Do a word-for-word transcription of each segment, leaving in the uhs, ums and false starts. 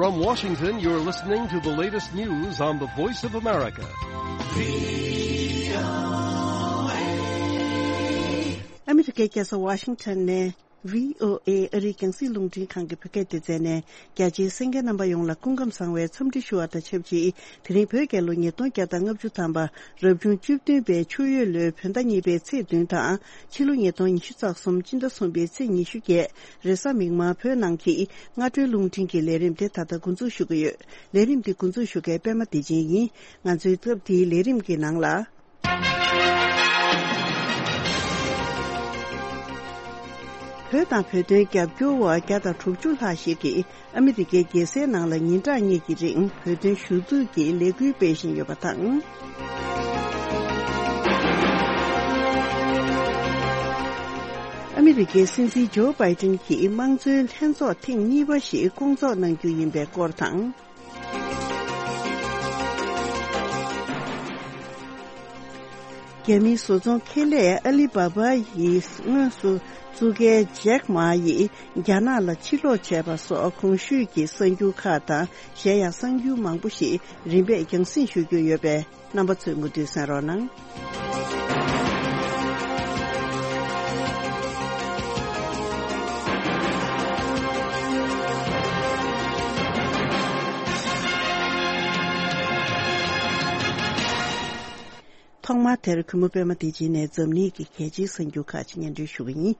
From Washington, you're listening to the latest news on the Voice of America. ཨ་མི་རི་ཀའི་རྒྱལ་ས་ཝ་ཤིང་ཊོན་ནས་བྷི་ཨོ་ཨེ་ཨ་རིའི་རྒྱང་སྲིང་རླུང་འཕྲིན་ཁང་གི་བོད་སྐད་སྡེ་ཚན་ནས། རྒྱ་ཆེའི་གསན་མཁན་རྣམ་པ་ཡོངས་ལ་སྐུ་ཁམས་བཟང་བའི་འཚམས་འདྲི་ཞུ་བ་དང་ཆབས་ཅིག་དེ་རིང་བོད་རྒྱལ་ལོ་ཉིས་སྟོང་བརྒྱ་དང་ལྔ་བཅུ་ཐམ་པ། རབ་བྱུང་བཅུ་བདུན་པའི་ཆུ་ཡོས་ལོའི་བོད་ཟླ་གཉིས་པའི་ཚེས་བདུན་དང་། ཕྱི་ལོ་ཉིས་སྟོང་ཉི་ཤུ་རྩ་གསུམ་སྤྱི་ཟླ་གསུམ་པའི་ཚེས་ཉི་ཤུ་བརྒྱད། རེས་གཟའ་མིག་དམར། བོད་ནང་གི་སྔ་དྲོའི་རླུང་འཕྲིན་གྱི་ལས་རིམ་དེ་ད་ལྟ་འགོ་འཛུགས་ཞུ་གི་ཡོད། ལས་རིམ་འདི་འགོ་འཛུགས་ཞུ་མཁན་པད་མ་བདེ་ཆེན་ཡིན། ང་ཚོའི་སྐབས་འདིའི་ལས་རིམ་གྱི་ནང་ལ། བོད་དང་བོད་དོན་རྒྱབ་སྐྱོར་བ་བརྒྱ་དང་དྲུག་ཅུ་ལྷག་ཞིག་གིས་ཨ་མི་རི་ཀའི་རྒྱལ་སའི་ནང་ལ་ཉིན་གྲངས་གཉིས་ཀྱི་རིང་བོད་དོན་ཞུ་གཏུག་གི་ལས་འགུལ་སྤེལ་བཞིན་ཡོད་པ་དང་། ཨ་མི་རི་ཀའི་སྲིད་འཛིན་ཇོ་བྷའི་ཏིན་གྱིས་དམངས་གཙོའི་ལྷན་ཚོགས་ཐེངས་གཉིས་པ་ཞིག་བསྐོང་ཚོགས་གནང་རྒྱུ་ཡིན་པའི་སྐོར་དང་། རྒྱ་མིའི་བཟོ་ཚོང་ཁེ་ལས་ཨ་ལི་བྷ་བྷ་ཡིས་དངོས་སུ་བཙུགས་མཁན་ཇེག་མ་ཡིས་རྒྱ་ནག་ལ་ཕྱིར་ལོག་བྱས་པ་སོགས་གོང་ཞུས་ཀྱི་གསར་འགྱུར་ཁག་དང་། གཞན་ཡང་གསར་འགྱུར་མང་པོ་ཞིག་རིམ་པས་རྒྱང་སྲིང་ཞུ་རྒྱུ་ཡོད་པས། རྣམ་པ་ཚོས་མུ་མཐུད་གསན་རོགས་གནང་། ཐོག་མར་དེར་གུས་མོ་པད་མ་བདེ་ཆེན་ནས་འཛམ་གླིང་གི་གལ་ཆེའི་གསར་འགྱུར་ཁག་ཅིག་སྙན་སྒྲོན་ཞུ་གི་ཡིན།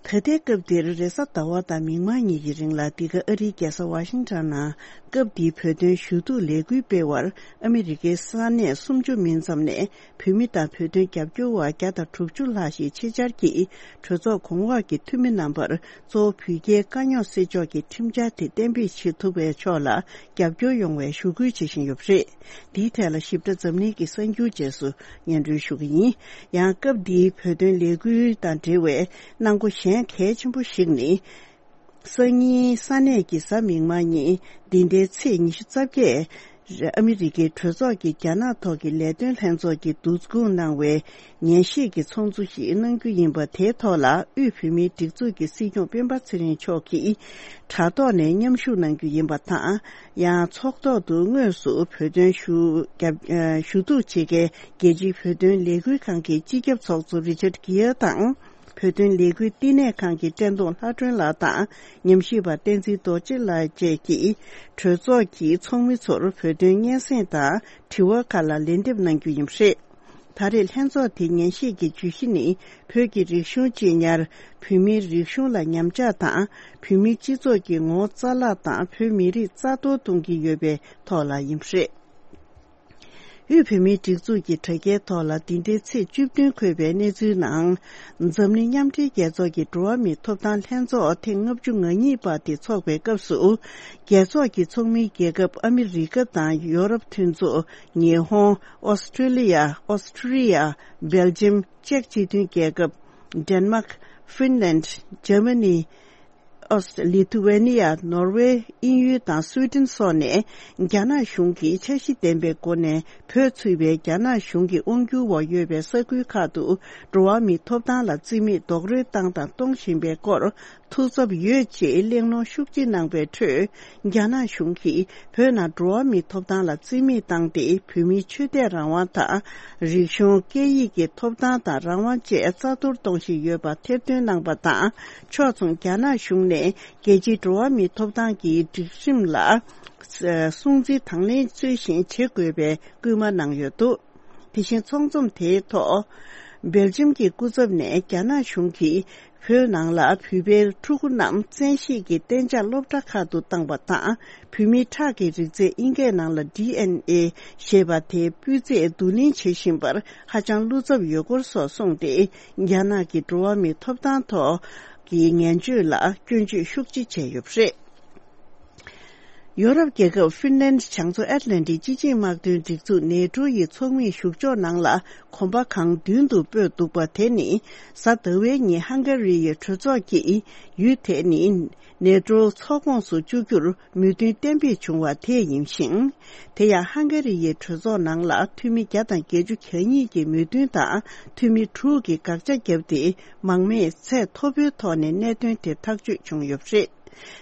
ད་ལྟའི་སྐབས་འདིར་རེས་གཟའ་ཟླ་བ་དང་མིག་དམར་གཉིས་ཀྱི་རིང་ལ། འདི་ག་ཨ་རིའི་རྒྱལ་ས་ཝ་ཤིང་ཊོན་ནང་སྐབས་འདིའི་བོད་དོན་ཞུ་གཏུག་ལས་འགུལ་སྤེལ་བར་ཨ་མི་རི་ཀའི་ས་གནས་སུམ་ཅུ་མིན་ཙམ་ནས་བོད་མི་དང་བོད་དོན་རྒྱབ་སྐྱོར་བ་བརྒྱ་དང་དྲུག་ཅུ་ལྷག་ཞིག་ཆེད་བཅར་གྱིས་གྲོས་ཚོགས་གོང་འོག་གི་འཐུས་མི་རྣམ་པར་གཙོ་བོ་བོད་རྒྱའི་དཀའ་རྙོག་སེལ་ཕྱོགས་ཀྱི་ཁྲིམས་འཆར་དེ་གཏན་འབེབས་བྱེད་ཐུབ་པའི་ཕྱོགས་ལ་རྒྱབ་སྐྱོར་ཡོང་བའི་ཞུ་སྐུལ་བྱེད་བཞིན་ཡོད་པ་རེད། འདིའི་ཐད་ལ་ཞིབ་ཕྲ་འཛམ་གླིང་གི་གསར་འགྱུར་རྗེས་སུ་སྙན་སྒྲོན་ཞུ་གི་ཡིན། ཡང་སྐབས་འདིའི་བོད་དོན་ལས་འགུལ་དང་འབྲེལ་བའི་གནང་སྒོ་གཞན་གལ་ཆེན་པོ་ཞིག་ནི། སང་ཉིན་ས་གནས་ཀྱི་གཟའ་མིག་དམར་ཉིན། འདི་ཟླའི་ཚེས་ཉི་ཤུ་རྩ་བརྒྱད། ཨ་མི་རི་ཀའི་གྲོས་ཚོགས་ཀྱི་རྒྱ་ནག་ཐོག་གི་ལས་དོན་ལྷན་ཚོགས་ཀྱིས་བསྡུ་སྐོང་གནང་བའི་ཉན་ཞིབ་ཀྱི་ཚོགས་འདུ་ཞིག་གནང་རྒྱུ་ཡིན་པ། དེའི་ཐོག་ལ་དབུས་བོད་མིའི་སྒྲིག་འཛུགས་ཀྱི་སྲིད་སྐྱོང་སྤེན་པ་ཚེ་རིང་མཆོག་གིས་དྲ་ཐོག་ནས་མཉམ་ཞུགས་གནང་རྒྱུ་ཡིན་པ་དང་། ཡང་ཚོགས་ཐོག་ཏུ་དངོས་སུ་བོད་དོན་ཞུ་རྒྱབ་ཞུ་གཏུག་བྱེད་མཁན་རྒྱལ་སྤྱིའི་བོད་དོན་ལས་འགུལ་ཁང་གི་སྤྱི་ཁྱབ་ཚོགས་གཙོ་རི་ཅར་གྷི་ཡར་དང་། བོད་དོན་ལས་འགུལ་བསྟི་གནས་ཁང་གི་བཀྲས་མཐོང་ལྷ་སྒྲོན་ལགས་དང་། ཉམས་ཞིབ་པ་བསྟན་འཛིན་རྡོ་རྗེ་ལགས་བཅས་ཀྱིས་གྲོས་ཚོགས་ཀྱི་ཚོགས་མི་ཚོར་བོད་དོན་སྙན་སེང་དང་དྲི་བ་ཁག་ལ་ལན་འདེབས་གནང་རྒྱུ་ཡིན་པ་རེད། ད་རེས་ལྷན་ཚོགས་དེའི་ཉན་ཞིབ་ཀྱི་བརྗོད་གཞི་ནི། བོད་ཀྱི་རིག་གཞུང་གཅེས་ཉར། བོད་མིའི་རིག་གཞུང་ལ་ཉམས་ཆག་དང་། བོད་མིའི་སྤྱི་ཚོགས་ཀྱི་ངོ་བོ་རྩ་བརླག་དང་། བོད་མི་རིགས་རྩ་གཏོར་གཏོང་གི་ཡོད་པའི་ཐོག་ལ་ཡིན་པ་རེད། དབུས་བོད་མིའི་སྒྲིག་འཛུགས་ཀྱི་དྲ་རྒྱའི་ཐོག་ལ་འདི་ཟླའི་ཚེས་བཅུ་བདུན་འཁོད་པའི་གནས་ཚུལ་ནང་། འཛམ་གླིང་མཉམ་འབྲེལ་རྒྱལ་ཚོགས་ཀྱི་འགྲོ་བ་མིའི་ཐོབ་ཐང་ལྷན་ཚོགས་ཐེངས་ལྔ་བཅུ་ང་གཉིས་པ་དེ་འཚོགས་པའི་སྐབས་སུ། རྒྱལ་ཚོགས་ཀྱི་ཚོགས་མིའི་རྒྱལ་ཁབ་ཨ་མི་རི་ཀ་དང་ཡོ་རོབ་མཐུན་ཚོགས། ཉི་ཧོང་། ཨོ་སི་ཀྲི་ལི་ཡ། ཨོ་སི་ཀྲི་ཡ། སྦེལ་ཇམ། ཅེཀ་སྤྱི་མཐུན་རྒྱལ་ཁབ། ཌེན་མཱག། ཧྥིན་ལན། འཇར་མ་ནི། ཨོ་སི། ལི་ཐུ་ཝེ་ནི་ཡ། ནོར་ཝེ། དབྱིན་ཡུལ་དང་སུའེ་ཏེན་སོགས་ནས། རྒྱ་ནག་གཞུང་གིས་འཆར་གཞི་ལྡན་པའི་སྒོ་ནས་བོད་ཚུད་པའི་རྒྱ་ནག་གཞུང་གི་དབང་སྒྱུར་འོག་ཡོད་པའི་ས་ཁུལ་ཁག་ཏུ། འགྲོ་བ་མིའི་ཐོབ་ཐང་ལ་བརྩི་མེད་རྡོག་རོལ་བཏང་དང་གཏོང་བཞིན་པའི་སྐོར་ཐུགས་འཚབ་ཡོད་ཅེས་གླེང་སློང་ཤུགས་ཆེ་གནང་པའི་ཁྲོད། རྒྱ་ནག་གཞུང་གིས་བོད་ནང་འགྲོ་བ་མིའི་ཐོབ་ཐང་ལ་བརྩི་མེད་བཏང་སྟེ། བོད་མིའི་ཆོས་དད་རང་དབང་དང་། རིག་གཞུང་། སྐད་ཡིག་གི་ཐོབ་ཐང་དང་རང་དབང་བཅས་རྩ་གཏོར་གཏོང་བཞིན་ཡོད་པ་ཐེར་འདོན་གནང་པ་དང་། ཕྱོགས་མཚུངས་རྒྱ་ནག་གཞུང་ནས་རྒྱལ་སྤྱིའི་འགྲོ་བ་མིའི་ཐོབ་ཐང་གི་སྒྲིག་ཁྲིམས་ལ་སྲུང་བརྩི་དང་ལེན་ཚུལ་བཞིན་བྱེད་དགོས་པའི་སྐུལ་མ་གནང་ཡོད་འདུག་དེ་བཞིན་ཚོགས་འཛོམས་དེའི་ཐོག་སྦེལ་ཇམ་གྱི་སྐུ་ཚབ་ནས་རྒྱ་ནག་གཞུང་གིས་བོད་ནང་ལ་བོད་པའི་ཕྲུ་གུ་རྣམས་བཙན་ཤེད་ཀྱིས་གཏན་འཇགས་སློབ་གྲྭ་ཁག་ཏུ་བཏང་པ་དང་། བོད་མིའི་ཁྲག་གི་རིགས་རྫས་ཨིན་སྐད་ནང་ལ་ཌི་ཨེན་ཨེ་ཞེས་པ་དེ་སྤུས་ཚད་བསྡུ་ལེན་བྱེད་བཞིན་པར་ཧ་ཅང་བློ་འཚབ་ཡོད་སྐོར་སོགས་གསུངས་ཏེ། རྒྱ་ནག་གི་འགྲོ་བ་མིའི་ཐོབ་ཐང་ཐོག་གི་ངན་བྱུས་ལ་སྐྱོན་བརྗོད་ཤུགས་ཆེ་བྱས་ཡོད་པ་རེད། ཡོ་རོབ་རྒྱལ་ཁབ་ཧྥིན་ལན། བྱང་མཚོ་ཨེཊ་ལན་ཊིག་སྤྱི་ཆིངས་དམག་དོན་སྒྲིག་འཛུགས་ནེ་ཊོ་ཡི་ཚོགས་མིའི་བཞུགས་ཕྱོགས་ནང་ལ་གོམ་པ་གང་མདུན་དུ་སྤོས་འདུག་པ་དེ་ནི། གཟའ་ཟླ་བའི་ཉིན་ཧང་ག་རི་ཡི་གྲོས་ཚོགས་ཀྱིས་ཡུལ་དེ་ནི་ནེ་ཊོ་ཚོགས་ཁོངས་སུ་བཅུག་རྒྱུར་མོས་མཐུན་གཏན་འབེབས་བྱུང་བ་དེ་ཡིན་ཞིང་། དེ་ཡང་ཧང་ག་རི་ཡི་གྲོས་ཚོགས་ནང་ལ་འཐུས་མི་བརྒྱ་དང་བརྒྱད་ཅུ་གྱ་གཉིས་ཀྱིས་མོས་མཐུན་དང་། འཐུས་མི་དྲུག་གིས་དགག་བྱ་བརྒྱབ་སྟེ། མང་མོས་ཚད་མཐོ་པོའི་ཐོག་ནས་གནད་དོན་དེ་ཐག་གཅོད་བྱུང་ཡོད་པ་རེད།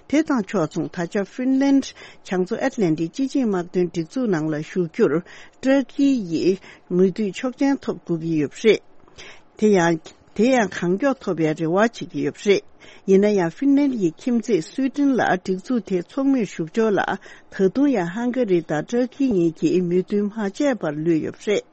དེ་དང་ཕྱོགས་མཚུངས། ད་ཆ་ཧྥིན་ལན་བྱང་མཚོ་ཨེཊ་ལན་ཊིག་སྤྱི་ཆིངས་དམག་དོན་སྒྲིག་འཛུགས་ནང་ལ་ཞུགས་རྒྱུར་ཏུར་ཀི་ཡིས་མོས་མཐུན་ཆོག་མཆན་ཐོབ་དགོས་ཀྱི་ཡོད་པ་རེད། དེ་ཡང་དེ་ཡང་གང་མགྱོགས་ཐོབ་པའི་རེ་བ་བྱེད་ཀྱི་ཡོད་པ་རེད། ཡིན་ན་ཡང་ཧྥིན་ལན་ཡི་ཁྱིམ་མཚེས་སུའེ་ཏེན་ལ་སྒྲིག་འཛུགས་དེའི་ཚོགས་མིར་ཞུགས་ཕྱོགས་ལ་ད་དུང་ཡང་ཧང་ག་རི་དང་ཏུར་ཀི་གཉིས་ཀྱིས་མོས་མཐུན་མ་བྱས་པར་ལུས་ཡོད་པ་རེད།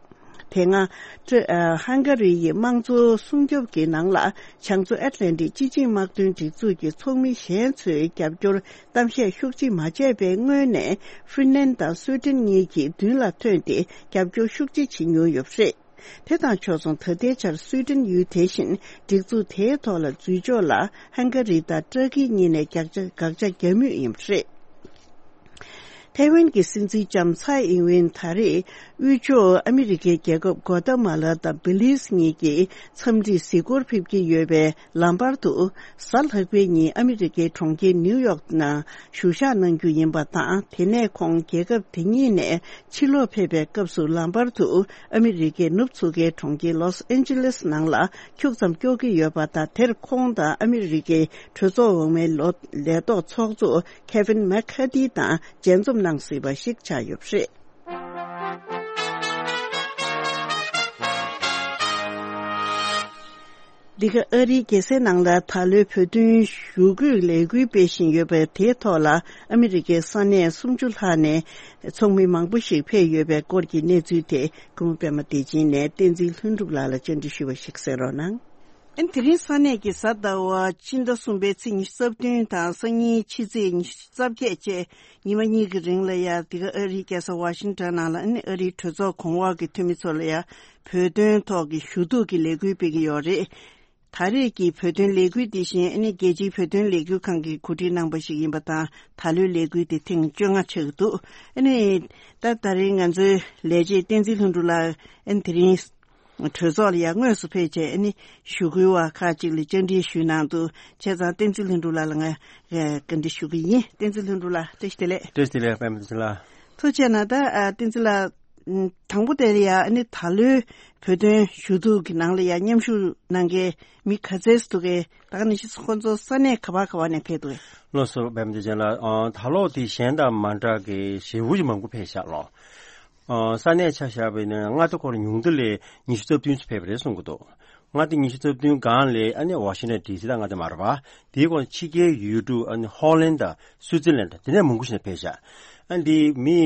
དེ་སྔ། ཀྲ- ཨ། ཧང་ག་རི་ཡི་དམངས་གཙོ་སྲུང་སྐྱོབ་ཀྱི་ནང་ལ་བྱང་མཚོ་ཨེཊ་ལན་ཊིག་སྤྱི་ཆིངས་དམག་དོན་སྒྲིག་འཛུགས་ཀྱི་ཚོགས་མི་གཞན་ཚོས་རྒྱབ་སྐྱོར་གཏམ་བཤད་ཤུགས་ཆེ་མ་བྱས་པའི་སྔོན་ནས་ཧྥིན་ལན་དང་སུའེ་ཏེན་གཉིས་ཀྱིས་མདུན་ལ་ཐོན་ཏེ་རྒྱབ་སྐྱོར་ཤུགས་ཆེ་བྱེད་མྱོང་ཡོད་པ་རེད། དེ་དང་ཕྱོགས་མཚུངས། ད་ལྟའི་ཆར་སུའེ་ཏེན་ཡུལ་དེ་བཞིན་སྒྲིག་འཛུགས་དེའི་ཐོག་ལ་འཛུལ་ཕྱོགས་ལ་ཧང་ག་རི་དང་ཏུར་ཀི་གཉིས་ནས་དགག་བྱ་དགག་བྱ་བརྒྱབ་མུས་ཡིན་པ་རེད། ཐའེ་ཝན་གྱི་སྲིད་འཛིན་ལྕམ་ཚའེ་ཨིན་ཝེན་ད་རེས་དབུས་ཕྱོགས་ཨ་མི་རི་ཀའི་རྒྱལ་ཁབ་གོ་ཏ་མ་ལ་དང་བི་ལིས་གཉིས་ཀྱི་འཚམས་འདྲིར་གཟིགས་སྐོར་ཕེབས་ཀྱི་ཡོད་པའི་ལམ་བར་དུ། གཟའ་ལྷག་པའི་ཉིན་ཨ་མི་རི་ཀའི་གྲོང་ཁྱེར་ནིའུ་ཡོག་ནང་བཞུགས་ཞག་གནང་རྒྱུ་ཡིན་པ་དང་། དེ་ནས་ཁོང་རྒྱལ་ཁབ་དེ་གཉིས་ནས་ཕྱིར་ལོག་ཕེབས་པའི་སྐབས་སུ་ལམ་བར་དུ་ཨ་མི་རི་ཀའི་ནུབ་མཚོ་ཁའི་གྲོང་ཁྱེར་ལོས་ཨན་ཇི་ལེས་ནང་ལ་ཁྱུག་ཙམ་སྐྱོད་ཀྱི་ཡོད་པ་དང་། དེར་ཁོང་དང་ཨ་མི་རི་ཀའི་གྲོས་ཚོགས་འོག་མའི་ལོ- ལས་ཐོག་ཚོགས་གཙོ་ཁེ་ཝིན་མེག་ཁ་ཐི་དང་མཇལ་འཛོམས་གནང་སྲིད་པ་ཞིག་ཆགས་ཡོད་པ་རེད། འདི་ག་ཨ་རིའི་རྒྱལ་སའི་ནང་ལ་ད་ལོའི་བོད་དོན་ཞུ་སྐུལ་ལས་འགུལ་སྤེལ་བཞིན་ཡོད་པ་དེའི་ཐོག་ལ་ཨ་མི་རི་ཀའི་ས་གནས་སུམ་ཅུ་ལྷག་ནས་ཚོགས་མི་མང་པོ་ཞིག་ཕེབས་ཡོད་པའི་སྐོར་གྱི་གནས་ཚུལ་དེ་སྐུ་ངོ་པད་མ་བདེ་ཆེན་ནས་བསྟན་འཛིན་ལྷུན་གྲུབ་ལགས་ལ་བཅར་འདྲི་ཞུས་པ་ཞིག་གསན་རོགས་གནང་། ཨན། དེ་རིང་ས་གནས་ཀྱི་གཟའ་ཟླ་བ་སྤྱི་ཟླ་གསུམ་པའི་ཚེས་ཉི་ཤུ་རྩ་བདུན་དང་སང་ཉིན་ཕྱི་ཚེས་ཉི་ཤུ་རྩ་བརྒྱད་བཅས་ཉི་མ་གཉིས་ཀྱི་རིང་ལ་ཡ། འདི་ག་ཨ་རིའི་རྒྱལ་ས་ཝ་ཤིང་ཊོན་ནང་ལ་ཨ་ནི་ཨ་རིའི་གྲོས་ཚོགས་གོང་འོག་གི་འཐུས་མི་ཚོ་ལ་ཡ་བོད་དོན་ཐོག་གི་ཞུ་གཏུག་གི་ལས་འགུལ་སྤེལ་གྱི་ཡོད་རེད། ད་རེས་ཀྱི་བོད་དོན་ལས་འགུལ་འདི་བཞིན་ཨ་ནི་རྒྱལ་སྤྱིའི་བོད་དོན་ལས་འགུལ་ཁང་གིས་གོ་སྒྲིག་གནང་པ་ཞིག་ཡིན་པ་དང་། ད་ལོའི་ལས་འགུལ་འདི་ཐེངས་བཅོ་ལྔ་ཆགས་ཀྱི་འདུག་ཨ་ནི་ད་ད་རེས་ང་ཚོའི་ལས་བྱེད་བསྟན་འཛིན་ལྷུན་གྲུབ་ལགས་ཨ་ནི་དེ་རིང་གྲོས་ཚོགས་ལ་ཡང་དངོས་སུ་ཕེབས་བྱས་ཨ་ནི་ཞུ་སྐུལ་བ་ཁག་ཅིག་ལ་བཅར་འདྲི་ཞུས་གནང་འདུག་བྱས་ཙང་བསྟན་འཛིན་ལྷུན་གྲུབ་ལགས་ལ་ང་བཀའ་འདྲི་ཞུ་གི་ཡིན། བསྟན་འཛིན་ལྷུན་གྲུབ་ལགས། བཀྲ་ཤིས་བདེ་ལེགས། བཀྲ་ཤིས་བདེ་ལེགས། པད་མ་བདེ་ཆེན་ལགས། ཐུགས་རྗེ་གནང་། ད་ཨ་བསྟན་འཛིན་ལགས། ཨམ། དང་པོ་དེ་ལ་ཡ་ཨ་ནི་ད་ལོའི་བོད་དོན་ཞུ་གཏུག་གི་ནང་ལ་ཡ་མཉམ་ཞུགས་གནང་མཁན་མི་ག་ཚད་འདུག་གས། ད་ག་ནང་བཞིན་ཁོང་ཚོ་ས་གནས་ག་བ་ག་བ་ནས་ཕེབས་འདུག་གས། ལགས་སོ། པད་མ་བདེ་ཆེན་ལགས། ཨ། ད་ལོ་དེ་གཞན་དང་མ་འདྲ་གི་ཞེ་པོ་ཅིག་མང་པོ་ཕེབས་ཤག་ལགས། ཨ། ས་གནས་ཆ་བཞག་པ་ཡིན་ན་མངའ་སྡེ་ཁོ་རང་ཉུང་མཐའ་ལ་ཉི་ཤུ་རྩ་བདུན་ཙམ་ཕེབས་པ་རེད་གསུང་གི་འདུག་མངའ་སྡེ་ཉི་ཤུ་རྩ་བདུན་སྒང་ལ་ཨ་ནི་ཝ་ཤིང་ཊོན་ཌི་སི་དང་མངའ་སྡེ་མ་རེད་པ། དེའི་སྐོར་ཕྱི་རྒྱལ་ཡུལ་གྲུ་ཨ་ནི་ཧོ་ལན་དང་སུའུ་ཙི་ལན་དང་དེ་ནས་མང་པོ་ཞིག་ནས་ཕེབས་ཤག་ཨ། འདི་མི་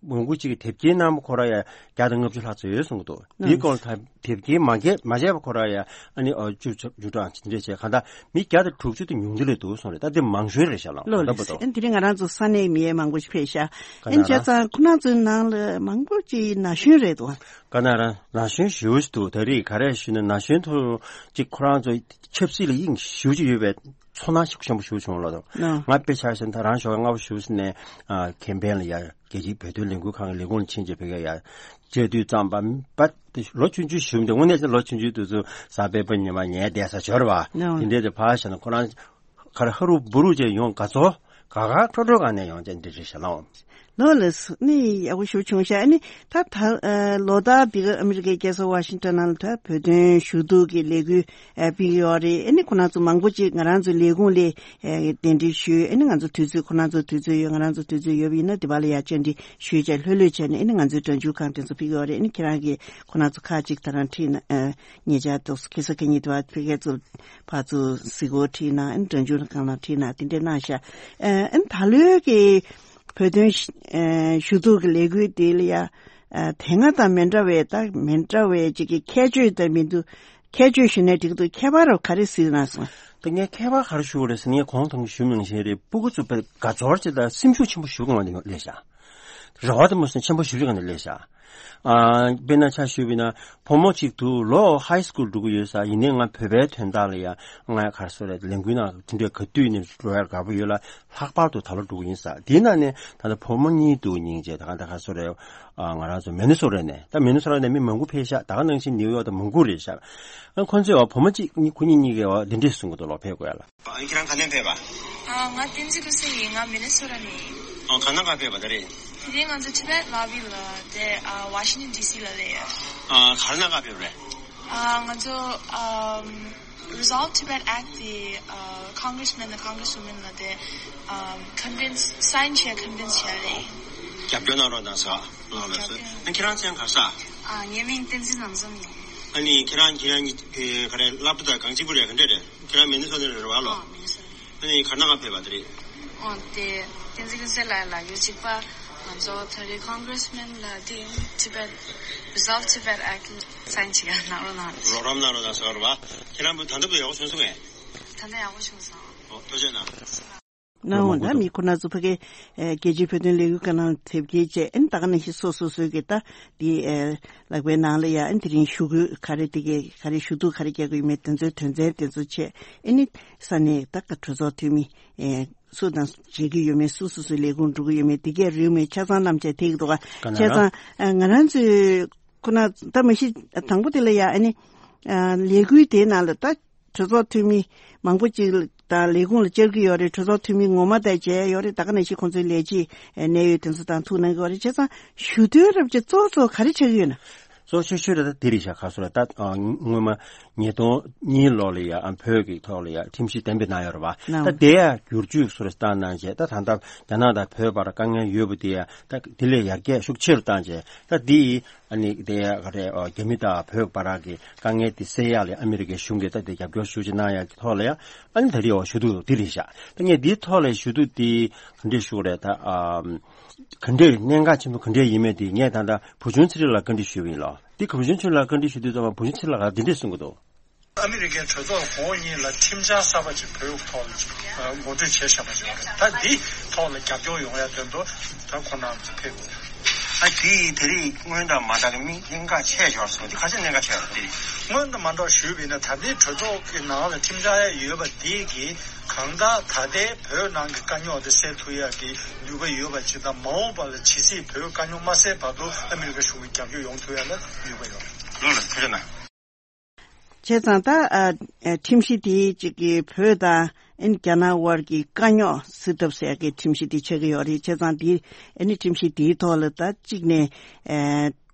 མང་པོ་ཅིག་གིས་དེབ་སྐྱེལ་གནང་བ་ཁོ་རང་ཡང་བརྒྱ་དང་ལྔ་བཅུ་ལྷག་ཙམ་ཡོད་གསུང་གི་འདུག་དེའི་སྐོར་ལ་ད་དེབ་སྐྱེལ་མ་བྱས་མ་བྱས་པ་ཁོ་རང་ཡང་ཨ་ནི་ཨོ་བཅུ་བཅུ་གྲངས་ཅིག་འདྲ་བྱས། གང་ལྟར་མི་བརྒྱ་དང་དྲུག་ཅུ་དང་ཉུང་མཐའ་ལ་འདུག་གསུངས་རེད། ད་དེ་མང་ཤོས་རེད་ཤག་ལགས། ལགས་ད་པོ་ལགས། དོ། ཨ། དེ་རིང་ང་རང་ཚོ་ས་གནས་མི་ཡང་མང་པོ་ཞིག་ཕེབས་ཤག་ཨ་ནི་བྱས་ཙང་ཁོ་རང་ཚོའི་ནང་ལ་མང་པོ་ཅིག་ན་གཞོན་རེད་འདུག་ག་ན་རང་ན་གཞོན་ཞེ་པོ་ཅིག་འདུག་ད་རེས་ག་རེ་ཞུས་ན་ན་གཞོན་ཚོ་ཅིག་ཁོ་རང་ཚོ་ཆབ་སྲིད་ལ་དབྱིངས་ཞེ་པོ་ཅིག་ཡོད་པའི་ཚོར་སྣང་ཞིག་ཆེན་པོ་ཞེ་པོ་བྱུང་ལགས། ལགས། ང་དཔེ་ཆ་བཞག་ན་ད་རང་ཞོགས་ཀས་སྔ་པོ་ཞེ་པོ་ནས་ཨ་ཁེམ་པེན་ལ་ཡ་རྒྱལ་སྤྱིའི་བོད་དོན་ལས་འགུལ་ཁང་གི་ལས་ཁུངས་ལ་ཕྱིན་བྱས་ཕ་གིར་ཡ་བཅར་དུས་ཙམ་པ་པ་ལོ་ཆུང་ཆུང་ཞིག་འདུག་དངོས་གནས་ལོ་ཆུང་ཆུང་དུས་ཚོད་གཟའ་སྤེན་པ་ཉི་མ་ཉལ་བསྡད་ས་ཞོར་བ། ལགས། དེ་འདྲའི་དེ་ཕར་བཞག་ན་ཁོ་རང་ག་རེ་ཧ་རུ་བུ་རུ་བྱས་ཡོང་དགའ་ཚོར་དགའ་དགའ་སྤྲོ་སྤྲོ་གང་ནས་ཡོང་བྱས་འདི་རེད་ཤག་ལགས། ལགས་ལགས། ནི་ཡག་པོ་ཞེ་པོ་བྱུང་ཤག་ཨ་ནི་ད་ད་ཨ་ལོ་ལྟར་འདི་ག་ཨ་མི་རི་ཀའི་རྒྱལ་ས་ཝ་ཤིང་ཊོན་ནང་ལ་ད་བོད་དོན་ཞུ་གཏུག་གི་ལས་འགུལ་ཨ་སྤེལ་གྱི་ཡོད་རེད། ཨ་ནི་ཁོ་རང་ཚོ་མང་པོ་ཅིག་ང་རང་ཚོའི་ལས་ཁུངས་ལ་ཨ་གདན་འདྲེན་ཞུས། ཨ་ནི་ང་ཚོ་དུས་ཚོད་ཁོ་རང་ཚོ་དུས་ཚོད་ཡོད། ང་རང་ཚོ་དུས་ཚོད་ཡོད་པ་ཡིན་ན་དེ་བ་ལ་ཡ་བཅར་འདྲི་ཞུས་བྱས་ལྷོད་ལྷོད་བྱས་ནས་ཨ་ནི་ང་ཚོའི་སྒྲ་འཇུག་ཁང་དེ་ཚོ་ཕེབས་ཀྱི་ཡོད་རེད། ཨ་ནི་ཁྱེད་རང་གིས་ཁོ་རང་ཚོ་ཁག་ཅིག་ད་རང་ཁྲིད་ན་ཨ་ཉེ་ཆར་དུ་ཁེ་ས་ཁེ་ཉིད་དེ་བ་ཕ་གི་ཚོ་ཕར་ཚུར་གཟིགས་སྐོར་ཁྲིད་ན། ཨ་ནི་སྒྲ་འཇུག་ཁང་ནང་ཁྲིད་ན་དེ་འདྲས་གནང་ཤག་ཨ་ཨ་ནི་ད་ལོའི་གི་བོད་དོན་ཞུ་གཏུག་གི་ལས་འགུལ་དེ་ལ་ཡ་ཨ་དེ་སྔ་དང་མི་འདྲ་བའི་ད་མི་འདྲ་བའི་ཅིག་གི་ཁྱད་ཆོས་དང་མི་འདུག་ཁྱད་ཆོས་ཞུས་ན་འགྲིག་འདུག་ཁྱད་པར་རོ་ག་རེ་གཟིགས་གནང་སོང་། ད་ངས་ཁྱད་པར་ག་རེ་ཞུ་དགོས་རེད་ཟེར་ན། ངས་གོང་དུ་ཞུས་མིན་བཞིན་རེད། སྤུ་གུ་ཚོ་དཔེ་དགའ་ཚོར་ཅིག་དང་སེམས་ཤུགས་ཆེན་པོ་ཞེ་པོ་གང་ལ་སླེབས་ཤག་རེ་བ་དེ་མོ་སེམས་ཆེན་པོ་ཞེ་པོ་ཅིག་གང་ལ་སླེབས་ཤག་ཨ་དཔེར་ན་ཆ་ཞུས་པ་ཡིན་ན་བུ་མོ་གཅིག་འདུག་ལོ་ཧའི་སི་ཀུལ་འགྲོ་གི་ཡོད་ས། ཡིན་ནའི་ང་བོད་པའི་དོན་དག་ལ་ཡ་ང་ག་རེ་ཟེར་རེད། ལས་འགུལ་ནང་དེ་འདྲའི་ག་དུས་ནས་འགྲོ་ཡ་དགའ་པོ་ཡོད་ལ། ལྷག་པར་དུ་ད་ལོ་འགྲོ་གི་ཡིན་ས། དེའི་ནང་ནས་ད་ལྟ་བུ་མོ་གཉིས་འདུག་སྙིང་རྗེ། ད་ག་ད་ག་རེ་ཟེར་རེད། ཨ་ང་རང་ཚོ་མི་ནི་སོ་ཊ་ནས། ད་མི་ནི་སོ་ཊ་ནས་མི་མང་པོ་ཕེབས་ཤག་ད་ག་ནང་བཞིན་ནིའུ་ཡོག་དང་མང་པོ་རེད་ཤག་ཨ་ཁོང་ཚོས་བུ་མོ་གཅིག་གཉིས་ཁོ་གཉིས་གཉིས་ཀས་འདི་འདྲས་གསུང་གི་འདུག་ལགས། ཕེབས་དགོས་ཡ་ལ། ཨ་ཁྱེད་རང་ག་ནས་ཕེབས་པ། ཨ་ང་བསྟན་འཛིན་ཀུན་བཟང་ཡིན། ང་མི་ནི་སོ་ཊ་ནས་ཡིན། ཨ་ག་ན་ག་ཕེབས་པ་ད་རེས། དེ་རིང་ང་ཚོ་ཊི་བེཊ་ལ་བི་ལ་དེ་ཨ་ཝ་ཤིང་ཊོན་ཌི་སི་ལ་སླེབས་ཡོད། ཨ་ག་རེ་ན་ག་ཕེབས་རེད། ཨ་ང་ཚོ་ཨམ་ Resolve Tibet Act དེ་ཨ་Congressman དང་Congresswoman ལ་དེ་ཨ་convince sign བྱས་convince བྱས་རེད། རྒྱབ་སྐྱོར་གནང་རོགས་གནང་ཟེར། ལགས་ལགས་སོ། རྒྱབ་སྐྱོར། ཨ་ཁྱེད་རང་མཚན་ག་རེ་ཟེར། ཨ་ངའི་མིང་བསྟན་འཛིན་ལམ་འཛོམས་ཡིན། ཨ་ནི་ཁྱེད་རང་ཁྱེད་རང་གཉིས་ཀྱི་ག་རེ་སློབ་གྲྭ་དང་གང་གཅིག་པུ་རེད། ག་འདྲ་རེད། ཁྱེད་རང་མི་ནི་སོ་ཊ་ནས་རེད་བ་ལོ། ཨ་མི་ནི་སོ་ཊ། ཨ་ནི་ག་རེ་གནང་ག་ཕེབས་པ་དེ་རེད། ཨོ་དེ་བསྟན་འཛིན་ཀུན་གསལ་ལགས་ལ་ཡོད་གཅིག་པ་ང་ཚོ་ད་རེས་Congressman ལ་དེ་Tibet Resolve Tibet Act sign བྱེད་ག་གནང་རོགས་གནང་། རོགས་རམ་གནང་རོགས་གནང་ཟེར་བ་རེད་བ། ཁྱེད་རང་ད་ལྟ་བུ་ཡག་པོ་བྱུང་སོང་ངས། ད་ལྟ་ཡག་པོ་བྱུང་སོང་། ཨོ་ཐུགས་རྗེ་གནང་། གནང་འོང་། ད་མི་ཁོ་ན་ཚོ་ཕ་གི་ཨེ་རྒྱལ་སྤྱིའི་བོད་དོན་ལས་འགུལ་ཁག་ནང་ཐེབས་མཁན་བཅས་ཨེ་ད་ག་ནང་བཞིན་སོ་སོ་སོའི་གི་ད་དེ་ཨེ་ལག་པའི་ནང་ལ་ཡ་ཨེ་དེ་རིང་ཞུ་སྐུལ་ག་རེ་དེ་གའི་ག་རེ་ཞུ་གཏུག་ག་རེ་རྒྱག་གི་ཡོད་མེད་དེ་ཚོའི་དོན་ཚན་དེ་ཚོ་བཅས་ཨེ་ནི་ས་གནས་ད་ག་གྲོས་ཚོགས་འཐུས་མི་ཨེ་སུ་དང་མཇལ་གི་ཡོད་མེད་སུ་སོ་སོའི་ལས་ཁུངས་འགྲོ་གི་ཡོད་མེད་དེ་གའི་རེའུ་མིག་ཆ་ཚང་རྣམས་བཅས་ཐེག་གི་འདུག་ག་ག་ན་བྱས་ར། ཙང་ཨེ་ང་རང་ཚོའི་ཁོ་ན་ད་མ་གཞི་དང་པོ་དེ་ལ་ཡ་ཨེ་ནི་ཨེ་ལས་འགུལ་དེའི་ནང་ལ་ད། གྲོས་ཚོགས་འཐུས་མི་མང་པོ་ཅིག་དང་ལས་ཁུངས་ལ་བཅར་གྱི་ཡོད་རེད། གྲོས་ཚོགས་འཐུས་མི་ངོ་མ་དང་མཇལ་ཡོད་རེད། ད་ག་ནང་བཞིན་ཁོང་ཚོའི་ལས་བྱེད་གནད་ཡོད་དེ་ཚོ་དང་ཐུག་གནང་གི་ཡོད་རེད། བྱས་ཙང་ཞུ་དོན་རབ་ཅིག་གཙོ་གཙོ་ག་རེ་ཆགས་ཀྱི་ཡོད་ན། གཙོ་ཆེ་ཤོས་རེད། ད་དེ་རེད་ཤག་ག་སོ་ར་ད་སྔོན་མ་ཉིས་སྟོང་གཉིས་ལོ་ལ་ཡ་བོད་ཀྱི་ཐོག་ལ་ཡ་ཁྲིམས་གཞི་གཏན་འབེབས་གནང་ཡོད་རེད་བ། ད་དེ་ཡ་བསྒྱུར་བཅོས་སོ་ར་བཏང་གནང་བྱས་ད་ད་ལྟ་རྒྱ་ནག་དང་བོད་བར་དཀའ་ངལ་ཡོད་པ་དེ་ཡ་ད་དེ་ལས་ཡར་རྒྱས་ཤུགས་ཆེ་རུ་བཏང་བྱས་ད་དེ་ཡི། ཨ་ནི་དེ་ཡ་ག་རེ་ཨ་རྒྱ་མི་དང་བོད་བར་གྱི་དཀའ་ངལ་དེ་སེལ་ཡག་ལ་ཨ་མི་རི་ཀའི་གཞུང་གིས་ད་དེ་རྒྱབ་སྐྱོར་ཤུགས་ཆེ་གནང་ཡག་གི་ཐོག་ལ་ཡ་ཨ་ནི་ད་རེས་འོ་ཞུ་གཏུག་འདི་རེད་ཤག་ད་ངས་འདིའི་ཐོག་ལ་ཞུ་གཏུག་འདི་ག་འདྲས་ཞུ་དགོས་རེད། ད་ཨ་ག་འདྲས་གནད་འགག་ཆེན་པོ་ག་འདྲས་ཡིན་མེད་དེ་ངས་ད་ལྟ་བུ་ཆུང་ཚེ་རིང་ལགས་བཀའ་འདྲི་ཞུས་པ་ཡིན་ལོ། འདི་ག་བུ་ཆུང་ཚེ་རིང་ལགས་བཀའ་འདྲི་ཞུ་དུས་ཙམ་པ་བུ་ཆུང་ཚེ་རིང་ལགས་འདི་འདྲས་གསུང་གི་འདུག་ཨ་མི་རི་ཀའི་གྲོས་ཚོགས་གོང་འོག་གཉིས་ལ་ཁྲིམས་འཆར་གསར་པ་ཅིག་བོད་ཐོག་ལ་ཅིག་ངོ་སྤྲོད་བྱས་བཞག་པ་ཅིག་ཡོད་རེད། ད་འདི་ཐོག་ལ་རྒྱབ་སྐྱོར་ཡོང་ཡ་དོན་དུ་ད་ཁོང་རྣམ་ཚོ་ཕེབས་དགོས། ཨ་དེ་དེ་རིང་སྔོན་དང་མ་འདྲ་གི་མི་གནད་འགག་ཆེ་ཤོས་སོང་དེ་ག་ཚད་གནད་འགག་ཆེ་བ་དེ་རེད། སྔོན་དང་མ་འདྲ་བ་ཞུས་པ་ཡིན་ན་ད་ལྟའི་གྲོས་ཚོགས་ཀྱི་ནང་ལ་ཁྲིམས་འཆར་ཡ་ཡོད་པ་དེ་གི་གང་ལྟར་ད་ལྟའི་བོད་ནང་གི་དཀའ་རྙོག་དེ་སེལ་ཐུབ་ཡ་གི་ནུས་པ་ཡོད་པ་ཅིག་དང་མ་འོངས་པ་ལ་ཇི་སྲིད་བོད་དཀའ་རྙོག་མ་སེལ་བར་དུ་ཨ་མི་རི་ཀ་གཞུང་གི་རྒྱབ་སྐྱོར་ཡོང་ཐུབ་ཡ་ལ་ནུས་པ་ཡོད་རེད། ལགས་ལགས་ཐུགས་རྗེ་གནང་། བྱས་ཙང་ད་ཨ་ཨ་ཁྲིམས་གཞི་དེའི་གཅིག་གི་བོད་དང་ཨིན་རྒྱ་ནག་དབར་གྱི་དཀའ་རྙོག་སེལ་ཐབས་ཟེར་གྱི་ཁྲིམས་གཞི་དེ་ཆགས་ཀྱི་ཡོད་རེད། བྱས་ཙང་དེ་ཨ་ནི་ཁྲིམས་གཞི་དེའི་ཐོག་ལ་ད་གཅིག་ནས་ཨ་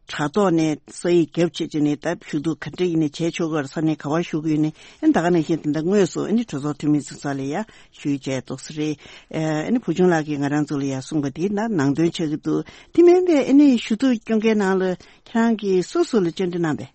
དྲ་ཐོག་ནས་ས་ཡིག་རྒྱབ་བྱས་བྱས་ནས་ད་ཞུ་གཏུག་ག་འདྲ་ཡིན་ནས་བྱས་ཆོག་གི་ས་ནས་ག་བ་ཞུ་གི་ཡོད་ནས་ཨ་ནི་ད་ག་ནང་བཞིན་དེ་འདྲ་དངོས་སུ་ཨ་ནི་གྲོས་ཚོགས་འཐུས་མི་ཚོ་ས་ལ་ཡ་ཞུས་བྱས་ཏོག་ཙམ་རེད། ཨ་ནི་བུ་ཆུང་ལགས་ཀྱིས་ང་རང་ཚོ་ལ་ཡ་གསུངས་པ་དེ་ད་ནང་དོན་ཆགས་ཀྱི་འདུག་དེ་མིན་པའི་ཨ་ནི་ཞུ་གཏུག་སྐྱོན་མཁན་ནང་ལ་ཁྱེད་རང་གིས་སུ་སུ་ལ་བཅར་འདྲི་གནང་པས།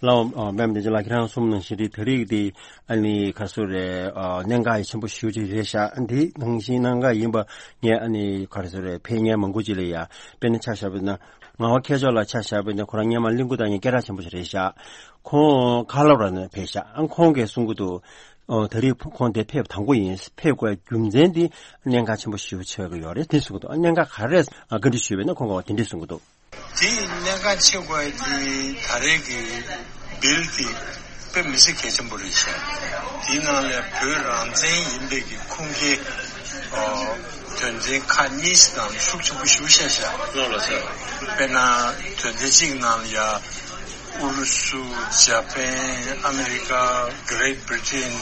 ལགས་འོང་། ཨ་པད་མ་བདེ་ཆེན་ལགས་ཁྱེད་རང་གསུངས་ནང་བཞིན་རེད། ད་རེས་དེ་ཨ་ནི་ག་རེ་ཟེར་རེད། ཨ་གནད་འགག་ཡ་ཆེན་པོ་ཞེ་པོ་ཅིག་རེད་ཤག་ཨ་འདི་ནང་བཞིན་གནད་འགག་ཡིན་པ་ངས་ཨ་ནི་ག་རེ་ཟེར་རེད། ཕེབས་མཁན་མང་པོ་ཅིག་ལ་ཡ་དཔེར་ན་ཆ་བཞག་པ་ཡིན་ན་ངག་དབང་མཁས་མཆོག་ལགས་ཆ་བཞག་པ་ཡིན་ན་ཁོ་རང་སྔོན་མ་གླིང་སྐུ་བསྟན་སྙིང་སྐད་གྲགས་ཆེན་པོ་ཞིག་རེད་ཤག་ཁོང་ཁ་ལོ་ར་ནས་ཕེབས་ཤག་ཨ་ཁོང་གིས་གསུང་གི་འདུག་ཨོ་ད་རེས་ཁོང་དེ་ཕེབས་དང་པོ་ཡིན། ཕེབས་དགོས་རྒྱུ་མཚན་འདི་གནད་འགག་ཆེན་པོ་ཞེ་པོ་ཆགས་ཀྱི་ཡོད་རེད་དེ་གསུང་གི་འདུག་ཨ་གནད་འགག་ག་རེ་བཀའ་འདྲི་ཞུས་པ་ཡིན་ན་ཁོང་གིས་དེ་འདྲས་གསུང་གི་འདུག་དེའི་གནད་འགག་ཆེ་བ་དེ་ད་རེས་ཀྱི་བིལ་དེ་དཔེ་མི་སྲིད་གལ་ཆེན་པོ་རེད་ཤག་དེའི་ནང་ལ་བོད་རང་བཙན་ཡིན་པའི་གི་ཁུངས་སྐྱེལ་ཨ་དོན་ཚན་ཁག་གཉིས་ནང་ཤུགས་ཆེན་པོ་ཞེ་པོ་བཤད་ཤག་ལགས་ལགས་སོ། དཔེར་ན་དོན་ཚན་གཅིག་ནང་ལ་ཡ་ཨུ་རུ་སུ། ཇ་པན། ཨ་མི་རི་ཀ། Great Britain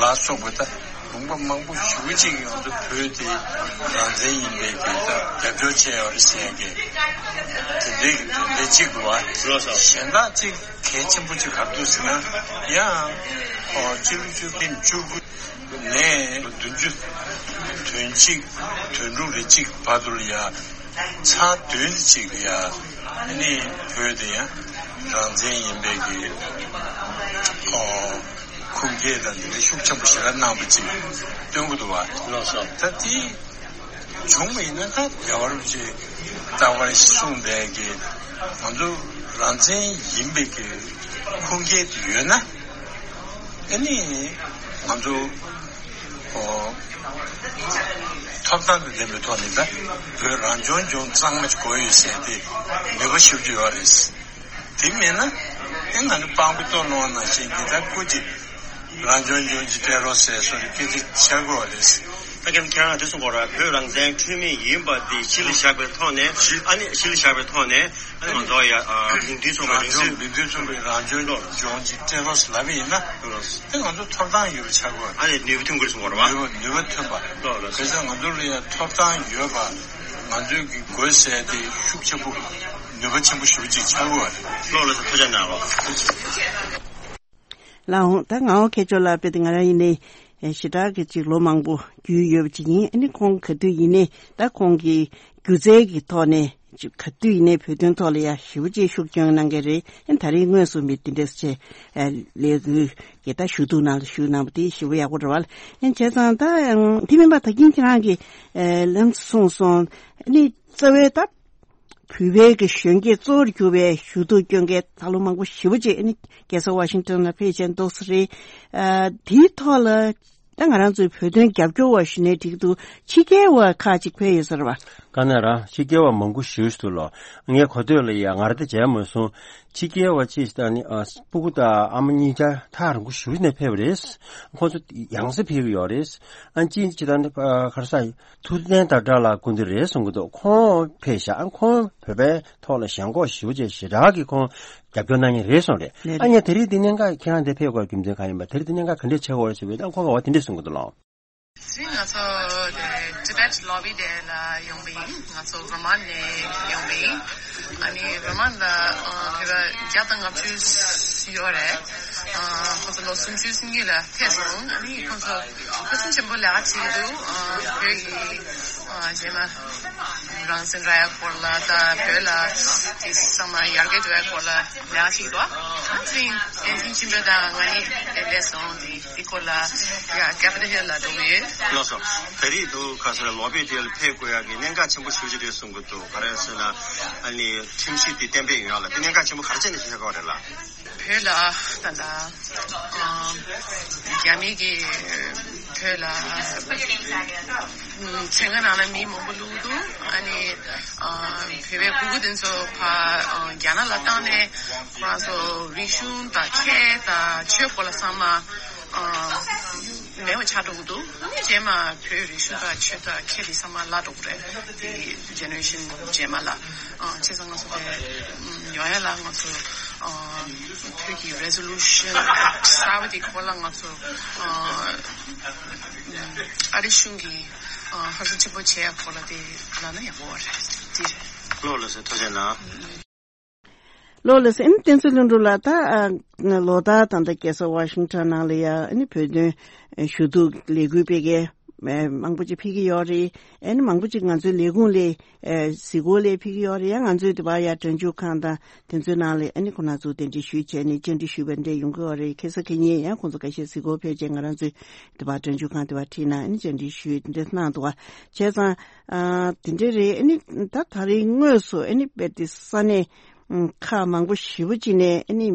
ལ་སོགས་པ་ད་ལུང་པ་མང་པོ་ཞེ་པོ་ཅིག་ང་ཚོ་བོད་དེ་རང་བཙན་ཡིན་པའི་གི་ད་རྒྱབ་སྐྱོར་བྱས་ཡོད་རེད་ཟེར་ཡ་གི་དེ་འདྲའི་གི་དོན་ཚན་གཅིག་འདུག་བ། ལགས་སོ། གཞན་དག་ཅིག་གལ་ཆེན་པོ་ཅིག་ག་རེ་འདུག་ཟེར་ན་ཡང་ཨོ་སྤྱི་ལོ་ཆིག་སྟོང་བཅུ་དགུ་ནས་བདུན་ཅུ་དོན་གཅིག་དོན་དྲུག་རེ་གཅིག་བར་དུ་ལ་ཡ་ཚར་བདུན་གཅིག་ལ་ཡ་ཨ་ནི་བོད་དེ་ཡང་རང་བཙན་ཡིན་པའི་གི་ཨོ་ཁུངས་སྐྱེལ་དང་འདི་འདྲ་ཤུགས་ཆེན་པོ་ཞེ་དྲག་གནང་པ་ཅིག་སྟོན་གྱི་འདུག་བ། ལགས་སོ། ད་དེ་བྱུང་བ་ཡིན་ན་ད་རྒྱལ་བ་རིན་པོ་ཆེས་རྟག་པར་གསུངས་པའི་གི་ང་ཚོ་རང་བཙན་ཡིན་པའི་གི་ཁུངས་སྐྱེལ་དེ་ཡོད་ན། ཨ་ནི་ང་ཚོ་ཨོ་ཐོབ་ཐང་དང་ལྡན་པའི་ཐོག་ནས་ད་བོད་རང་སྐྱོང་ལྗོངས་གཙང་མ་ཞིག་དགོས་ཡོད་ཟེར་ཏེ་ནུས་པ་ཞེ་པོ་ཅིག་ཡོད་རེད། དེ་མེད་ན་ཨེ་ང་ཚོ་སྤང་པོའི་སྟོད་ལུང་ནང་བཞིན་གྱི་ད་སྐུ་མཁྱེན་རང་སྐྱོང་ལྗོངས་ཀྱི་སྤྲད་རོགས་ཟེར་སོགས་ཀྱི་སྐད་ཆ་བཤད་དགོས་རེད། ད་ཁྱེད་རང་དེ་གསུང་དགོས་ར། བོད་རང་བཙན་འཁྲུལ་མེད་ཡིན་པ་འདི་གཞི་ལ་བཞག་པའི་ཐོག་ནས་ཨ་ནི་གཞི་ལ་བཞག་པའི་ཐོག་ནས་ཨ་ནི་ང་ཚོ་ཡ་མིང་དོན་མཚུངས་པའི་རང་སྐྱོང་མིང་དོན་མཚུངས་པའི་རང་སྐྱོང་ལྗོངས་ཀྱི་སྤྲད་རོགས་ལབ་ཡིན་ན་དེ་ང་ཚོ་ཐོབ་ཐང་ཡོད་པ་ཆགས་དགོས། ཨ་ནི་ནུས་པ་ཐོན་དགོས་གསུང་དགོས་ར་བ། ནུས་པ་ནུས་པ་ཐོན་པ། ལགས་ལགས། བྱས་ཙང་ང་ཚོ་ལ་ཡ་ཐོབ་ཐང་ཡོད་པ་ང་ཚོའི་གི་དགོས་ཟེར་དེ་ཤུགས་ཆེན་པོ་ནུས་པ་ཆེན་པོ་ཞེ་པོ་ཅིག་ཆགས་དགོས་པ་རེད། ལགས་ལགས་སོ། ཐུགས་རྗེ་གནང་། ལགས། ལགས་འོང་། ད་ངག་དབང་མཁས་མཆོག་ལགས་དཔེ་དེ་ང་རང་ཡིན་ནའི་ཞེ་དྲག་གི་ཅིག་ལོ་མང་པོ་རྒྱུས་ཡོད་པ་ཅིག་ཡིན། ཨ་ནི་ཁོང་ག་དུས་ཡིན་ནའི་ད་ཁོང་གི་སྒྱུ་རྩལ་གྱི་ཐོག་ནས་ཅིག་ག་དུས་ཡིན་ནའི་བོད་དོན་ཐོག་ལ་ཡ་ཞེ་པོ་ཅིག་ཤུགས་སྐྱོན་གནང་མཁན་རེད། ཨ་ནི་ད་རེས་དངོས་སུ་མི་དེ་འདྲས་ཅིག་ལས་འགུལ་གྱི་ད་ཞུ་གཏུག་ནང་ལ་ཞུགས་གནང་པ་དེ་ཞེ་པོ་ཡག་པོ་རེད་བ། ཨ་ནི་བྱས་ཙང་ད་དེ་མིན་པ་ད་གིན་ཁྱེད་རང་གིས་ལམ་གསུངས་སོང་། ཨ་ནི་རྩ་བའི་ད་བོད་པའི་གི་གཞོན་སྐྱེས་གཙོ་བོར་གྱུར་པའི་ཞུ་གཏུག་སྐྱོན་མཁན་ད་ལོ་མང་པོ་ཞེ་པོ་ཅིག་ཨ་ནི་རྒྱལ་ས་ཝ་ཤིང་ཊོན་ལ་ཕེབས་བྱས་འདུག་ས་རེད། ཨ་དེའི་ཐོག་ལ་ད་ང་རང་ཚོའི་བོད་དོན་རྒྱབ་སྐྱོར་བ་ཞུ་ནའི་འགྲིག་འདུག་ཕྱི་རྒྱལ་བ་ཁག་ཅིག་ཕེབས་ཡོད་ས་རེད་བ། ག་ན་ར་ཕྱི་རྒྱལ་བ་མང་པོ་ཞེ་པོ་ཅིག་འདུག་ལོ། ངས་གོ་ཐོས་ལ་ཡ་ང་རང་དེ་མཇལ་མ་སོང་། ཕྱི་རྒྱལ་བ་ཅིག་ད་ནི་ཨ་སྤུ་གུ་དང་ཨ་མ་གཉིས་ཆ་ཐག་རིང་པོ་ཞེ་པོ་ནས་ཕེབས་པ་རེད། ཁོང་ཚོ་ཡང་སེ་ཕེབས་ཀྱི་ཡོད་རེད། ཨ་ཅི་ཅི་ད་ནི་ཨ་ག་རེ་ཟ། ཐུབ་བསྟན་དང་འདྲ་ལ་སྐུ་མདུན་རེད་གསུང་གི་འདུག་ཁོང་ཕེབས་ཤག་ཨ་ཁོང་བོད་པའི་ཐོག་ལ་ཞེན་ཁོག་ཞེ་པོ་ཅིག་ཞེ་དྲག་གིས་ཁོང་རྒྱབ་སྐྱོར་གནང་མཁན་རེད་གསུངས་རེད། ལགས་ཨ་རེད། ངས་དེ་རིང་འདི་གནད་འགག་ཁྱེད་རང་འདིར་ཕེབས་དགོས་རྒྱུ་མཚན་གང་ཡིན་པ། དེ་རིང་འདི་གནད་འགག་ག་འདྲས་ཆགས་ཡོད་རེད་ཟེར་བས་ད་ཁོང་གིས་འོ་དེ་འདྲས་གསུང་གི་འདུག་ལགས། དེ་རིང་ང་ཚོ་དེ་Tibet Lobby Day ལ་ཡོང་བ་ཡིན། ང་ཚོ་ཝར་མ་ནས་ཡོང་བ་ཡིན། ཨ་ནི་ཝར་མ་ལ་ཨ་བོད་པ་བརྒྱ་དང་ལྔ་བཅུ་ཡོད་རེད། ཨ་ཁོང་ཚོ་ལོ་སུམ་ཅུ་སོང་གི་ལ་ཕེབས་སོང་། ཨ་ནི་ཁོང་ཚོ་ཕུན་སུམ་ཆེན་པོ་ལས་ཀ་བྱེད་ཀྱི་འདུག་ཨ་བོད་ཀྱི་ཨ་རྗེས་མ་རང་བཙན་རག་ཡ་སྐོར་ལ་ད་བོད་ལ་དེ་ཚང་མ་ཡར་རྒྱས་འགྲོ་ཡ་སྐོར་ལ་ལས་ཀ་བྱེད་ཀྱི་འདུག་ཨ་ནི་བསྟན་འཛིན་ཆོས་འཕེལ་དང་ང་གཉིས་དེ་སླེབས་སོང་། དེ་དེ་སྐོར་ལ་ཡ་Capitol Hill ལ་འགྲོ་གི་ཡོད། ལགས་སོ། ད་རེས་འདུག་ག་ས་ལ་ལོ་བེ་དེ་ལ་ཕེབས་དགོས་ཡ་གི་གནད་འགག་ཆེན་པོ་ཞེ་པོ་ཅིག་རེད་གསུང་གི་འདུག་ག་རེ་ཟེར་ན་ཨ་ནི་ཁྲིམས་གཞི་དེ་གཏན་འབེབས་ཡོང་ཡ་ལ་དེ་གནད་འགག་ཆེན་པོ་ག་རེ་བྱས་ནས་ཕེབས་དགོས་རེད་ལ། བོད་ལ་ད་ལྟ་ཨ་རྒྱ་མི་གིས་བོད་ལ་ཚན་ཁག་ནང་ལ་མི་མང་པོ་བླུགས་འདུག་ཨ་ནི་ཨ་བོད་པའི་སྤུ་གུ་དེ་ཚོ་ཕར་ཨ་རྒྱ་ནག་ལ་བཏང་ནས་ཁོ་རང་ཚོ་རིག་གཞུང་དང་ཁྱད་དང་ཆོས་སྐོར་ལ་ཚང་མ་ཨ་མེད་པ་ཆགས་འགྲོ་གི་འདུག་ཨ་ནི་རྗེས་མ་བོད་རིག་གཞུང་དང་ཆོས་དང་ཁྱད་དེ་ཚང་མ་བརླག་འགྲོ་གི་རེད། དེ་ཇེ་ནེ་རེ་ཤན་རྗེས་མ་ལ། ཨ་བྱས་ཙང་ང་ཚོ་དེ་ཡོང་ཡ་ལ་ང་ཚོ་ཨ་བོད་ཀྱི་Resolution གསར་པ་དེ་སྐོར་ལ་ང་ཚོ་ཨ་ཨ་རི་གཞུང་གི་ཨ་ཧུར་བརྩོན་ཆེན་པོ་བྱེད་ཡ་སྐོར་ལ་དེ་ལབ་ན་ཡག་པོ་རེད། དེ་རེད། ལགས་ལགས་སོ། ཐུགས་རྗེ་གནང་། ལགས་ལགས་སོ། ཨ་ནི་བསྟན་འཛིན་ལྷུན་གྲུབ་ལགས། ད་ཨ་ལོ་ལྟར་ད་ལྟ་རྒྱལ་ས་ཝ་ཤིང་ཊོན་ནང་ལ་ཡ་ཨ་ནི་བོད་དོན་ཞུ་གཏུག་ལས་འགུལ་སྤེལ་མཁན་མང་པོ་ཅིག་ཕེབས་ཀྱི་ཡོད་རེད། ཨ་ནི་མང་པོ་ཅིག་ང་ཚོའི་ལས་ཁུངས་ལ་ཨ་གཟིགས་སྐོར་ལ་ཕེབས་ཀྱི་ཡོད་རེད། ཡང་ང་ཚོས་དེ་བར་ཡ་སྒྲ་འཇུག་ཁང་དང་དེ་ཚོའི་ནང་ལ་ཨ་ནི་ཁོང་རྣམ་ཚོ་གདན་འདྲེན་ཞུས་བྱས་ནས་བཅར་འདྲི་ཞུས་པ་འདྲ་ཡོང་གི་ཡོད་རེད། ཁ་སང་ཁ་ཉིན་ཡང་ཁོང་ཚོ་ཁ་ཤས་གཟིགས་སྐོར་ཕེབས་བྱས་ང་རང་ཚོའི་དེ་བར་སྒྲ་འཇུག་ཁང་དེ་བར་ཁྲིད་ནས་ཨ་ནི་བཅར་འདྲི་ཞུས་དེ་འདྲ་གནང་འདུག་བ། བྱས་ཙང་ཨ་དེ་འདྲ་རེད། ཨ་ནི་ད་ད་རེས་དངོས་སུ་ཨ་ནི་དཔེ་དེ་ས་གནས་ཁག་མང་པོ་ཞེ་པོ་ཅིག་ནས་ཨ་ནི་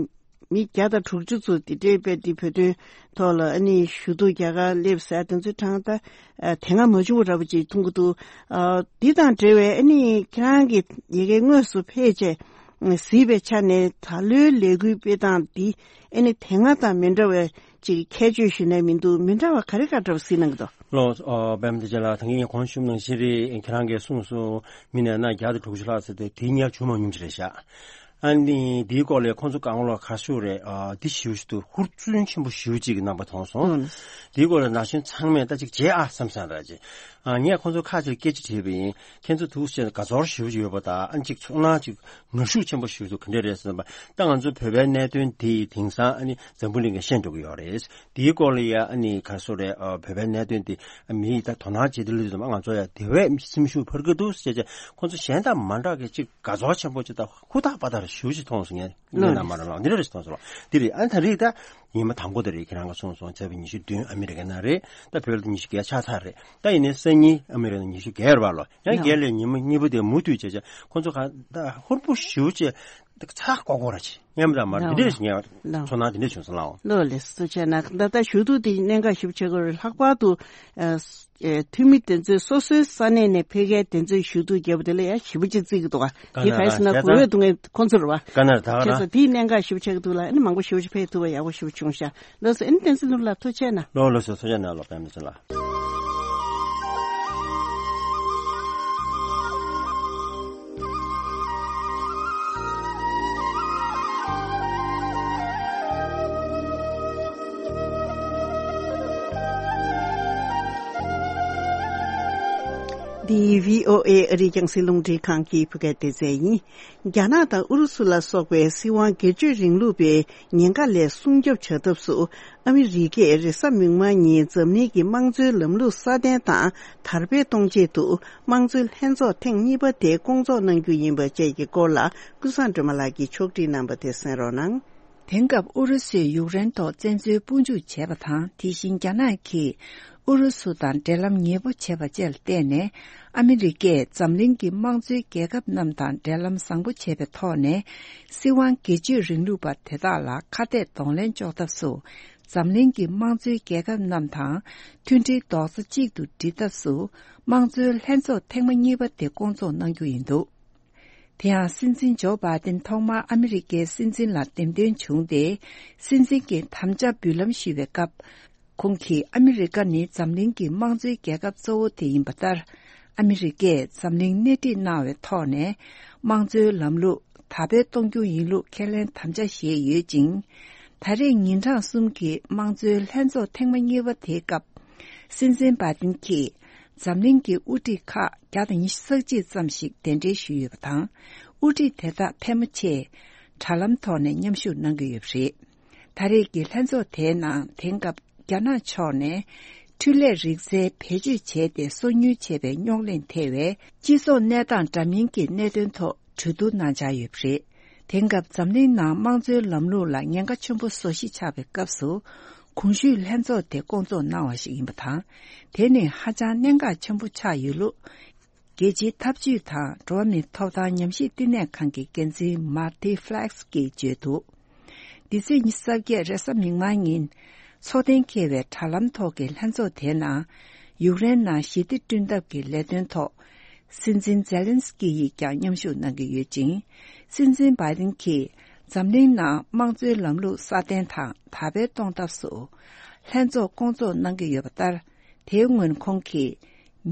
མི་བརྒྱ་དང་དྲུག་ཅུ་ཚོ་དེ་འདྲའི་དཔེ་དེ་བོད་དོན་ཐོག་ལ་ཨ་ནི་ཞུ་གཏུག་རྒྱག་གར་སླེབས་ཟེར་དེ་ཚོའི་གྲངས་ད་ཨ་དེ་སྔ་མ་བྱུང་བ་འདྲ་པོ་ཅིག་མཐོང་གི་འདུག་ཨ་འདི་དང་འབྲེལ་བའི་ཨ་ནི་ཁྱེད་རང་གི་ཡ་གི་དངོས་སུ་ཕེབས་བྱས་གཟིགས་པའི་ཆ་ནས་ད་ལོའི་ལས་འགུལ་སྤེལ་སྟངས་འདི་ཨ་ནི་དེ་སྔ་དང་མི་འདྲ་བའི་ཅིག་ཁྱད་ཆོས་ཞུས་ན་མི་འདུག་མི་འདྲ་བ་ག་རེ་ག་འདྲ་བ་གཟིགས་གནང་གི་འདུག་ལགས་སོ། ཨ་པད་མ་བདེ་ཆེན་ལགས། ད་གིན་ངས་གོང་ཞུས་ནང་བཞིན་རེད། ཁྱེད་རང་གིས་གསུངས་སོང་། མི་ནས་ན་བརྒྱ་དང་དྲུག་ཅུ་ལྷག་ཟེར་ཏེ་དེ་སྔ་བྱུང་མ་མྱོང་ཅིག་རེད་ཤག་ཨ་ནི་དེའི་སྐོར་ལ་ཁོང་ཚོ་གང་ལ་ག་ཞུ་རེད། ཨ་དེ་ཞུ་ཞུ་དུ་ཧུར་བརྩོན་ཆེན་པོ་ཞུ་ཅིག་གནང་པ་མཐོང་སོང་། ཨང་། དེའི་སྐོར་ལ་ན་གཞོན་ཚང་མས་ད་ཅིག་བྱེད་ཨ་བསམ་བསམ་ར་ཅིག་ཨ་ངས་ཁོང་ཚོ་ཁ་ཅིག་སྐད་ཆ་དྲིས་པ་ཡིན། ཁྱེད་ཚོ་ཐུགས་རྗེ་ཆེ། དགའ་ཚོར་ཞུ་ཞུ་ཡོད་པ་དང་ཨ་ཅིག་ཚོར་སྣང་ཅིག་ངར་ཤུགས་ཆེན་པོ་ཞུ་དུ་ག་འདྲ་རེད་ཟེར་ན་པ། ད་ང་ཚོ་བོད་པའི་གནད་དོན་དེ་དེང་སང་ཨ་ནི་འཛམ་བུ་གླིང་ག་ཤེས་འགྲོ་གི་ཡོད་རེད། དེའི་སྐོར་ལ་ཡ་ཨ་ནི་ག་སོ་རེད། ཨ་བོད་པའི་གནད་དོན་དེ་མིའི་ད་དོ་སྣང་བྱེད་དུ་ལུས་དུ་མ་ང་ཚོ་ཡ་དེ་བས་སེམས་ཤུགས་འཕར་གི་འདུག་ཟེར་བྱས་ཁོང་ཚོ་གཞན་དང་མ་འདྲ་གི་ཅིག་དགའ་ཚོར་ཆེན་པོ་ཅིག་དང་ཧུར་ཐག་པ་ཐག་ཞུ་ཅིག་མཐོང་སོང་ངས། ངས་ན་མ་ར་ལགས་འདི་འདྲ་ཞིག་མཐོང་སོང་ལགས། འདི་རེད། ཨ་ནི་ད་རེས་ད་ཉི་མ་དང་པོ་དེ་རེད། ཁྱེད་རང་ག་གསུངས་སོང་། ཚེས་པ་ཉི་ཤུ་བདུན་ཨ་མི་རི་ཀའི་ནང་རེད། ད་བོད་ལ་ཉི་ཤུ་བརྒྱད་ཆགས་ཚར་རེད། ད་ཡིན་ནའི་སང་ཉིན་ཨ་མི་རི་ཀ་ནང་ཉི་ཤུ་བརྒྱད་རེད་པ་ལོ། ཡང་བརྒྱད་ལས་ཉི་མ་གཉིས་པོ་དེ་མུ་མཐུད་བྱས་བྱས་ཁོང་ཚོ་ག་ད་ཧུར་པོ་ཞེ་པོ་ཅིག་ཚ་ཀོ་ཀོ་ར་ཅིག་ཉམས་དང་མར་འདི་འདྲས་ཞིག་ངས་ཚོར་སྣང་འདི་འདྲས་བྱུང་སོང་ལགས། ལགས་ལགས་སོ། ཐུགས་རྗེ་ཆེ་གནང་། ད་ལྟ་ཞུ་གཏུག་དེ་གནད་འགག་ཞིབ་ཆེ་གི་རེད། ལྷག་པར་དུ་ཨ་ཨ་འཐུས་མི་དེ་ཚོས་སོ་སོའི་ས་གནས་ནས་ཕེབས་མཁན་དེ་ཚོས་ཞུ་གཏུག་རྒྱབ་པ་དེ་ལ་ཡང་ཞིབ་པོ་ཅིག་བརྩི་གི་འདུག་ག་དེ་ག་རེ་ཟེར་ན་གོ་འོས་བསྡུ་མཁན་ཁོང་ཚོ་རེད་པ། བྱས་ཙང་དེའི་གནད་འགག་ཞིབ་ཆེ་གི་འདུག་ལ་ཨ་ནི་མང་པོ་ཞིབ་ཆེ་ཕེབས་ཐུབ་པ་ཡག་པོ་ཞིབ་བྱུང་ཤག་ལགས་སོ། ཨ་ནི་བསྟན་འཛིན་ལྷུན་གྲུབ་ལགས་ཐུགས་རྗེ་ཆེ་གནང་། ལགས་ལགས་སོ། ཐུགས་རྗེ་གནང་ལགས། པད་མ་བདེ་ཆེན་ལགས། འདི་བྷི་ཨོ་ཨེ་ཨ་རིའི་རྒྱང་སྲིང་རླུང་འཕྲིན་ཁང་གི་བོད་སྐད་སྡེ་ཚན་ཡིན། རྒྱ་ནག་དང་ཨུ་རུ་སུ་ལ་སོགས་པའི་སྲིད་དབང་སྒེར་གཅོད་རིང་ལུགས་པའི་ཉེན་ཁ་ལས་སྲུང་སྐྱོབ་བྱ་ཐབས་སུ། ཨ་མི་རི་ཀས་རེས་གཟའ་མིག་དམར་ཉིན་འཛམ་གླིང་གི་དམངས་གཙོའི་ལམ་ལུགས་སྲ་བརྟན་དང་དར་སྤེལ་གཏོང་ཆེད་དུ། དམངས་གཙོའི་ལྷན་ཚོགས་ཐེངས་གཉིས་པ་དེ་སྐོང་ཚོགས་གནང་རྒྱུ་ཡིན་པ་བཅས་ཀྱི་སྐོར་ལ། ཀུན་བཟང་སྒྲོལ་མ་ལགས་ཀྱིས་ཕྱོགས་སྒྲིག་གནང་བ་དེ་གསན་རོགས་གནང་། དེང་སྐབས་ཨུ་རུ་སུས་ཡུཀ་རེན་ཐོག་བཙན་འཛུལ་དཔུང་འཇུག་བྱས་པ་དང་། དེ་བཞིན་རྒྱ་ནག་གིས་ཨུ་རུ་སུ་དང་འབྲེལ་ལམ་ཉེ་པོ་བྱས་པ་བཅས་ལ་བརྟེན་ནས། ཨ་མི་རི་ཀས་འཛམ་གླིང་གི་དམངས་གཙོའི་རྒྱལ་ཁབ་རྣམས་དང་འབྲེལ་ལམ་བཟང་པོ་བྱས་པའི་ཐོག་ནས། སྲིད་དབང་སྒེར་གཅོད་རིང་ལུགས་པ་དེ་དག་ལ་ཁ་གཏད་གདོང་ལེན་གཅོག་ཐབས་སུ། འཛམ་གླིང་གི་དམངས་གཙོའི་རྒྱལ་ཁབ་རྣམས་དང་མཐུན་སྒྲིལ་རྡོག་རྩ་གཅིག་ཏུ་སྒྲིལ་ཐབས་སུ། དམངས་གཙོའི་ལྷན་ཚོགས་ཐེངས་མ་གཉིས་པ་དེ་སྐོང་ཚོགས་གནང་རྒྱུ་ཡིན་འདུག་དེ་ཡང་སྲིད་འཛིན་ཇོ་བྷའི་ཌེན་ཐོག་མར་ཨ་མི་རི་ཀའི་སྲིད་འཛིན་ལ་འདེམས་ཐོན་བྱུང་སྟེ། སྲིད་འཛིན་གྱི་དམ་བཅའ་འབུལ་ལམ་ཞུས་པའི་སྐབས། ཁོང་གིས་ཨ་མི་རི་ཀ་ནི་འཛམ་གླིང་གི་དམངས་གཙོའི་རྒྱལ་ཁབ་གཙོ་བོ་དེ་ཡིན་པ་ལྟར། ཨ་མི་རི་ཀས་འཛམ་གླིང་སྣེ་ཁྲིད་གནང་བའི་ཐོག་ནས། དམངས་གཙོའི་ལམ་ལུགས་དར་སྤེལ་གཏོང་རྒྱུ་ཡིན་ལུགས་ཁས་ལེན་དམ་བཅའ་བཞེས་ཡོད་ཅིང་། ད་རེས་ཉིན་གྲངས་གསུམ་གྱི་དམངས་གཙོའི་ལྷན་ཚོགས་ཐེངས་མ་གཉིས་པ་དེའི་སྐབས། སྲིད་འཛིན་བྷའི་ཏིན་གྱིས་འཛམ་གླིང་གི་དབུ་ཁྲིད་ཁག་བརྒྱ་དང་ཉི་ཤུ་རྩ་གཅིག་ཙམ་ཞིག་གདན་འདྲེན་ཞུས་ཡོད་པ་དང་། དབུ་ཁྲིད་དེ་དག་ཕལ་མོ་ཆེས་དྲ་ལམ་ཐོག་ནས་མཉམ་ཞུགས་གནང་གི་ཡོད་པ་རེད། ད་རེས་ཀྱི་ལྷན་ཚོགས་དེའི་ནང་དེང་སྐབས་རྒྱ་ནག་ཕྱོགས་ནས་འཕྲུལ་ལས་རིག་རྩལ་བེད་སྤྱོད་བྱས་ཏེ་སོ་ཉུལ་བྱས་པའི་རྙོག་གླེང་ཐེ་བའི་སྤྱི་ཚོགས་གནས་སྟངས་འདྲ་མིན་གྱི་གནད་དོན་ཐོག་གྲོས་བསྡུར་གནང་འཆར་ཡོད་པ་རེད། དེང་སྐབས་འཛམ་གླིང་ནང་དམངས་གཙོའི་ལམ་ལུགས་ལ་ཉེན་ཁ་ཆེན་པོ་བཟོ་གཞི་ཆགས་པའི་སྐབས་སུ། གོང་ཞུས་ལྷན་ཚོགས་དེ་སྐོང་ཚོགས་གནང་བ་ཞིག་ཡིན་པ་དང་། དེ་ནི་ཧ་ཅང་གནད་འགག་ཆེན་པོ་ཆགས་ཡོད་ལུགས། རྒྱལ་སྤྱིའི་འཐབ་ཇུས་དང་འགྲོ་བ་མིའི་ཐོབ་ཐང་ཉམས་ཞིབ་བསྟི་གནས་ཁང་གི་འགན་འཛིན་མར་ཏི་ཧྥི་ལེག་སི་གིས་བརྗོད་འདུག་འདི་ཚེས་ཉི་ཤུ་རྩ་བརྒྱད་རེས་གཟའ་མིག་དམར་ཉིན། འཚོགས་གཏན་འཁེལ་བའི་དྲ་ལམ་ཐོག་གི་ལྷན་ཚོགས་དེའི་ནང་། ཡུཀ་རེན་ནང་ཞི་བདེ་བསྐྲུན་ཐབས་ཀྱི་ལས་དོན་ཐོག་སྲིད་འཛིན་ཛེ་ལན་སི་ཀི་ཡིས་ཀྱང་མཉམ་ཞུགས་གནང་གི་ཡོད་ཅིང་། སྲིད་འཛིན་བྷའི་ཏིན་གྱིས་འཛམ་གླིང་ནང་དམངས་གཙོའི་ལམ་ལུགས་སྲ་བརྟན་དང་དར་སྤེལ་གཏོང་ཐབས་སུ། ལྷན་ཚོགས་སྐོང་ཚོགས་གནང་གི་ཡོད་པ་ལྟར། དེའི་སྔོན་ཁོང་གིས།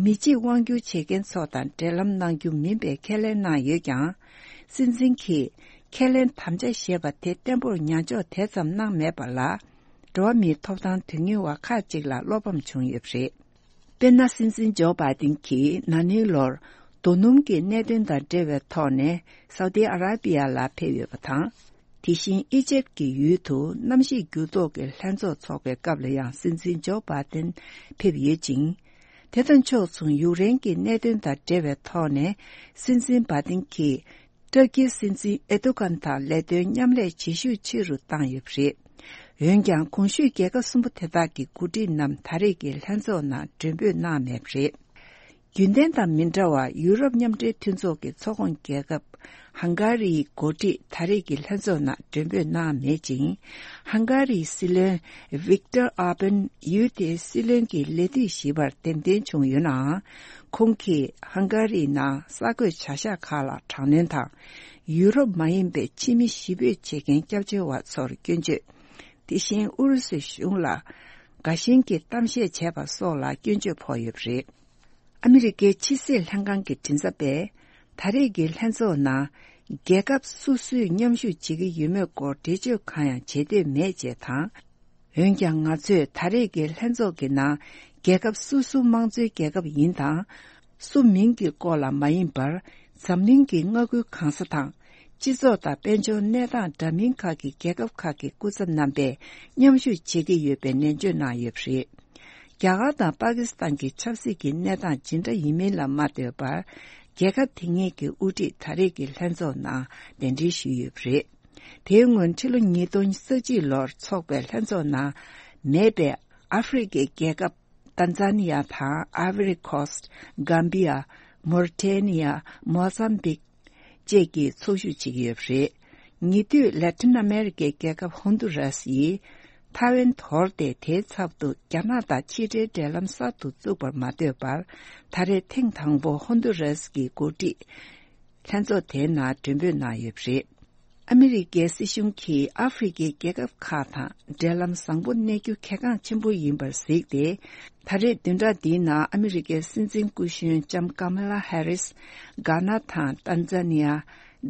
མི་གཅིག་དབང་སྒྱུར་བྱེད་མཁན་ཚོ་དང་འབྲེལ་ལམ་གནང་རྒྱུ་མིན་པའི་ཁས་ལེན་གནང་ཡོད་ཀྱང་། སྲིད་འཛིན་གྱིས་ཁས་ལེན་དམ་བཅའ་བཞེས་པ་དེ་བརྟན་པོར་ཉམས་འཇོག་དེ་ཙམ་གནང་མེད་པ་ལ། འགྲོ་བ་མིའི་ཐོབ་ཐང་དོན་གཉེར་བ་ཁག་ཅིག་ལ་བློ་ཕམ་བྱུང་ཡོད་པ་རེད། དཔེར་ན། སྲིད་འཛིན་ཇོ་བྷའི་ཏིན་གྱིས་ན་ནིང་ལོར་རྡོ་སྣུམ་གྱི་གནད་དོན་དང་འབྲེལ་བའི་ཐོག་ནས་སའུ་ཏི་ཨ་ར་པི་ཡ་ལ་ཕེབས་ཡོད་པ་དང་། དེ་བཞིན་ཨི་ཇེབ་ཀྱི་ཡུལ་དུ་གནམ་གཤིས་འགྱུར་ལྡོག་གི་ལྷན་ཚོགས་འཚོགས་པའི་སྐབས་ལ་ཡང་སྲིད་འཛིན་ཇོ་བྷའི་ཏིན་ཕེབས་ཡོད་ཅིང་། དེ་དང་ཕྱོགས་མཚུངས་ཡུཀ་རེན་གྱི་གནད་དོན་དང་འབྲེལ་བའི་ཐོག་ནས་སྲིད་འཛིན་བྷའི་ཏིན་གྱིས། ཏུར་ཀིའི་སྲིད་འཛིན་ཨེར་ཏོ་གྷན་དང་ལས་དོན་མཉམ་ལས་བྱེད་ཤུགས་ཆེ་རུ་བཏང་ཡོད་པ་རེད། འོན་ཀྱང་། གོང་ཞུས་རྒྱལ་ཁབ་གསུམ་པོ་དེ་དག་གི་འགོ་ཁྲིད་རྣམས་ད་རེས་ཀྱི་ལྷན་ཚོགས་ནང་མགྲོན་འབོད་གནང་མེད་པ་རེད། རྒྱུན་ལྡན་དང་མི་འདྲ་བར། ཡུ་རོབ་མཉམ་འབྲེལ་མཐུན་ཚོགས་ཀྱི་ཚོགས་ཁོངས་རྒྱལ་ཁབ་ཧང་ག་རིའི་འགོ་ཁྲིད་ད་རེས་ཀྱི་ལྷན་ཚོགས་ནང་མགྲོན་འབོད་གནང་མེད་ཅིང་། ཧང་ག་རིའི་སྲིད་བློན་ཝིག་ཏར་ཨོར་བན་ཡུལ་དེའི་སྲིད་བློན་གྱི་ལས་དུས་བཞི་པར་འདེམས་ཐོན་བྱུང་ཡོད་ནའང་། ཁོང་གིས་ཧང་ག་རིའི་ནང་གསར་འགོད་བྱ་གཞག་ཁག་ལ་དྲག་གནོན་དང་། ཡུ་རོབ་མ་ཡིན་པའི་ཕྱི་མི་གཞིས་སྤོས་བྱེད་མཁན་སྐྱབས་བཅོལ་བ་ཚོར་སྐྱོན་བརྗོད། དེ་བཞིན་ཨུ་རུ་སུའི་གཞུང་ལ་དགའ་ཞེན་གྱི་གཏམ་བཤད་བྱས་པ་སོགས་ལ་སྐྱོན་བརྗོད་ཕོག་ཡོད་པ་རེད། ཨ་མི་རི་ཀའི་ཕྱི་སྲིད་ལྷན་ཁང་གི་མགྲིན་ཚབ་པས། ད་རེས་ཀྱི་ལྷན་ཚོགས་ནང་རྒྱལ་ཁབ་སོ་སོས་མཉམ་ཞུགས་བྱེད་ཀྱི་ཡོད་མེད་སྐོར་འགྲེལ་བརྗོད་གང་ཡང་བྱེད་འདོད་མེད་ཅེས་དང་། འོན་ཀྱང་། ང་ཚོས་ད་རེས་ཀྱི་ལྷན་ཚོགས་ཀྱི་ནང་རྒྱལ་ཁབ་སོ་སོ་དམངས་གཙོའི་རྒྱལ་ཁབ་ཡིན་དང་། སུ་མིན་གྱི་སྐོར་ལ་མ་ཡིན་པར། འཛམ་གླིང་གི་མངའ་ཁུལ་གང་ས་དང་། སྤྱི་ཚོགས་དང་དཔལ་འབྱོར་གནས་སྟངས་འདྲ་མིན་ཁག་གི་རྒྱལ་ཁབ་ཁག་གི་སྐུ་ཚབ་རྣམ་པས་མཉམ་ཞུགས་བྱེད་ཀྱི་ཡོད་པའི་ནན་བརྗོད་གནང་ཡོད་པ་རེད། རྒྱ་གར་དང་པ་ཀི་སི་ཐན་གྱི་ཆབ་སྲིད་ཀྱི་གནས་སྟངས་ཇི་འདྲ་ཡིན་མིན་ལ་མ་ལྟོས་པར། རྒྱལ་ཁབ་དེ་གཉིས་ཀྱི་དབུ་ཁྲིད་ད་རེས་ཀྱི་ལྷན་ཚོགས་ནང་གདན་འདྲེན་ཞུས་ཡོད་པ་རེད། དེའི་སྔོན་ཕྱི་ལོ་ཉིས་སྟོང་ཉི་ཤུ་རྩ་གཅིག་ལོར་འཚོགས་པའི་ལྷན་ཚོགས་ནང་མེད་པའི་ཨ་ཧྥེ་རི་ཁའི་རྒྱལ་ཁབ་ཏན་ཛ་ནི་ཡ་དང་ཨའི་ཝོ་རི་ཁོ་སི། གམ་བི་ཡ། མོ་རི་ཊེ་ནི་ཡ། མོ་ཟམ་བིག་བཅས་ཀྱིས་ཚོགས་ཞུགས་བྱེད་ཀྱི་ཡོད་པ་རེད། ཉེ་དུས་ལེ་ཊིན་ཨ་མེ་རི་ཀའི་རྒྱལ་ཁབ་ཧོན་དུ་རཱས་ཡིས་ཐའེ་ཝན་དོར་ཏེ་དེའི་ཚབ་ཏུ་རྒྱ་ནག་དང་ཕྱི་འབྲེལ་འབྲེལ་ལམ་གསར་དུ་བཙུགས་པར་མ་ལྟོས་པར། ད་རེས་ཐེངས་དང་པོ་ཧོན་དུ་རཱས་ཀྱི་འགོ་ཁྲིད་ལྷན་ཚོགས་དེའི་ནང་མགྲོན་འབོད་གནང་ཡོད་པ་རེད། ཨ་མི་རི་ཀའི་སྲིད་གཞུང་གིས་ཨ་ཧྥེ་རི་ཁའི་རྒྱལ་ཁབ་ཁག་དང་འབྲེལ་ལམ་བཟང་པོ་གནས་རྒྱུ་གལ་འགངས་ཆེན་པོ་ཡིན་པར་གཟིགས་ཏེ། ད་རེས་བདུན་ཕྲག་འདིའི་ནང་ཨ་མི་རི་ཀའི་སྲིད་འཛིན་སྐུ་གཞོན་ལྕམ་ཀ་མ་ལ་ཧེ་རིས། གྷ་ན་དང་ཏན་ཛ་ནི་ཡ།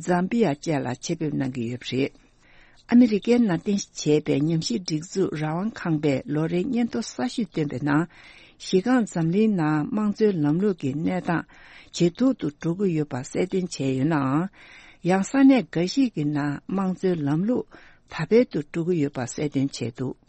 ཛམ་བི་ཡ་བཅས་ལ་ཆེད་ཕེབས་གནང་གི་ཡོད་པ་རེད། ཨ་མི་རི་ཀའི་ནང་རྟེན་གཞི་བྱས་པའི་ཉམས་ཞིབ་སྒྲིག་འཛུགས་རང་དབང་ཁང་པས་ལོ་རེའི་སྙན་ཐོ་གསར་ཤོས་བཏོན་པའི་ནང་། གཞི་རྐང་འཛམ་གླིང་ནང་དམངས་གཙོའི་ལམ་ལུགས་ཀྱི་གནས་སྟངས་ཇེ་སྡུག་ཏུ་འགྲོ་གི་ཡོད་པ་གསལ་སྟོན་བྱས་ཡོད་ནའང་། ཡང་ས་གནས་འགའ་ཞིག་གི་ནང་དམངས་གཙོའི་ལམ་ལུགས་དར་འཕེལ་དུ་འགྲོ་གི་ཡོད་པ་གསལ་སྟོན་བྱས་འདུག།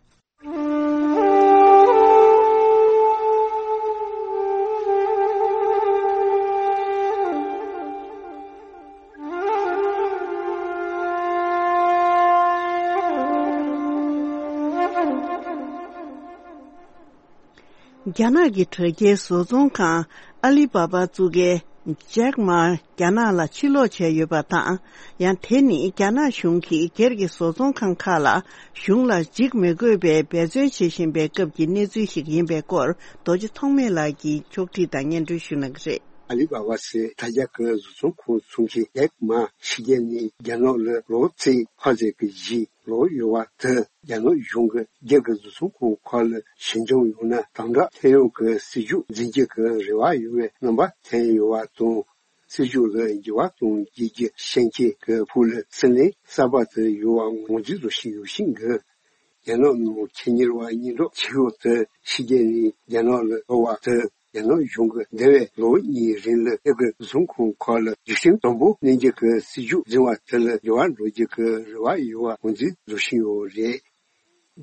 རྒྱ་ནག་གི་དྲ་རྒྱའི་བཟོ་ཚོང་ཁང་ཨ་ལི་བྷ་བྷ་བཙུགས་མཁན་ཇེག་མ་རྒྱ་ནག་ལ་ཕྱིར་ལོག་བྱས་ཡོད་པ་དང་། ཡང་དེ་ནི་རྒྱ་ནག་གཞུང་གིས་སྒེར་གྱི་བཟོ་ཚོང་ཁང་ཁག་ལ་གཞུང་ལ་འཇིགས་མི་དགོས་པའི་འབད་བརྩོན་བྱེད་བཞིན་པའི་སྐབས་ཀྱི་གནས་ཚུལ་ཞིག་ཡིན་པའི་སྐོར། རྡོ་རྗེ་ཐོགས་མེད་ལགས་ཀྱིས་ཕྱོགས་སྒྲིག་དང་སྙན་སྒྲོན་ཞུ་གནང་གི་རེད། ཨ་ལི་བྷ་བྷ་ཟེར་དྲ་རྒྱ་གི་བཟོ་ཚོང་ཁང་བཙུགས་མཁན་ཇེག་མ་ཕྱི་རྒྱལ་ནས་རྒྱ་ནག་ལ་ལོ་ཚད་ཁ་ཤས་ཀྱི་རྗེས་ལོག་ཡོད་པ་དེ། རྒྱ་ནག་གཞུང་གིས་སྒེར་གྱི་བཟོ་ཚོང་ཁང་ཁག་ལ་ཞི་འཇམ་ཡོང་ན་དམ་དྲག་ཐོན་ཡོང་གི་སྲིད་ཇུས་འཛིན་རྒྱུ་གི་རེ་བ་ཡོད་པའི་རྣམ་པ་ཐོན་ཡོད་པ་དང་། སྲིད་ཇུས་ལ་འགྱུར་བ་གཏོང་བགྱིད་རྒྱུ་ཤེས་མཁན་གྱི་ཕུགས་ལ་སྲིད་བློན་གསར་པ་དེ་ཡོང་བ་ངོས་འཛིན་བཟོ་བཞིན་ཡོད་ཤིང་གི། རྒྱ་ནག་ནང་ཁེ་གཉེར་བ་སྙན་གྲགས་ཆེ་ཤོས་དེ་ཕྱི་རྒྱལ་ནས་རྒྱ་ནག་ལ་ལོག་པ་དེ། རྒྱ་ནག་གཞུང་གིས་འདས་པའི་ལོ་གཉིས་རིང་ལ་སྒེར་གྱི་བཟོ་ཚོང་ཁང་ཁག་ལ་རྒྱུག་ཤིང་དམ་པོ་གནང་རྒྱུ་གི་སྲིད་ཇུས་འཛིན་པ་དེ་ལ་འགྱུར་བ་འགྲོ་རྒྱུ་གི་རེ་བ་ཡོད་པ་ངོས་འཛིན་བཟོ་བཞིན་ཡོད་རེད།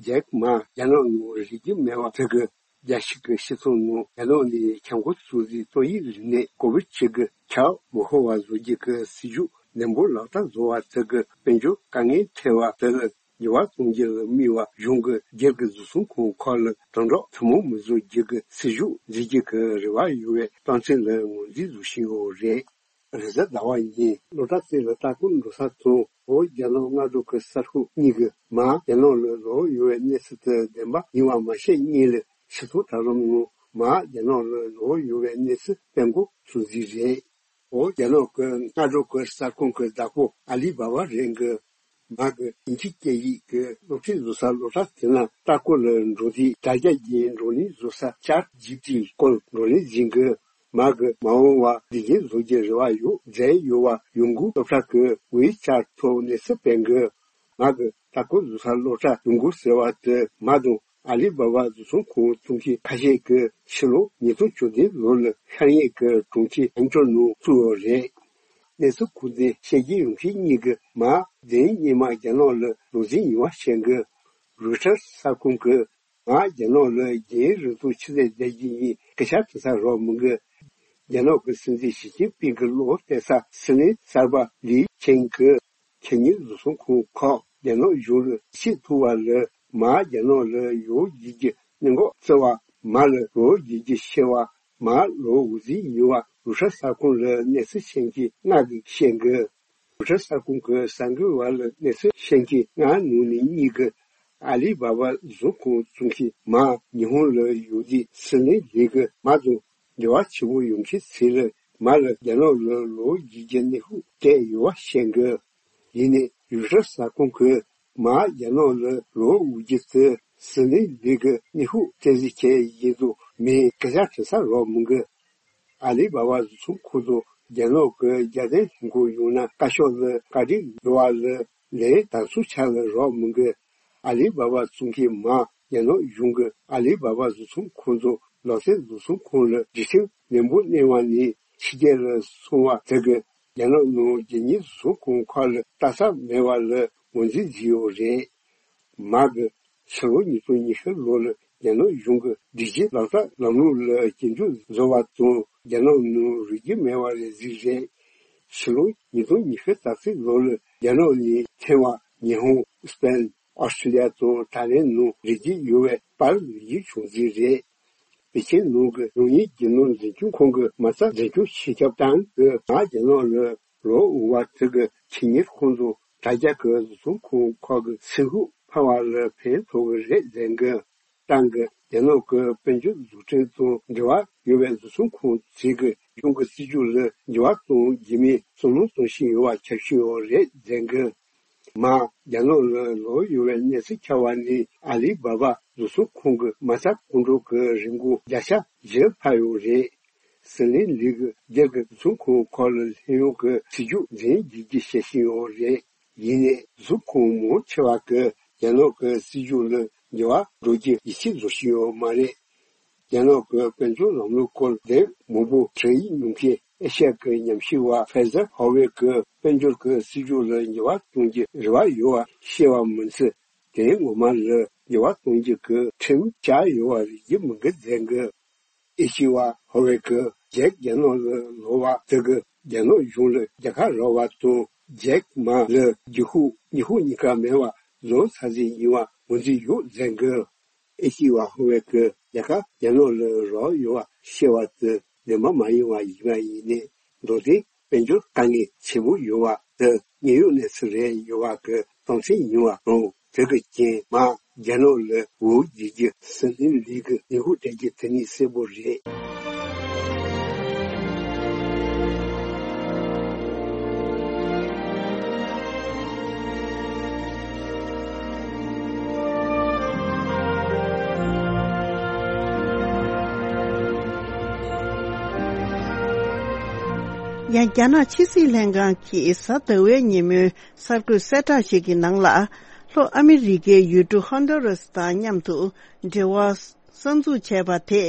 ཇེག་མ་རྒྱ་ནག་ནང་རིག་རྒྱུ་མེད་པ་དེ་གིས་རྒྱལ་སྤྱི་གི་སྤྱི་ཚོགས་ནང་རྒྱ་ནག་ནས་ཁྱབ་ཁོངས་སུ་རིག་ཏོག་དབྱིབས་རིམས་ནད་ཀོ་བིད་བཅུ་དགུ་ཁྱབ་མི་ཤོར་བ་བཟོ་རྒྱུ་གི་སྲིད་ཇུས་ནན་པོ་ལག་བསྟར་བཟོ་བ་དེ་གིས་དཔལ་འབྱོར་དཀའ་ངལ་འཕྲད་པ་དེ་ལ་འགྱུར་བ་གཏོང་རྒྱུ་ལ་དམིགས་པ་གཞུང་གིས་སྒེར་གྱི་བཟོ་ཚོང་ཁང་ཁག་ལ་དམ་དྲག་ཐུན་མོང་མི་བཟོ་རྒྱུ་གི་སྲིད་ཇུས་འཛིན་རྒྱུ་གི་རེ་བ་ཡོད་པའི་རྟགས་མཚན་ལ་ངོས་འཛིན་བཟོ་བཞིན་ཡོད་རེད། རེས་གཟའ་ཟླ་བ་ཉིན་སློབ་གྲྭ་བརྩེགས་ལ་ལྟ་སྐོར་འགྲོ་ས་དང་བོད་རྒྱ་ནག་མངའ་འབྲུག་གི་གསར་ཤོག་གཉིས་ཀྱིས་མར་རྒྱ་ནག་ལ་ལོག་ཡོང་བའི་གནས་ཚུལ་དེ་བདེན་པ་ཡིན་པ་མ་ཤེས་སྔོན་ལ་ཕྱི་ཚོང་དྲ་ལམ་ནང་མར་རྒྱ་ནག་ལ་ལོག་ཡོང་བའི་གནས་ཚུལ་སྤེལ་འགོ་ཚུགས་རྩིས་རེད། བོད་རྒྱ་ནག་གི་མངའ་འབྲུག་གི་གསར་ཁང་གི་བདག་པོ་ཨ་ལི་བྷ་བྷ་རང་གིས་མར་གྱི་དབྱིན་ཇི་སྐད་ཡིག་གི་སློབ་ཁྲིད་བཟོ་ས་སློབ་གྲྭ་དེ་ན་ལྟ་སྐོར་ལ་འགྲོ་དུས་དྲ་རྒྱ་བརྒྱུད་བགྲོ་གླེང་བཟོ་ས་ཅེཊ་ཇི་པི་ཊི་སྐོར་བགྲོ་གླེང་འཛིན་གྱི། མར་གྱི་མ་འོངས་པར་བདེ་སྐྱིད་བཟོ་རྒྱུའི་རེ་བ་ཡོད་མཛད་ཡོད་པ་ཡོང་སྒོ་སློབ་གྲྭ་གི་ཝེ་ཅེཊ་ཐོག་གནས་ཚུལ་སྤེལ་གྱི། མར་གྱི་ལྟ་སྐོར་བཟོ་ས་སློབ་གྲྭ་ཡོང་སྒོ་ཟེར་བ་དེ་མ་དང་ཨ་ལི་བྷ་བྷ་བཟོ་ཚོང་ཁང་བཙུགས་མཁན་ཁ་ཤས་ཀྱིས་ཕྱི་ལོ་ཉིས་སྟོང་བཅུ་བདུན་ལོ་ལ་ཤར་ཡོང་གི་གྲོང་ཁྱེར་ཨན་ཅོན་ནང་བཙུགས་ཡོད་རེད། གནས་ཚུལ་ཁུངས་དེ་ཤེས་ཀྱི་ཡོང་མཁན་གཉིས་ཀྱིས་མར་གདན་སྔོན་མ་རྒྱ་ནག་ལ་ལོག་འཛིན་ཡོད་པ་བཤད་གི། རོའི་ཊར་གསར་ཁང་གིས་མར་རྒྱ་ནག་ལ་རྒྱ་ཡིག་རིང་ཐུང་ཆུ་ཚོད་བརྒྱད་ཀྱི་ཉིན་སྐད་ཆ་དྲི་ས་རོགས་མི་འགི། རྒྱ་ནག་གི་སྲིད་འཛིན་ཞི་ཅིན་ཕིང་གི་གློག་བལྟས་ས་སྲིད་བློན་གསར་པ་ལི་ཆེང་གིས་ཁེ་གཉེར་བཟོ་ཚོང་ཁང་ཁག་རྒྱ་ནག་གཞུང་ལ་ཆེས་ཐུག་པ་ལ་མར་རྒྱ་ནག་ལ་ཡོང་བགྱིད་རྒྱུ་གནད་འགག་བརྩི་བ། མར་ལ་ལོག་བགྱིད་རྒྱུ་ཤེས་པ། མར་ལོག་འགོ་འཛིན་ཡོད་པ་རོའི་ཊར་གསར་ཁང་ལ་གནས་ཚུལ་ཤེས་མཁན་ལྔ་གིས་བཤད་གི། རོའི་ཊར་གསར་ཁང་གི་གསར་འགོད་པ་ལ་གནས་ཚུལ་ཤེས་མཁན་ལྔ་ནང་ནས་གཉིས་ཀྱིས་ཨ་ལི་བྷ་བྷ་བཟོ་ཚོང་ཁང་བཙུགས་མཁན་མར་ཉི་ཧོང་ལ་ཡོང་དུས་སྲིད་བློན་ལི་གིས་མར་དང་འབྲེལ་བ་ཆེ་པོ་ཡོང་མཁན་ཚོ་ལ་མར་ལ་རྒྱ་ནག་ལ་ལོག་བགྱིད་རྒྱུ་གནོན་ཤུགས་སྤྲད་ཡོད་པ་བཤད་གི། ཡིན་ནའི་རོའི་ཊར་གསར་ཁང་གིས་མར་རྒྱ་ནག་ལ་ལོག་འོང་རྒྱུ་དེ་སྲིད་བློན་ལི་གིས་གནོན་ཤུགས་སྤྲད་རྩིས་བྱས་ཡིན་དང་མིན་སྐད་ཆ་དྲི་ས་རོགས་མི་འགི། ཨ་ལི་བྷ་བྷ་བཟོ་ཚོང་ཁང་དུ་རྒྱ་ནག་གི་རྒྱལ་བསྟན་ལྷན་ཁང་ཡོང་ན་བཀའ་ཤག་ལ་བཀའ་འདྲི་འགྲོ་བ་ལ་ལན་ད་ཚུར་ཆ་ལ་རག་མི་འགི། ཨ་ལི་བྷ་བྷ་བཙུགས་མཁན་མར་རྒྱ་ནག་གཞུང་གིས་ཨ་ལི་བྷ་བྷ་བཟོ་ཚོང་ཁང་དུ་ལག་རྩལ་བཟོ་ཚོང་ཁང་ལ་སྒྲིག་ཁྲིམས་ནན་པོ་གནང་བ་ནས་ཕྱི་རྒྱལ་ལ་སོང་བ་དེ་གིས་རྒྱ་ནག་ནང་རྒྱལ་གཉེར་བཟོ་ཚོང་ཁང་ཁག་ལ་ལྟ་ས་མེད་པ་ལ་ངོས་འཛིན་བྱས་ཡོད་རེད། མར་གྱི་ཕྱི་ལོ་ཉིས་སྟོང་ཉི་ཤུ་ལོ་ལ་རྒྱ་ནག་གཞུང་གི་སྒྲིག་གཞི་ལག་བསྟར་ལམ་ལུགས་ལ་སྐྱོན་བརྗོད་བཟོ་བ་དང་རྒྱ་ནག་ནང་རིག་རྒྱུ་མེད་པ་རེད་ཟེར་རེད། ཕྱི་ལོ་ཉིས་སྟོང་ཉི་ཤུ་རྩ་གཅིག་ལོ་ལ་རྒྱ་ནག་ནས་ཐེ་ཝན། ཉི་ཧོང་། སི་པེན། ཨོ་སི་ཀྲི་ལི་ཡ་དང་ད་ལན་ནང་རིག་རྒྱུ་ཡོད་པའི་པར་ལེན་རྒྱུ་བྱུང་རྩིས་རེད། པེ་ཅིན་ནང་གི་རང་ཉིད་རྒྱུ་ནོར་འཛིན་སྐྱོང་ཁང་གི་མ་རྩ་འཛིན་སྐྱོང་སྤྱི་ཁྱབ་ཏང་གིས་མར་རྒྱ་ནག་ལ་ལོག་འོང་བ་དེ་གི་ཁེ་གཉེར་ཁང་དང་དྲ་རྒྱ་གི་བཟོ་ཚོང་ཁང་ཁག་གི་ཚེ་སྒོ་འཕར་བ་ལ་ཕན་ཐོགས་ཀྱི་རེད་ཟེར་གི། ཏང་གིས་རྒྱ་ནག་གི་དཔལ་འབྱོར་འཛུགས་སྐྲུན་དང་འབྲེལ་བ་ཡོད་པའི་བཟོ་ཚོང་ཁང་ཚོས་ཀྱི་གཞུང་གི་སྲིད་ཇུས་ལ་འགྱུར་བ་གཏོང་རྒྱུ་མིན་བསམ་བློ་གཏོང་བཞིན་ཡོད་པ་ཁྱབ་བཞིན་ཡོད་རེད་ཟེར་གི། མར་རྒྱ་ནག་ལ་ལོག་ཡོང་བའི་གནས་ཚུལ་ཁྱབ་པ་ནས་ཨ་ལི་བྷ་བྷ་བཟོ་ཚོང་ཁང་གི་མ་རྩ་གོང་འཕྲོ་གི་རིན་གོང་བརྒྱ་ཆ་བཞི་འཕར་ཡོད་རེད། ཟི་ལིང་ལི་གི་སྒེར་གྱི་བཟོ་ཚོང་ཁང་ཁག་ལ་ལྷོད་ཡོང་གི་སྲིད་ཇུས་འཛིན་བགྱིད་རྒྱུ་བྱེད་བཞིན་ཡོད་རེད། ཡིན་ནའི་བཟོ་ཚོང་ཁང་མང་ཆེ་བ་གིས་རྒྱ་ནག་གི་སྲིད་ཇུས་ལ་འགྱུར་བ་འགྲོ་རྒྱུ་ཡིད་ཆེས་བཟོ་བཞིན་ཡོད་མ་རེད། རྒྱ་ནག་གི་དཔལ་འབྱོར་ལམ་ལུགས་སྐོར་ལས་མང་པོ་དྲན་ཡིག་ཉོ་མཁན་ཨེ་ཤ་ཡ་གི་ཉམས་ཞིབ་པ་ཕེ་ཟར་ཧོ་ཝེ་གིས་དཔལ་འབྱོར་གྱི་སྲིད་ཇུས་ལ་འགྱུར་བ་གཏོང་རྒྱུའི་རེ་བ་ཡོད་པ་བཤད་པ་མིན་ཚེ། དེ་ངོ་མ་ལ་འགྱུར་བ་གཏོང་རྒྱུ་གི་ཁྲིམས་བཅའ་ཡོད་པ་རེད་ཡིན་མིན་གྱི་འཛིན་གི། ཨེ་ཤེ་ཡ་ཧོ་ཝེ་གིས་ཇེག་རྒྱ་ནག་ལ་ལོག་པ་དེ་གིས་རྒྱ་ནག་གཞུང་ལ་རྒྱལ་ཁ་རག་པ་དང་། ཇེག་མ་ལ་རྒྱུ་ཤུགས་ཉི་ཤུ་གཉིས་ཀ་མེད་པ་བཟོ་ཚར་ཟིན་ཡིན་པ་ངོས་འཛིན་ཡོད་འཛིན་གི། ཨེ་ཤེ་ཡ་ཧོ་ཝེ་གིས་རྒྱལ་ཁ་རྒྱ་ནག་ལ་རག་ཡོད་པ་བཤད་པ་དེ་བདེན་པ་མ་ཡིན་པ་ཡིན་པ་ཡིན་ནའི། མདོར་དེ་དཔལ་འབྱོར་དཀའ་ངལ་ཆེན་པོ་ཡོད་པ་དེ་དངོས་ཡོད་གནས་ཚུལ་རེད་ཡོད་པ་གི་རྟགས་མཚན་ཡིན་པ་དང་། དེ་གི་རྐྱེན་མ་རྒྱ་ནག་ལ་འོ་བརྒྱུད་རྒྱུ་སྲིད་བློན་ལི་གི་ལས་འགུལ་སྤྲད་རྒྱུ་དེ་ནི་གསལ་པོ་རེད། ཡང་རྒྱ་ནག་ཕྱི་སྲིད་ལྷན་ཁང་གིས་གཟའ་ཟླ་བའི་ཉིན་མོའི་གསར་འགོད་གསལ་བསྒྲགས་ཤིག་གི་ནང་ལ། ལྷོ་ཨ་མི་རི་ཀའི་ཡུལ་གྲུ་ཧོན་ཌུ་རེས་དང་མཉམ་དུ་འབྲེལ་བ་གསར་འཛུགས་བྱས་པ་དེ།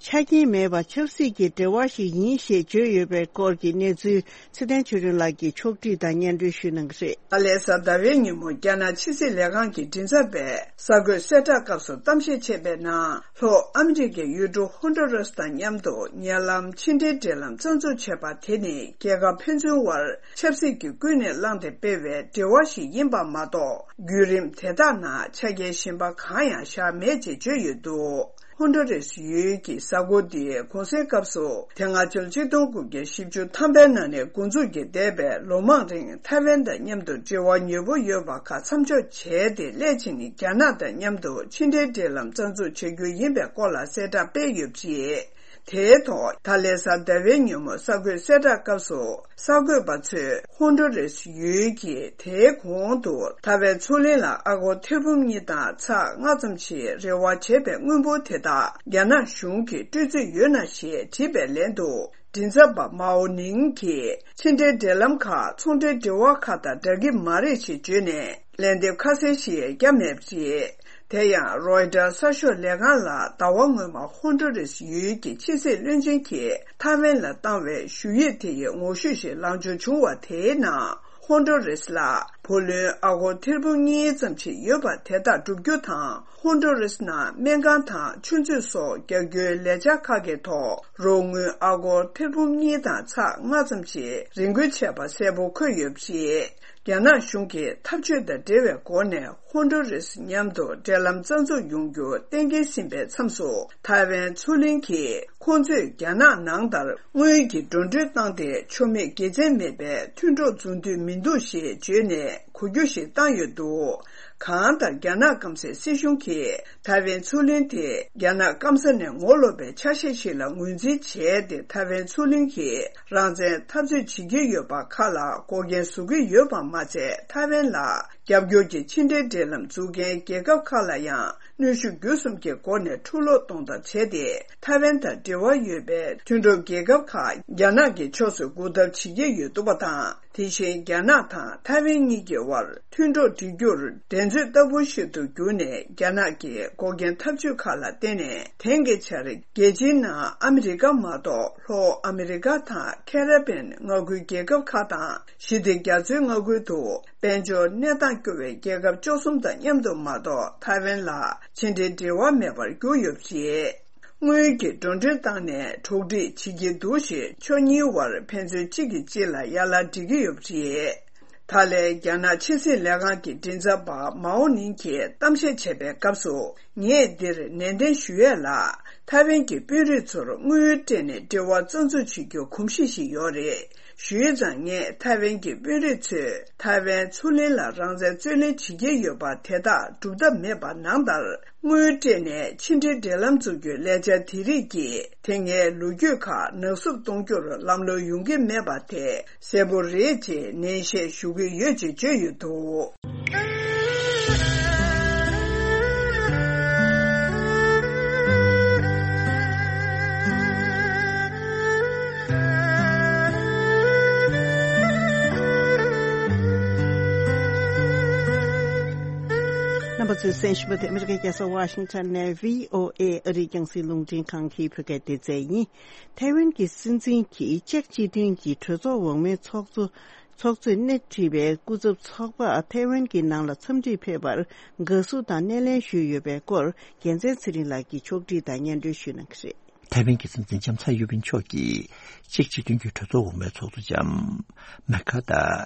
ཆ་རྐྱེན་མེད་པར་ཆབ་སྲིད་ཀྱི་འབྲེལ་བ་ཞིག་ཡིན་ཞེས་བརྗོད་ཡོད་པའི་སྐོར་གྱི་གནས་ཚུལ་ཚེ་བརྟན་ཆོས་སྒྲོན་ལགས་ཀྱིས་ཕྱོགས་སྒྲིག་དང་སྙན་སྒྲོན་ཞུ་གནང་གི་རེད། ད་ལན་གཟའ་ཟླ་བའི་ཉིན་མོ་རྒྱ་ནག་ཕྱི་སྲིད་ལས་ཁང་གི་མགྲིན་ཚབ་པས་གསར་འགོད་གསལ་བསྒྲགས་སྐབས་སུ་གཏམ་བཤད་བྱས་པའི་ནང་། ལྷོ་ཨ་མི་རི་ཀའི་ཡུལ་གྲུ་ཧོན་ཌུ་རེས་དང་མཉམ་དུ་ཉེ་ལམ་ཕྱི་འབྲེལ་འབྲེལ་ལམ་རྩ་འཛུགས་བྱས་པ་དེ་ནི་རྒྱལ་ཁབ་ཕན་ཚུན་དབར་ཆབ་སྲིད་ཀྱི་ཀུན་ནས་བསླངས་ཏེ་སྤེལ་བའི་འབྲེལ་བ་ཞིག་ཡིན་པ་མ་གཏོགས། བརྒྱུད་རིམ་དེ་དག་ནང་ཆ་རྐྱེན་གཞན་པ་གང་ཡང་བཞག་མེད་ཅེས་བརྗོད་ཡོད་འདུག་ཧོན་ཌུ་རེས་ཡུལ་གྱི་གཟའ་འཁོར་འདི་གུང་གསེང་སྐབས་སུ་དེ་སྔ་ཕྱི་ལོ་གཅིག་སྟོང་དགུ་བརྒྱ་བཞི་བཅུ་ཐམ་པའི་ནང་ནས་འགོ་འཛུགས་ཀྱིས་འདས་པའི་ལོ་མང་རིང་ཐའེ་ཝན་དང་མཉམ་དུ་འབྲེལ་བ་ཉེ་པོ་ཡོད་པ་ཁག་མཚམས་འཇོག་བྱས་ཏེ། སླད་ཕྱིན་རྒྱ་ནག་དང་མཉམ་དུ་ཕྱི་འབྲེལ་འབྲེལ་ལམ་རྩ་འཛུགས་བྱ་རྒྱུ་ཡིན་པའི་སྐོར་ལ་གསལ་བསྒྲགས་སྤེལ་ཡོད་པ་རེད། དེའི་ཐོག་ད་ལན་གཟའ་ཟླ་བའི་ཉིན་མོ་གསར་འགོད་གསལ་བསྒྲགས་སྐབས་སུ། གསར་འགོད་པ་ཚོས་ཧོན་ཌུ་རེས་ཡུལ་གྱི་དེའི་གོང་དུ་ཐའེ་ཝན་མཚོ་གླིང་ལ་ཨ་སྒོར་ཐེར་འབུམ་གཉིས་དང་ཚེག་ལྔ་ཙམ་ཞིག་རེ་བ་བྱས་པའི་དངུལ་འབོར་དེ་དག་རྒྱ་ནག་གཞུང་གིས་སྤྲོད་རྩིས་ཡོད་ན་ཞེས་དྲིས་པའི་ལན་དུ། མགྲིན་ཚབ་པ་མའོ་ནིང་གིས་ཕྱི་འབྲེལ་འབྲེལ་ལམ་ཁག་ཚོང་འབྲེལ་འབྲེལ་བ་ཁག་དང་འདྲ་གི་མ་རེད་ཅེས་བརྗོད་ནས། ལན་འདེབས་ཁ་གསལ་ཞིག་བརྒྱབ་མེད་པ་རེད། དེ་ཡང་རོའི་ཊར་གསར་ཤོག་ལས་ཁང་ལ་ཟླ་བ་སྔོན་མ་ཧོན་ཌུ་རེས་ཡུལ་གྱི་ཕྱི་སྲིད་བློན་ཆེན་གྱིས་ཐའེ་ཝན་ལ་བཏང་བའི་ཞུ་ཡིག་དེ་ཡི་ངོ་བཤུས་ཤིག་ལངས་ཕྱོགས་བྱུང་བ་དེའི་ནང་། ཧོན་ཌུ་རེས་ལ་བུ་ལོན་ཨ་སྒོར་ཐེར་འབུམ་གཉིས་ཙམ་ཞིག་ཡོད་པ་དེ་དག་བསྒྲུབ་རྒྱུ་དང་། ཧོན་ཌུ་རེས་ནང་སྨན་ཁང་དང་ཆུ་མཛོད་སོགས་རྒྱག་རྒྱུའི་ལས་འཆར་ཁག་གི་ཐོག་རོགས་དངུལ་ཨ་སྒོར་ཐེར་འབུམ་གཉིས་དང་ཚེག་ལྔ་ཙམ་ཞིག་རེ་འགུལ་བྱས་པ་གསལ་པོ་འཁོད་ཡོད་པ་རེད། རྒྱ་ནག་གཞུང་གིས་འཐབ་ཇུས་དང་འབྲེལ་བའི་སྒོ་ནས་ཧོན་ཌུ་རེས་མཉམ་དུ་འབྲེལ་ལམ་རྩ་འཛུགས་ཡོང་རྒྱུ་གཏན་འཁེལ་ཟིན་པའི་མཚམས་སུ། ཐའེ་ཝན་མཚོ་གླིང་གིས་ཁོང་ཚོས་རྒྱ་ནག་ནང་ལྟར་དངུལ་གྱི་འགྲོ་གྲོན་བཏང་སྟེ་ཆོ་མེད་དགེ་མཚན་མེད་པའི་མཐུན་གྲོགས་འཛུགས་འདོད་མི་འདུག་ཞེས་བརྗོད་ནས་གོ་རྒྱུ་ཞིག་བཏང་ཡོད་འདུག་གང་ལྟར་རྒྱ་ནག་སྐམ་སའི་སྲིད་གཞུང་གིས་ཐའེ་ཝན་མཚོ་གླིང་དེ་རྒྱ་ནག་སྐམ་ས་ནས་ངོ་ལོག་པའི་ཆ་ཤས་ཤིག་ལ་ངོས་འཛིན་བྱས་ཏེ། ཐའེ་ཝན་མཚོ་གླིང་གི་རང་བཙན་འཐབ་རྩོད་བྱེད་ཀྱི་ཡོད་པ་ཁག་ལ་འགོག་རྐྱེན་བཟོ་གི་ཡོད་པ་མ་ཚད། ཐའེ་ཝན་ལ་རྒྱབ་སྐྱོར་གྱི་ཕྱི་འབྲེལ་འབྲེལ་ལམ་འཛུགས་མཁན་རྒྱལ་ཁབ་ཁག་ལ་ཡང་གནོན་ཤུགས་བརྒྱུད་གསུམ་གྱི་སྒོ་ནས་འཁྲུག་ལོག་གཏོང་ཐབས་བྱས་ཏེ། ཐའེ་ཝན་དང་འབྲེལ་བ་ཡོད་པའི་མཐུན་གྲོགས་རྒྱལ་ཁབ་ཁག་རྒྱ་ནག་གི་ཕྱོགས་སུ་སྒུག་ཐབས་བྱེད་ཀྱི་ཡོད་འདུག་པ་དང་། དེ་བཞིན་རྒྱ་ནག་དང་ཐའེ་ཝན་གཉིས་ཀྱི་དབར་མཐུན་གྲོགས་སྒྲིག་རྒྱུར་འགྲན་རྩོད་ལྟ་བུ་ཞིག་ཏུ་གྱུར་ནས། རྒྱ་ནག་གི་འགོག་རྐྱེན་ཐབས་ཇུས་ཁག་ལ་བརྟེན་ནས། དེང་གི་ཆར་རྒྱལ་སྤྱིའི་ནང་ཨ་མི་རི་ཀ་མ་གཏོགས་ལྷོ་ཨ་མི་རི་ཀ་དང་ཁེ་ར་བན་མངའ་ཁུལ་རྒྱལ་ཁབ་ཁག་དང་། ཞི་བདེ་རྒྱ་མཚོའི་མངའ་ཁུལ་དུ་དཔལ་འབྱོར་གནས་སྟངས་སྐྱོ་བའི་རྒྱལ་ཁབ་བཅུ་གསུམ་དང་མཉམ་དུ་མ་གཏོགས་ཐའེ་ཝན་ལ་ཕྱི་འབྲེལ་འབྲེལ་བ་མེད་པར་གྱུར་ཡོད་པ་རེད། དངུལ་གྱི་འགྲོ་གྲོན་བཏང་ནས་གྲོགས་སྒྲིག་བྱེད་ཀྱི་འདུག་ཞེས་ཕྱོགས་གཉིས་དབར་ཕན་ཚུན་གཅིག་གིས་གཅིག་ལ་ཡ་ལན་སྤྲད་ཀྱི་ཡོད་པ་རེད། ད་ལན་རྒྱ་ནག་ཕྱི་སྲིད་ལས་ཁང་གི་མགྲིན་ཚབ་པ་མའོ་ནིང་གིས་གཏམ་བཤད་བྱས་པའི་སྐབས་སུ། ངས་འདིར་ནན་ཏན་ཞུ་ཡས་ལ། ཐའེ་ཝན་གྱི་དཔོན་རིགས་ཚོར་དངུལ་སྤྲད་ནས་འབྲེལ་བ་རྩ་འཛུགས་བྱེད་རྒྱུ་གོམས་གཤིས་ཤིག་ཡོད་རེད། ཞུས་ཙང་། ངས་ཐའེ་ཝན་གྱི་དཔོན་རིགས་ཚོས་ཐའེ་ཝན་མཚོ་གླིང་ལ་རང་བཙན་རྩོད་ལེན་བྱེད་ཀྱི་ཡོད་པ་དེ་དག་སྒྲུབ་ཐབས་མེད་པ་ནང་ལྟར། དངུལ་སྤྲད་ནས་ཕྱི་འབྲེལ་འབྲེལ་ལམ་འཛུགས་རྒྱུའི་ལས་འཆར་དེ་རིགས་ཀྱིས་དེ་སྔའི་ལོ་རྒྱུས་ཁག་ནག་བསུབ་གཏོང་རྒྱུར་ལམ་ལྷོང་ཡོང་གི་མེད་པ་དེ་གསལ་པོ་རེད་ཅེས་ནན་བཤད་ཞུ་གི་ཡོད་ཅེས་བརྗོད་ཡོད་འདུག་རྣམ་པ་ གསན་ཞུ་བ་དེ་ཨ་མི་རི་ཀའི་རྒྱལ་ས་ཝ་ཤིང་ཊོན་ནས་བྷི་ཨོ་ཨེ་ཨ་རིའི་རྒྱང་སྲིང་རླུང་འཕྲིན་ཁང་གི་བོད་སྐད་སྡེ་ཚན་ཡིན། ཐའེ་ཝན་གྱི་སྲིད་འཛིན་གྱིས་ཅེཀ་སྤྱི་མཐུན་གྱི་གྲོས་ཚོགས་འོག་མའི་ཚོགས་གཙོ་ཚོགས་གཙོས་སྣེ་ཁྲིད་པའི་སྐུ་ཚབ་ཚོགས་པ་ཐའེ་ཝན་གྱི་ནང་ལ་འཚམས་འདྲིར་ཕེབས་པར་དགའ་བསུ་དང་སྣེ་ལེན་ཞུས་ཡོད་པའི་སྐོར་རྒྱལ་མཚན་ཚེ་རིང་ལགས་ཀྱིས་ཕྱོགས་སྒྲིག་དང་སྙན་སྒྲོན་ཞུས་གནང་གི་རེད། ཐའེ་ཝན་གྱི་སྲིད་འཛིན་ལྕམ་ཚའེ་ཡོན་ཕིན་མཆོག་གིས་ཅེཀ་སྤྱི་མཐུན་གྱི་གྲོས་ཚོགས་འོག་མའི་ཚོགས་གཙོ་ལྕམ་མེ་ཁ་ཏ་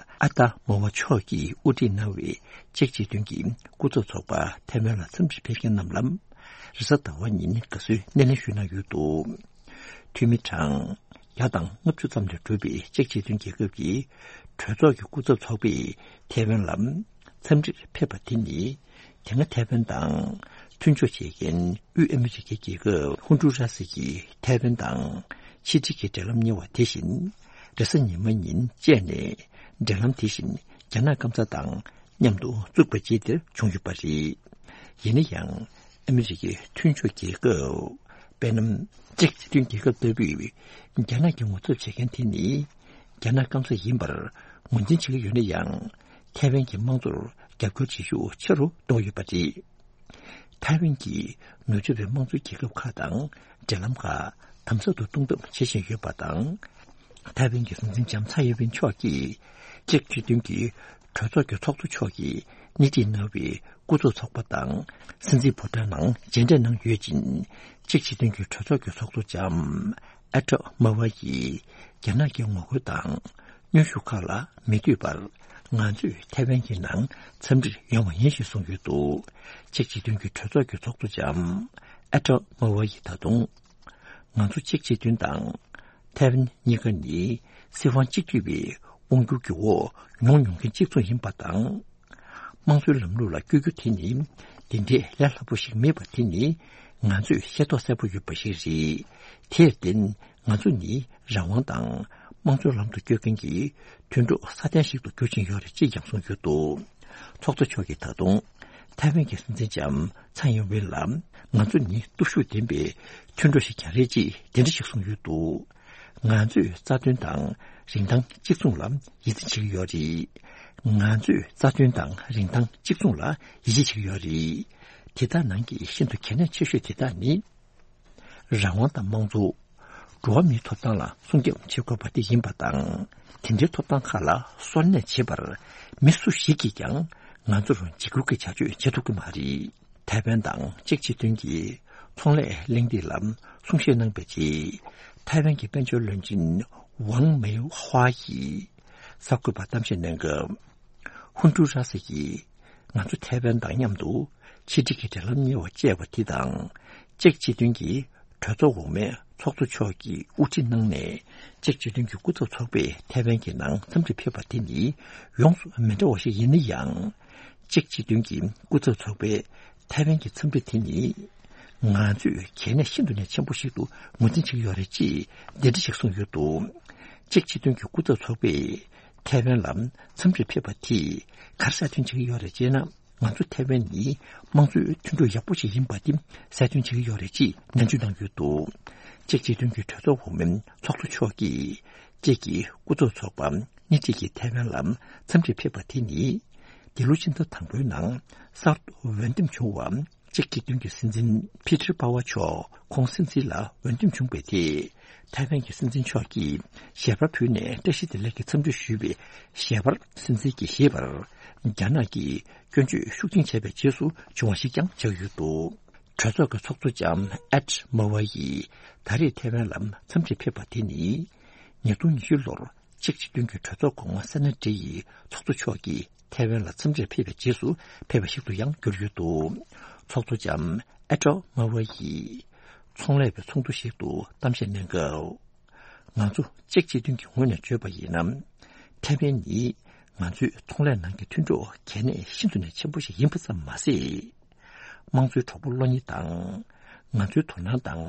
ཨ་ཏ་མོ་ཝ་མཆོག་གིས་དབུ་ཁྲིད་གནང་བའི་ཅེཀ་སྤྱི་མཐུན་གྱི་སྐུ་ཚབ་ཚོགས་པ་ཐའེ་ཝན་ལ་འཚམས་འདྲིར་ཕེབས་མཁན་རྣམས་ལ་རེས་གཟའ་ཟླ་བ་ཉིན་དགའ་བསུའི་སྣེ་ལེན་ཞུས་གནང་ཡོད་འདུག་འཐུས་མི་གྲངས་བརྒྱ་དང་ལྔ་བཅུ་ཙམ་ལས་གྲུབ་པའི་ཅེཀ་སྤྱི་མཐུན་རྒྱལ་ཁབ་ཀྱི་གྲོས་ཚོགས་ཀྱི་སྐུ་ཚབ་ཚོགས་པས་ཐའེ་ཝན་ལ་འཚམས་འདྲིར་ཕེབས་པ་དེ་ནི། དེ་སྔ་ཐའེ་ཝན་དང་མཐུན་ཕྱོགས་བྱེད་མཁན་དབུས་ཨ་མི་རི་ཀའི་རྒྱལ་ཁབ་ཧོན་ཌུ་ར་སི་ཀྱིས་ཐའེ་ཝན་དང་ཕྱི་འབྲེལ་གྱི་འབྲེལ་ལམ་གཉེར་བ་དེ་བཞིན། རེས་གཟའ་ཉི་མ་ཉིན་བཅས་ནས་འབྲེལ་ལམ་དེ་བཞིན་རྒྱ་ནག་སྐམ་ས་དང་མཉམ་དུ་བཙུགས་པ་བཅས་དེར་བྱུང་ཡོད་པ་རེད། ཡིན་ན་ཡང་། ཨ་མི་རི་ཀའི་མཐུན་ཕྱོགས་རྒྱལ་ཁབ། དཔེར་ན། ཅེཀ་སྤྱི་མཐུན་རྒྱལ་ཁབ་ལྟ་བུས་རྒྱ་ནག་གི་ངོ་ཚབ་བྱེད་མཁན་དེ་ནི། རྒྱ་ནག་སྐམ་ས་ཡིན་པར་ངོས་འཛིན་བྱེད་ཀྱི་ཡོད་ན་ཡང་། ཐའེ་ཝན་གྱི་དམངས་གཙོར་རྒྱབ་སྐྱོར་བྱེད་ཤུགས་ཆེ་རུ་གཏོང་ཡོད་པ་རེད། ཐའེ་ཝན་གྱིས་ནུབ་ཕྱོགས་པའི་དམངས་གཙོའི་རྒྱལ་ཁབ་ཁག་དང་འབྲེལ་ལམ་ཁག་དམ་ཟབ་ཏུ་གཏོང་ཐབས་བྱེད་བཞིན་ཡོད་པ་དང་། ཐའེ་ཝན་གྱི་སྲིད་འཛིན་ལྕམ་ཚའེ་ཡོན་ཕིན་མཆོག་གིས་ཅེཀ་སྤྱི་མཐུན་གྱི་གྲོས་ཚོགས་ཀྱི་ཚོགས་གཙོ་མཆོག་གིས་སྣེ་ཁྲིད་གནང་བའི་སྐུ་ཚབ་ཚོགས་པ་དང་སྲིད་འཛིན་ཕོ་བྲང་ནང་མཇལ་འཕྲད་གནང་ཡོད་ཅིང་། ཅེཀ་སྤྱི་མཐུན་གྱི་གྲོས་ཚོགས་ཀྱི་ཚོགས་གཙོ་ལྕམ་ཨ་ཏྲ་མ་ཝ་ཡིས་རྒྱ་ནག་གི་ངོ་རྒོལ་དང་གནོན་ཤུགས་ཁག་ལ་མི་ལྟོས་པར་ང་ཚོས་ཐའེ་ཝན་གྱི་ནང་འཚམས་འདྲིར་ཡོང་བ་ཡིན་ཞེས་གསུངས་ཡོད་འདུག་ཅེཀ་སྤྱི་མཐུན་གྱི་གྲོས་ཚོགས་ཀྱི་ཚོགས་གཙོ་ལྕམ་ཨ་ཏྲ་མ་ཝ་ཡིས་ད་དུང་ང་ཚོ་ཅེཀ་སྤྱི་མཐུན་དང་། ཐའེ་ཝན་གཉིས་ཀ་ནི་སྲིད་དབང་གཅིག་སྡུད་པའི་དབང་སྒྱུར་གྱི་འོག་མྱོང་མྱོང་མཁན་གཅིག་མཚུངས་ཡིན་པ་དང་། དམངས་གཙོའི་ལམ་ལུགས་ལ་བསྐྱོད་རྒྱུ་དེ་ནི་འདི་འདྲའི་ལས་སླ་པོ་ཞིག་མེད་པ་དེ་ནི་ང་ཚོས་ཤེས་རྟོགས་གསལ་པོ་ཡོད་པ་ཞིག་རེད། དེར་བརྟེན་ང་ཚོ་ནི་རང་དབང་དང་དམངས་གཙོའི་ལམ་དུ་བསྐྱོད་མཁན་གྱི་མཐུན་གྲོགས་སྲ་བརྟན་ཞིག་ཏུ་འགྱུར་བཞིན་ཡོད་རེད་ཅེས་ཀྱང་གསུངས་ཡོད་འདུག་ཚོགས་གཙོ་མཆོག་གིས་ད་དུང་ཐའེ་ཝན་གྱི་སྲིད་འཛིན་ལྕམ་ཚའེ་ཡིན་ཝེན་ལ་ང་ཚོ་ནི་སྟོབས་ཤུགས་ལྡན་པའི་མཐུན་གྲོགས་ཤིག་ཀྱང་རེད་ཅེས་དེ་འདྲ་ཞིག་གསུངས་ཡོད་འདུག་ང་ཚོས་རྩ་དོན་དང་རིན་ཐང་གཅིག་མཚུངས་ལ་ཡིད་ཆེས་བྱེད་ཀྱི་ཡོད་རེད། ང་ཚོས་རྩ་དོན་དང་རིན་ཐང་གཅིག་མཚུངས་ལ་ཡིད་ཆེས་བྱེད་ཀྱི་ཡོད་རེད། དེ་དག་ནང་གི་ཤིན་ཏུ་གལ་གནད་ཆེ་ཤོས་དེ་དག་ནི། རང་དབང་དང་དམངས་གཙོ། འགྲོ་བ་མིའི་ཐོབ་ཐང་ལ་སྲུང་སྐྱོབ་བྱེད་དགོས་པ་དེ་ཡིན་པ་དང་། དེ་འདྲའི་ཐོབ་ཐང་ཁག་ལ་སོར་གནས་བྱེད་པར་མི་སུ་ཞིག་གིས་ཀྱང་ང་ཚོར་འཇིགས་སྐུལ་གྱི་བྱ་སྤྱོད་བྱེད་ཐུབ་ཀྱི་མ་རེད། ཐའེ་ཝན་དང་ཅེཀ་སྤྱི་མཐུན་གྱི་ཚོང་ལས་གླེང་སྟེགས་ལ་གསུང་བཤད་གནང་པའི་རྗེས། ཐའེ་ཝན་གྱི་དཔལ་འབྱོར་བློན་ཆེན་ཝང་མེ་ཧྭ་ཡིས་གསར་འགོད་པར་གཏམ་བཤད་གནང་སྐབས། ཧུན་ཀྲུའུ་ར་སི་ཡིས་ང་ཚོ་ཐའེ་ཝན་དང་མཉམ་དུ་ཕྱི་འབྲེལ་གྱི་འབྲེལ་ལམ་གཉེར་བ་བཅས་པ་དེ་དང་། ཅེཀ་སྤྱི་མཐུན་གྱི་གྲོས་ཚོགས་འོག་མའི་ཚོགས་གཙོ་མཆོག་གིས་དབུ་ཁྲིད་གནང་ནས་ཅེཀ་སྤྱི་མཐུན་གྱི་སྐུ་ཚབ་ཚོགས་པས་ཐའེ་ཝན་གྱི་ནང་འཚམས་འདྲིར་ཕེབས་པ་དེ་ནི་ཡོངས་སུ་མི་འདྲ་བ་ཞིག་ཡིན་ན་ཡང་། ཅེཀ་སྤྱི་མཐུན་གྱི་སྐུ་ཚབ་ཚོགས་པས་ཐའེ་ཝན་གྱི་འཚམས་འདྲི་དེ་ནི་ང་ཚོས་གལ་གནད་ཤིན་ཏུ་ནས་ཆེན་པོ་ཞིག་ཏུ་ངོས་འཛིན་བྱེད་ཀྱི་ཡོད་རེད་ཅེས་འདི་འདྲ་ཞིག་གསུངས་ཡོད་འདུག་ཅེཀ་སྤྱི་མཐུན་གྱི་སྐུ་ཚབ་ཚོགས་པས་ཐའེ་ཝན་ལ་འཚམས་འདྲིར་ཕེབས་པ་དེས་ག་རེ་གསལ་སྟོན་བྱེད་ཀྱི་ཡོད་རེད་ཅེ་ན། ང་ཚོ་ཐའེ་ཝན་ནི་དམངས་གཙོའི་མཐུན་གྲོགས་ཡག་པོ་ཞིག་ཡིན་པ་དེ་གསལ་སྟོན་བྱེད་ཀྱི་ཡོད་རེད་ཅེས་ནན་བརྗོད་གནང་ཡོད་འདུག་ཅེཀ་སྤྱི་མཐུན་གྱི་གྲོས་ཚོགས་འོག་མའི་ཚོགས་གཙོ་མཆོག་གིས་ཅེཀ་གི་སྐུ་ཚབ་ཚོགས་པ་སྣེ་ཁྲིད་ཀྱིས་ཐའེ་ཝན་ལ་འཚམས་འདྲིར་ཕེབས་པ་དེ་ནི་འདི་ལོ་ཕྱི་ཟླ་དང་པོའི་ནང་གསར་དུ་འོས་འདེམས་བྱུང་བ། ཅེཀ་སྤྱི་མཐུན་གྱི་སྲིད་འཛིན་ཕི་ཏྲི་པ་ཝ་མཆོག་ཁོང་སྲིད་འཛིན་ལ་འོས་འདེམས་བྱུང་བའི་ཐད། ཐའེ་ཝན་གྱི་སྲིད་འཛིན་མཆོག་གིས་ཞལ་པར་ཕུལ་ནས་བཀྲ་ཤིས་བདེ་ལེགས་ཀྱི་འཚམས་འདྲི་ཞུས་པའི་ཞལ་པར་སྲིད་འཛིན་གྱིས་ཞེས་པར། རྒྱ་ནག་གིས་སྐྱོན་བརྗོད་ཤུགས་ཆེན་བྱས་པའི་རྗེས་སུ་བྱུང་བ་ཞིག་ཀྱང་ཆགས་ཡོད་འདུག་གྲོས་ཚོགས་ཀྱི་ཚོགས་གཙོ་ལྕམ་ཨེད་མ་ཝ་ཡིས་ད་རེས་ཐའེ་ཝན་ལ་འཚམས་འདྲིར་ཕེབས་པ་དེ་ནི། ཉིས་སྟོང་ཉི་ཤུ་ལོར་ཅེཀ་སྤྱི་མཐུན་གྱི་གྲོས་ཚོགས་གོང་མ་སེ་ན་ཏྲེ་ཡི་ཚོགས་གཙོ་མཆོག་གིས། ཐའེ་ཝན་ལ་འཚམས་འདྲིར་ཕེབས་པའི་རྗེས་སུ་ཕེབས་པ་ཞིག་ཏུ་ཡང་གྱུར་ཡོད་འདུག་ཚོགས་གཙོ་ལྕམ་ཨེ་ཀྲོ་མ་ཝ་ཡིས་ཚོང་ལས་པའི་ཚོགས་འདུ་ཞིག་ཏུ་གཏམ་བཤད་གནང་སྐབས། ང་ཚོ་ཅེཀ་སྤྱི་མཐུན་གྱི་ངོས་ནས་བརྗོད་པ་ཡིན་ན། ཐའེ་ཝན་ནི་ང་ཚོའི་ཚོང་ལས་ནང་གི་མཐུན་གྲོགས་གལ་གནད་ཤིན་ཏུ་ནས་ཆེན་པོ་ཞིག་ཡིན་པ་ཙམ་མ་ཟད། དམངས་གཙོའི་གྲོགས་པོ་བློ་གཉེར་དང་། ང་ཚོའི་དོ་སྣང་དང་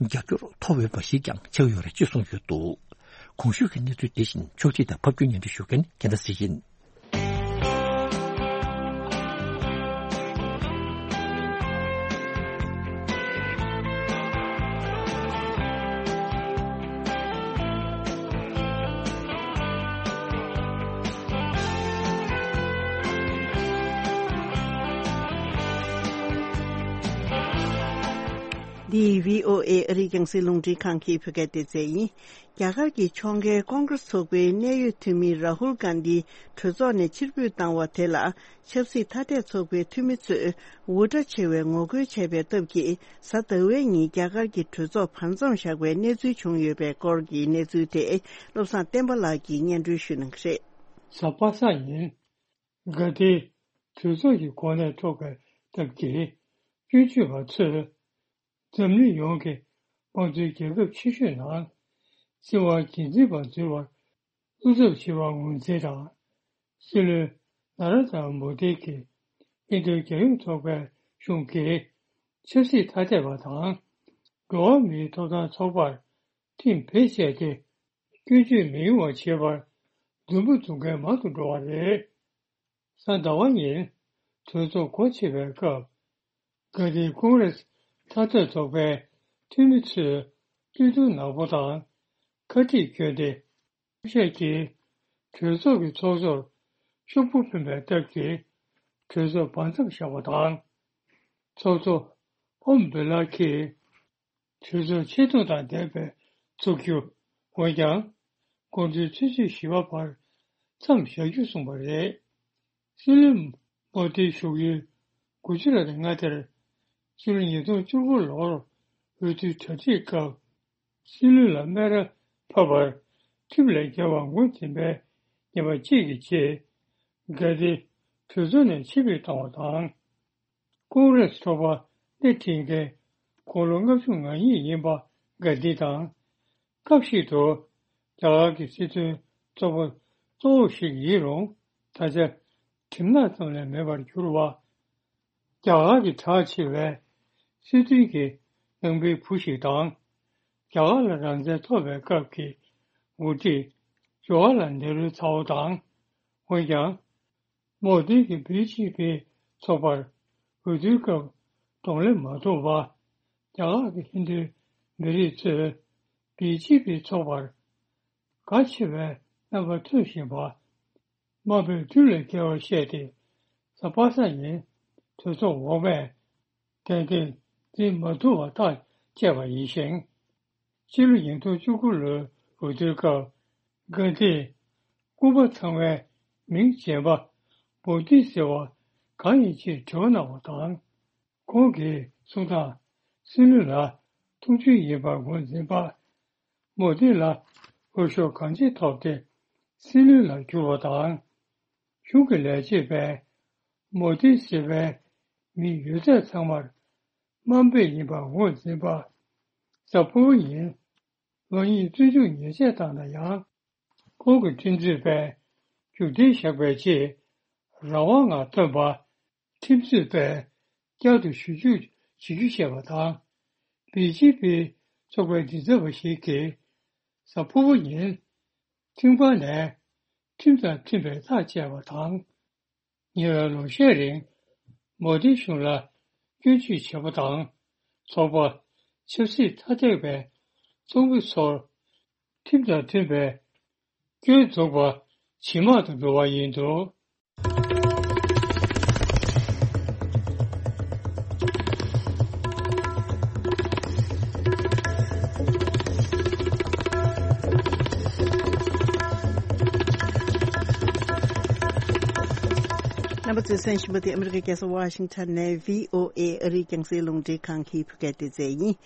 རྒྱབ་སྐྱོར་ཐོབ་འོས་པ་ཞིག་ཀྱང་ཆགས་ཡོད་རེད་ཅེས་གསུངས་ཡོད་འདུག་གོང་ཞུས་ཀྱི་གནས་ཚུལ་དེ་བཞིན་ཕྱོགས་སྒྲིག་དང་ཕབ་སྒྱུར་སྙན་སྒྲོན་ཞུ་མཁན་རྒྱལ་མཚན་ཚེ་རིང་ཡིན། འདི་བྷི་ཨོ་ཨེ་ཨ་རིའི་རྒྱང་སྲིང་རླུང་འཕྲིན་ཁང་གི་བོད་སྐད་སྡེ་ཚན་ཡིན། རྒྱ་གར་གྱི་ཕྱོགས་འགལ་ཀོང་ཀྲེས་ཚོགས་པའི་གནད་ཡོད་འཐུས་མི་རཱ་ཧུལ་གྷན་དྷི་གྲོས་ཚོགས་ནས་ཕྱིར་འབུད་བཏང་བ་དེ་ལ། ཆབ་སྲིད་ཐ་དད་ཚོགས་པའི་འཐུས་མི་ཚོས་འུར་སྒྲ་ཆེ་བའི་ངོ་རྒོལ་བྱས་པའི་སྟབས་ཀྱིས། གཟའ་ཟླ་བའི་ཉིན་རྒྱ་གར་གྱི་གྲོས་ཚོགས་བར་མཚམས་བཞག་པའི་གནས་ཚུལ་བྱུང་ཡོད་པའི་སྐོར་གྱི་གནས་ཚུལ་དེ། བློ་བཟང་བསྟན་པ་ལགས་ཀྱིས་སྙན་སྒྲོན་ཞུ་གནང་གི་རེད། གཟའ་པ་སངས་ཉིན། གྷན་དྷི་གྲོས་ཚོགས་ཀྱི་གོ་གནས་འཕྲོག་པའི་སྟབས་ཀྱིས། སྐྱོན་བརྗོད་པ་ཚོས་འཛམ་གླིང་ཡོངས་ཀྱི་དམངས་གཙོའི་རྒྱལ་ཁབ་ཆེ་ཤོས་ནང་སྲིད་དབང་སྒེར་འཛིན་པ་འཛུལ་བར་བློ་འཚབ་ཆེ་བ་ངོས་འཛིན་དང་། སྲིད་བློན་ན་ར་དང་མོ་དྷི་གིས་ཧིན་རྡུ་རྒྱལ་ཡོངས་ཚོགས་པའི་གཞུང་གིས་ཆབ་སྲིད་ཐ་དད་པ་དང་འགྲོ་བ་མིའི་ཐོབ་ཐང་ཚོགས་པར་ཁྲིམས་བེད་སྤྱད་དེ། སྐྱོན་བརྗོད་མི་ཡོང་བ་བྱེད་པར་འཛུམ་པ་འཛུམ་མཁན་མང་དུ་འགྲོ་བ་རེད། གཟའ་ཟླ་བ་ཉིན་གྲོས་ཚོགས་སྒོ་ཕྱེ་བའི་སྐབས། གྷན་དྷིས་ཀོང་རེས་ཐ་དད་ཚོགས་པའི་འཐུས་མི་ཚོས་བསྟོད་ཐུང་ནག་པོ་དང་ཁ་ཁྲིད་བསྐྱོན་ཏེ། ཤས་ཀྱིས་གྲོས་ཚོགས་ཀྱི་ཚོགས་གཙོར་ཤོག་བུ་འཕེན་པའི་སྟབས་ཀྱིས་གྲོས་ཚོགས་བར་མཚམས་བཞག་པ་དང་། ཚོགས་གཙོ་ཨོམ་བི་ལ་གིས་གྲོས་ཚོགས་ཆེ་མཐོང་དང་ལྡན་པའི་ཚོགས་རྒྱུ། འོན་ཀྱང་། དགོང་དྲོའི་ཆུ་ཚོད་བཞི་པ་བར་མཚམས་བཞག་རྒྱུ་གསུངས་པ་རེད། སྲིད་བློན་མོ་དྷིའི་བཞུགས་ཡུལ་གུ་ཇི་རཱཏ་མངའ་སྡེར་ཕྱི་ལོ་ཉིས་སྟོང་བཅུ་དགུ་ལོར་འོས་བསྡུའི་གྲ་སྒྲིག་སྐབས། སྲིད་བློན་ལ་སྨད་ར་ཕབ་པར་ཁྲིམས་ལས་འགལ་བ་ངོས་འཛིན་པའི་ཉེས་པ་གཅིག་གི་རྗེས། གྷན་དྷི་གྲོས་ཚོགས་ནས་ཕྱིར་འབུད་བཏང་བ་དང་། ཀོང་རེས་ཚོགས་པ་སྣེ་ཁྲིད་མཁན་དགུང་ལོ་ལྔ་བཅུ་ང་གཉིས་ཡིན་པ་གྷན་དྷི་དང་། སྐབས་ཤིག་ཏུ་རྒྱ་གར་གྱི་སྲིད་དོན་ཚོགས་པ་གཙོ་བོ་ཞིག་ཡིན་རུང་། ད་ཆ་གྲིབ་ནག་ཙམ་ལས་མེད་པར་གྱུར་བ། རྒྱ་གར་གྱི་གྲགས་ཆེ་བའི་སྲིད་དོན་གྱི་ནང་པའི་བུ་ཞིག་དང་། རྒྱ་གར་ལ་རང་བཙན་ཐོབ་པའི་སྐབས་ཀྱི་འགོ་ཁྲིད་ཇོ་ཧ་ལ་ནེ་རུའི་ཚ་བོ་དང་། འོན་ཀྱང་། མོ་དྷི་གིས་བི་ཇེ་པི་ཚོགས་པར་འོས་བསྡུའི་སྐབས་གདོང་ལེན་མ་ཐུབ་པ། རྒྱ་གར་གྱི་ཧིན་རྡུའི་མི་རིགས་ཚོས་བི་ཇེ་པི་ཚོགས་པར་དགའ་ཆེ་བའི་རྣམ་པ་ཐོན་བཞིན་པ། དམའ་འབེབས་རྒྱུན་ལས་བརྒལ་བ་བཤད་དེ། གཟའ་པ་སངས་ཉིན་གྲོས་ཚོགས་འོག་མས་ཏན་ཏན་འཛིན་མ་ཐུབ་པ་ཐག་བཅད་པ་ཡིན་ཞིང་། ཕྱི་ལོ་ཉིས་སྟོང་བཅུ་དགུ་ལོའི་འོས་བསྡུའི་སྐབས། གྷན་དྷིས་སྐུ་པར་ཚང་བའི་མིང་རྗེན་པ་མོ་དྷི་ཟེར་བ་གང་ཡིན་ཅེས་དྲི་བ་གནང་བ་དང་། ཁོང་གིས་གསུངས་སྟངས། སྲིད་བློན་ལ་ཐུགས་རྗེ་ཡིན་པར་ངོས་འཛིན་པ། མོ་དྷི་ལ་འོས་ཤོག་གང་ཆེ་ཐོབ་སྟེ་སྲིད་བློན་ལ་གྱུར་བ་དང་། གཞུང་གི་ལས་བྱེད་པས་མོ་དྷི་ཟེར་བའི་མིང་ཡོད་ཚད་ཚང་མར་དམའ་འབེབས་ཡིན་པར་ངོས་འཛིན་པ། གཟའ་ཕུར་བུ་ཉིན་ལོ་གཉིས་བཙོན་འཇུག་ཉེས་ཆད་བཏང་ན་ཡང་། ཁོང་གི་ཁྲིམས་རྩོད་པས་མཇུག་སྒྲིལ་བཞག་པའི་རྗེས། རང་དབང་ངང་ཐོན་པ། ཁྲིམས་རྩོད་པས་བསྐྱར་དུ་ཞིབ་འཇུག་བྱེད་རྒྱུ་བཤད་པ་དང་། བི་ཇེ་པི་ཚོགས་པའི་མགྲིན་ཚབ་པ་ཞིག་གིས་གཟའ་ཕུར་བུ་ཉིན་ཐེངས་པ་ནས་ཁྲིམས་དང་མཐུན་པའི་ཐག་བཅད་པ་དང་། ཉེ་བའི་ལོ་ཤས་རིང་མོ་དྷི་གཞུང་ལ་སྐྱོན་བརྗོད་བྱས་པ་དང་། ཚོགས་པ་ཆབ་སྲིད་ཐ་དད་པའི་ཚོགས་མི་ཚོར་ཁྲིམས་དང་མཐུན་པའི་སྐྱོན་འཛུགས་པ་ཇེ་མང་དུ་འགྲོ་བ་ཡིན་འདུག། རྣམ་པ་ཚོས་གསན་བཞིན་པ་དེ་ཨ་མི་རི་ཀའི་རྒྱལ་ས་ཝ་ཤིང་ཊོན་ནས་བྷི་ཨོ་ཨེ་ཨ་རིའི་རྒྱང་སྲིང་རླུང་འཕྲིན་ཁང་གི་བོད་སྐད་སྡེ་ཚན་ཡིན།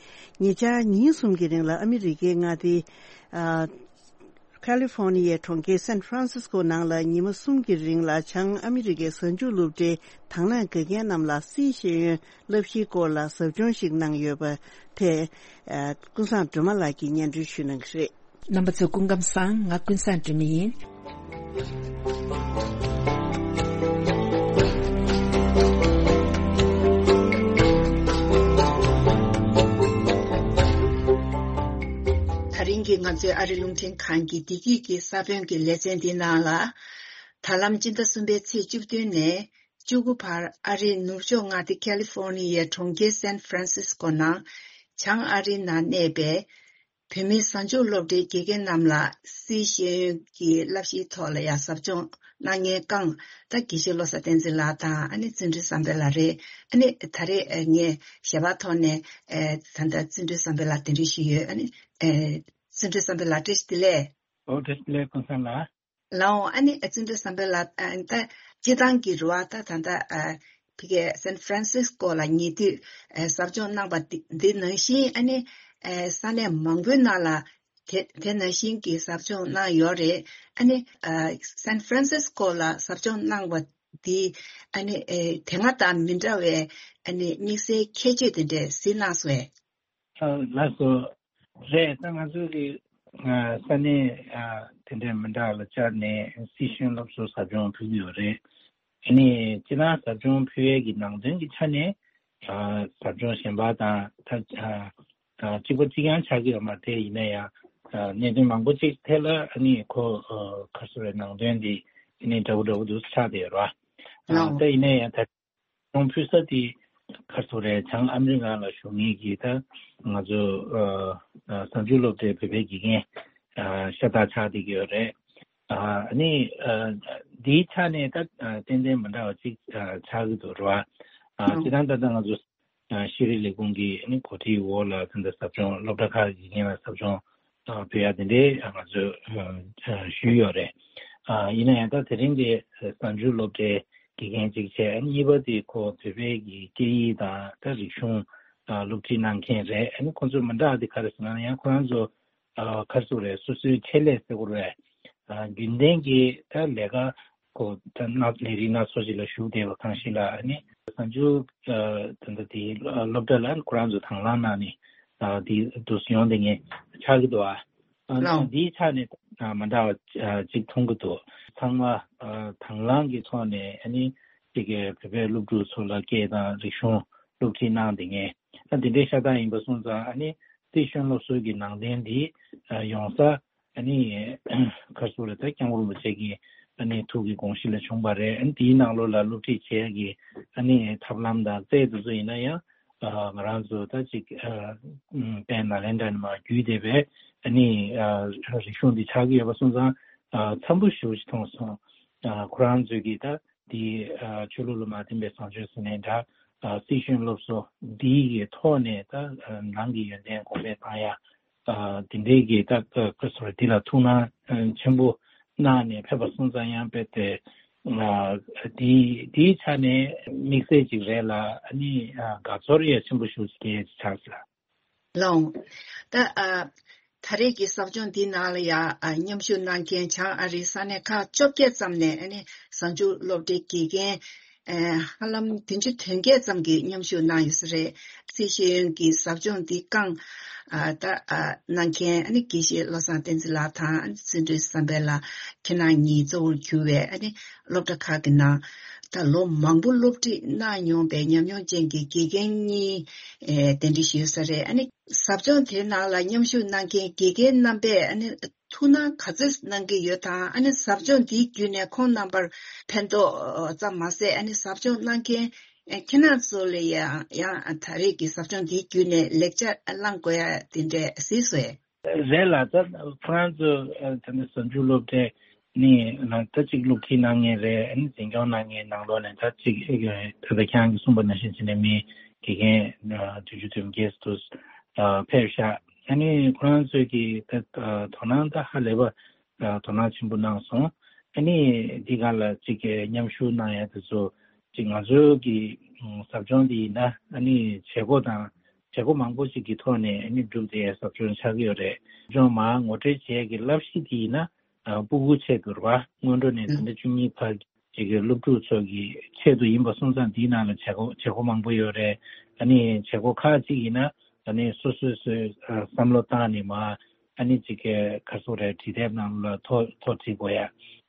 ཉེ་ཆར་ཉིན་གསུམ་གྱི་རིང་ལ་ཨ་མི་རི་ཀའི་མངའ་སྡེ། ཨ། ཁ་ལི་ཧྥོ་ནི་ཡའི་གྲོང་ཁྱེར་སན་ཧྥ་རན་སིས་ཀོ་ནང་ལ་ཉི་མ་གསུམ་གྱི་རིང་ལ་བྱང་ཨ་མི་རི་ཀའི་གཟའ་མཇུག་སློབ་གྲྭའི་དང་བླངས་དགེ་རྒན་རྣམས་ལ་སིའི་ཤེས་ཡོན་བསླབ་གཞིའི་སྐོར་ལ་ཟབ་སྦྱོང་ཞིག་གནང་ཡོད་པ་དེ། ཨ། ཀུན་བཟང་སྒྲོལ་མ་ལགས་ཀྱིས་སྙན་སྒྲོན་ཞུ་གནང་གི་རེད། རྣམ་པ་ཚོ་སྐུ་ཁམས་བཟང་། ང་ཀུན་བཟང་སྒྲོལ་མ་ཡིན། ད་རིང་གི་ང་ཚོའི་ཨ་རི་རླུང་འཕྲིན་ཁང་གི་བདེ་སྐྱིད་ཀྱི་ས་བོན་གྱི་ལེ་ཚན་འདི་ནང་ལ། ད་ལམ་སྤྱི་ཟླ་གསུམ་པའི་ཚེས་བཅུ་བདུན་ནས་བཅུ་དགུ་བར་ཨ་རིའི་ནུབ་ཕྱོགས་མངའ་སྡེ་ཁ་ལི་ཧྥོ་ནི་ཡའི་གྲོང་ཁྱེར་སན་ཧྥ་རན་སིས་ཀོ་ནང་བྱང་ཨ་རིའི་ནང་གནས་པའི་བོད་མིའི་གཟའ་མཇུག་སློབ་གྲྭའི་དགེ་རྒན་རྣམས་ལ་སིའི་ཤེས་ཡོན་གྱི་བསླབ་གཞིའི་ཐོག་ལ་ཡང་ཟབ་སྦྱོང་ གནང་མཁན་རྐང་ད་དགེ་བཤེས་བློ་བཟང་བསྟན་འཛིན་ལགས་དང་ཨ་ནི་བརྩོན་འགྲུས་བསམ་འཕེལ་ལགས་རེད། ཨ་ནི་ད་རེས་ཨ་ངས་ཞལ་པར་ཐོག་ནས་ཨ་ད་ལྟ་བརྩོན་འགྲུས་བསམ་འཕེལ་ལགས་གདན་འདྲེན་ཞུས་ཡོད། ཨ་ནི་ཨ་བརྩོན་འགྲུས་བསམ་འཕེལ་ལགས་བཀྲ་ཤིས་བདེ་ལེགས། ཨོ་བཀྲ་ཤིས་བདེ་ལེགས་ཀུན་བཟང་ལགས། ལའོ་ཨ་ནི་བརྩོན་འགྲུས་བསམ་འཕེལ་ལགས་ཨ་ད་སྤྱི་བཏང་གི་རུ་བ་ད་ད་ལྟ་ཨ་ཕ་གི་སན་ཧྥ་རན་སིས་ཀོ་ལ་ཉེ་དུས་ཨ་ཟབ་སྦྱོང་གནང་བ་འདི་འདི་ནང་བཞིན་ཨ་ནི་ཨ་ས་གནས་མང་པོའི་ནང་ལ་དེ་དེ་ནང་བཞིན་གྱི་ཟབ་སྦྱོང་གནང་ཡོད་རེད། ཨ་ནི་ཨ་སན་ཧྥ་རན་སིས་ཀོ་ལ་ཟབ་སྦྱོང་གནང་བ་འདི་ཨ་ནི་ཨ་དེ་སྔ་དང་མི་འདྲ་བའི་ཨ་ནི་དམིགས་བསལ་ཁྱད་ཆོས་དེ་འདྲས་གཟིགས་གནང་སོང་ངས། ལགས་སོ། རེད། ད་ང་ཚོ་གི་ས་གནས་དེ་འདྲའི་མི་འདྲ་ལ་བཅར་ནས་སྲིད་གཞུང་སློབ་གསོ་ཟབ་སྦྱོང་ཕུལ་གྱི་ཡོད་རེད། ཨ་ནི་སྤྱིར་བཏང་ཟབ་སྦྱོང་ཕུལ་ཡས་ཀྱི་ནང་དོན་གྱི་ཆ་ནས་ཟབ་སྦྱོང་གཞན་པ་དང་ད་གཅིག་པ་གཅིག་རྐྱང་ཆགས་ཀྱི་ཡོད་མ་རེད། དེ་ཡིན་ན་ཡང་གནད་དོན་མང་པོ་ཅིག་ཐད་ལ་ཨ་ནི་ཁོ་ག་རེ་ཟེར་བའི་ནང་དོན་འདི་ཨ་ནི་འདྲ་པོ་འདྲ་པོ་འདུག་ཆགས་བསྡད་ཡོད་རེད་བ། ད་ཡིན་ན་ཡང་ད། གཞུང་ཕུལ་ས་དེ་ག་རེ་ཟེར་རེད། བྱང་ཨ་མི་རི་ཀ་ལ་བཞུགས་མཁན་གྱི་ད་ང་ཚོ་ཨ་ཨ་གཟའ་མཇུག་སློབ་གྲྭའི་བོད་པའི་དགེ་རྒན་ཨ་ཤ་སྟག་ཆགས་བསྡད་ཀྱི་ཡོད་རེད། ཨ་ནི་ཨ་འདིའི་ཆ་ནས་ད་ཨ་ཏན་ཏན་མི་འདྲ་བ་ཅིག་ཨ་ཆགས་ཀྱི་འདུག་རེད་བ། ཨ་སྤྱིར་བཏང་ད་ལྟ་ང་ཚོ་ཨ་ཤེས་རིག་ལས་ཁུངས་ཀྱི་ཨ་ནི་གོ་སྒྲིག་འོག་ལ་ད་ལྟ་ཟབ་སྦྱོང་སློབ་གྲྭ་ཁག་གི་དགེ་རྒན་ལ་ཟབ་སྦྱོང་ཨ་ཕུལ་ཡ་དེ་འདྲའི་ང་ཚོས་ཨ་ཞུས་ཡོད་རེད། ཨ་ཡིན་ན་ཡང་ད་དེ་རིང་དེ་གཟའ་མཇུག་སློབ་གྲྭའི་དགེ་རྒན་གཅིག་བྱས། ཨ་ནི་གཉིས་པ་དེ་ཁོ་བོད་པའི་གི་སྐད་ཡིག་དང་ད་རིག་གཞུང་ཨ་སློབ་ཁྲིད་གནང་མཁན་རེད། ཨ་ནི་ཁོང་ཚོ་མི་འདྲ་བ་དེ་ག་རེ་ཟེར་ན་ཡང་ཁོ་རང་ཚོ་ཨ་ག་རེ་ཟེར་རེད། སོ་སོའི་ཆེད་ལས་ཟེར་དགོས་རེད། ཨ་རྒྱུན་ལྡན་གྱི་ད་ལས་ཀ་ཁོ་ད་ན་ལས་རིགས་སྣ་ཚོགས་ཤིག་ལ་ཞུགས་བསྡད་པ་གང་ཞིག་ལ། ཨ་ནི་གཟའ་མཇུག་ཨ་ད་ལྟ་དེ་སློབ་གྲྭ་ལ་ཁོ་རང་ཚོ་དང་བླངས་གནང་ནས་ཨ་དེ་འདུག་སེ་ཡོང་བསྡད་མཁན་ཆགས་ཀྱི་འདུག་ཨ། ཨ་ལའོ། འདིའི་ཆ་ནས་ཨ་མ་འདྲ་བ་ཨ་ཅིག་མཐོང་གི་འདུག་ཚང་མ་ཨ་དང་བླངས་ཀྱི་ཐོག་ནས་ཨ་ནི་ཅིག་གི་བོད་པའི་སློབ་ཕྲུག་ཚོ་ལ་སྐད་དང་རིག་གཞུང་སློབ་ཁྲིད་གནང་བསྡད་མཁན་ཨ་འདི་འདྲའི་ཤ་སྟག་ཡིན་པ་སོང་ཙང་། ཨ་ནི་སྲིད་གཞུང་སློབ་གསོ་གི་ནང་དོན་འདི་ཨ་ཡོང་ས་ཨ་ནི་ག་རེ་ཟེར་རེད། ད་སྐྱབས་མགོན་རིན་པོ་ཆེ་གི་ཨ་ནི་ཐུགས་ཀྱི་དགོངས་གཞི་ལ་བྱུང་བ་རེད། ཨ་ནི་དེའི་ནང་ལོགས་ལ་སློབ་ཁྲིད་བྱེད་ཡ་གི་ཨ་ནི་ཐབས་ལམ་དང་རྩལ་དེ་ཚོ་ཡིན་ན་ཡང་ཨ་ང་རང་ཚོ་ད་ཅིག་ཨ་དཔལ་ནཱ་ལེནྡྲ་ནས་མར་བརྒྱུད་བསྡད་པའི་ཨ་ནི་ཨ་རིག་གཞུང་འདི་ཆགས་ཀྱི་ཡོད་པ་སོང་ཙང་ཨ་འཚམ་པོ་ཞེ་པོ་ཅིག་མཐོང་སོང་། ཨ་ཁོ་རང་ཚོས་ཀྱི་ད་འདི་ཨ་ཆོས་ལུགས་ལ་མ་བརྟེན་པའི་བཟང་སྤྱོད་ཟེར་ནའི་འདྲ། ཨ་སྲིད་གཞུང་སློབ་གསོ་འདི་གི་ཐོག་ནས་ད་ཨ་ནང་གི་ཡོན་ཏན་གོང་འཕེལ་བཏང་ཡ། ཨ་དེ་འདྲའི་གི་ད་ཨ་ཁོ་ཚོར་འདི་ལ་ཐུགས་སྣང་ཨ་ཆེན་པོ་གནང་ནས་ཕེབས་པ་སོང་ཙང་ཡང་དཔེ་དེ་ཨ་འདི་འདིའི་ཆ་ནས་དམིགས་བསལ་ཅིག་རེད་ལ། ཨ་ནི་ཨ་དགའ་ཚོར་ཡ་ཆེན་པོ་ཞེ་པོ་ཅིག་སྐྱེས་ཆགས་ལ། ལོང་། ད་ཨ་ད་རེས་ཀྱི་ཟབ་སྦྱོང་འདི་ནང་ལ་ཡ་ཨ་མཉམ་ཞུགས་གནང་མཁན་བྱང་ཨ་རིའི་ས་གནས་ཁག་བཅོ་བརྒྱད་ཙམ་ནས་ཨ་ནི་གཟའ་མཇུག་སློབ་གྲྭའི་དགེ་རྒན་ཨ་ཧ་ལམ་བདུན་ཅུ་དོན་བརྒྱད་ཙམ་གྱིས་མཉམ་ཞུགས་གནང་ཡོད་ས་རེད། སྲིད་ཤེས་ཡོན་གྱི་ཟབ་སྦྱོང་འདི་བསྐངས་ཨ་ད་ཨ་གནང་མཁན་ཨ་ནི་དགེ་བཤེས་བློ་བཟང་བསྟན་འཛིན་ལགས་དང་ཨ་ནི་བརྩོན་འགྲུས་བསམ་འཕེལ་ལགས་ཁྱེད་རང་གཉིས་གཙོ་བོར་གྱུར་བའི་ཨ་ནི་སློབ་གྲྭ་ཁག་གི་ནང་ད་ལོ་མང་པོ་སློབ་ཁྲིད་གནང་མྱོང་པའི་ཉམས་མྱོང་ཅན་གྱི་དགེ་རྒན་གཉིས་ཨེ་གདན་འདྲེན་ཞུས་ས་རེད། ཨ་ནི་ཟབ་སྦྱོང་དེའི་ནང་ལ་མཉམ་ཞུགས་གནང་མཁན་དགེ་རྒན་རྣམ་པས་ཨ་ནི་ཐུགས་སྣང་ག་ཚོད་གནང་གི་ཡོད་དང་། ཨ་ནི་ཟབ་སྦྱོང་འདིའི་བརྒྱུད་ནས་ཁོང་རྣམ་པར་ཕན་ཐོགས་ཙམ་མ་ཟད། ཨ་ནི་ཟབ་སྦྱོང་གནང་མཁན་ཨེ་ཁྱེད་རང་ཚོ་ལ་ཡང་ཡང་ད་རེས་ཀྱི་ཟབ་སྦྱོང་འདིའི་བརྒྱུད་ནས་ལེགས་ཆ་བླང་དགོས་ཡ་དེ་འདྲས་གཟིགས་སོང་ངས། རེད་ལ། ད་ཁོ་རང་ཚོ་ཨ་ད་ནི་གཟའ་མཇུག་སློབ་གྲྭའི་ནི་ལ་ད་ཅིག་སློབ་ཁྲིད་གནང་མཁན་རེད། ཨ་ནི་འཛིན་སྐྱོང་གནང་མཁན་ནང་ལོགས་ནས་ད་ཅིག་ཨ་ད་ལྟ་ཁྱེད་རང་གིས་གསུངས་པ་ནང་བཞིན་བྱས་ནས་མི་དགེ་རྒན་ཨ་བདུན་ཅུ་དོན་བརྒྱད་ཙམ་ཨ་ཕེབས་ཤག་ཨ་ནི་ཁོ་རང་ཚོས་ཀྱི་ད་ཨ་དོ་སྣང་ད་ཧ་ལས་པ་ཨ་དོ་སྣང་ཆེན་པོ་གནང་སོང་། ཨ་ནི་འདི་ག་ལ་ཅིག་མཉམ་ཞུགས་གནང་ཡ་དེ་ཚོ་ཅིག་ང་ཚོའི་གི་ཨ་ཟབ་སྦྱོང་འདི་ཡིན་ན་ཨ་ནི་བྱེད་སྒོ་དང་། བྱེད་སྒོ་མང་པོ་ཞིག་གི་ཐོག་ནས་ཨ་ནི་བསྒྲུབས་ཏེ་ཟབ་སྦྱོང་ཆགས་ཀྱི་ཡོད་རེད། ཟབ་སྦྱོང་མར་ངོ་སྤྲོད་བྱེད་ཡས་ཀྱི་བསླབ་གཞི་དེ་ཡིན་ན་ཨ་སྤུ་གུ་ཆེད་དུ་རེད་བ། སྔོན་འགྲོ་ནས་ད་ལྟ་བཅུ་གཉིས་བར་གྱི་སློབ་ཕྲུག་ཚོ་གི་ཆེད་དུ་ཡིན་པ་སོང་ཙང་། འདིའི་ནང་ལ་བྱེད་སྒོ་བྱེད་སྒོ་མང་པོ་ཡོད་རེད། ཨ་ནི་བྱེད་སྒོ་ཁག་ཅིག་ཡིན་ན་ཨ་ནི་སོ་སོས་སོས་ཨ་བསམ་བློ་བཏང་ནས་མར་ཨ་ནི་ཅིག་ག་རེ་ཟེར་དགོས་རེད། བྲིས་དེབ་ནང་ལ་ཐོ་ཐོ་བྲིས་དགོས་ཡ།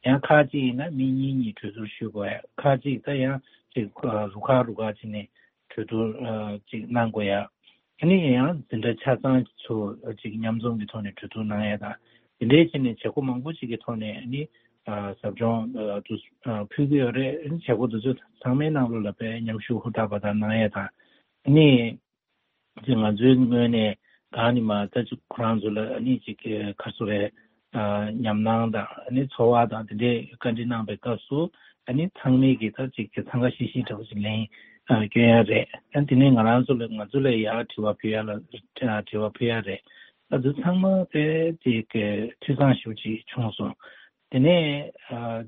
ཡང་ཁག་ཅིག་ཡིན་ན་མི་གཉིས་གཉིས་གྲོས་བསྡུར་ཞུ་དགོས་ཡ། ཁག་ཅིག་ད་ཡང་ཅིག་ཨ་རུ་ཁག་རུ་ཁག་བྱས་ནས་གྲོས་བསྡུར་ཨ་ཅིག་གནང་དགོས་ཡ། ཨ་ནི་ཡང་འཛིན་གྲྭ་ཆ་ཚང་ཚོ་ཅིག་མཉམ་འཛོམས་ཀྱི་ཐོག་ནས་གྲོས་བསྡུར་གནང་ཡ་དང་། དེ་འདྲའི་བྱས་ནས་བྱེད་སྒོ་མང་པོ་ཅིག་གི་ཐོག་ནས་ཨ་ནི་ཨ་ཟབ་སྦྱོང་ཨ་དུ་ཨ་ཕུལ་གྱི་ཡོད་རེད། ཨ་ནི་བྱེད་སྒོ་དེ་ཚོ་ཚང་མའི་ནང་ལོགས་ལ་དཔེ་མཉམ་ཞུགས་ཧུར་ཐག་པ་དང་གནང་ཡ་དང་། ཨ་ནི་ཅིག་ང་ཚོའི་ངོས་ནས་གང་ནི་མ་ད་ཅིག་ཁོ་རང་ཚོ་ལ་ཨ་ནི་ཅིག་ག་རེ་ཟེར་དགོས་རེད། ཉམས་སྣང་དང་ཨ་ནི་ཚོར་བ་དང་དེ་འདྲའི་བཀའ་འདྲི་གནང་པའི་སྐབས་སུ་ཨ་ནི་ཚང་མས་ཀྱི་ད་ཅིག་གི་འཚང་ཁ་ཤིག་ཤིག་འདྲ་བོ་ཅིག་ལན་སྐྱོན་ཡ་རེད། ཨ་དེ་ནས་ང་རང་ཚོ་ལ་ང་ཚོ་ལ་ཡར་དྲི་བ་ཕུལ་ཡ་ལ་དྲི་བ་ཕུལ་ཡ་རེད། ཨ་ཚོ་ཚང་མ་དཔེ་ཅིག་གི་འཐུས་ཚང་ཞེ་པོ་ཅིག་བྱུང་སོང་། དེ་ནས་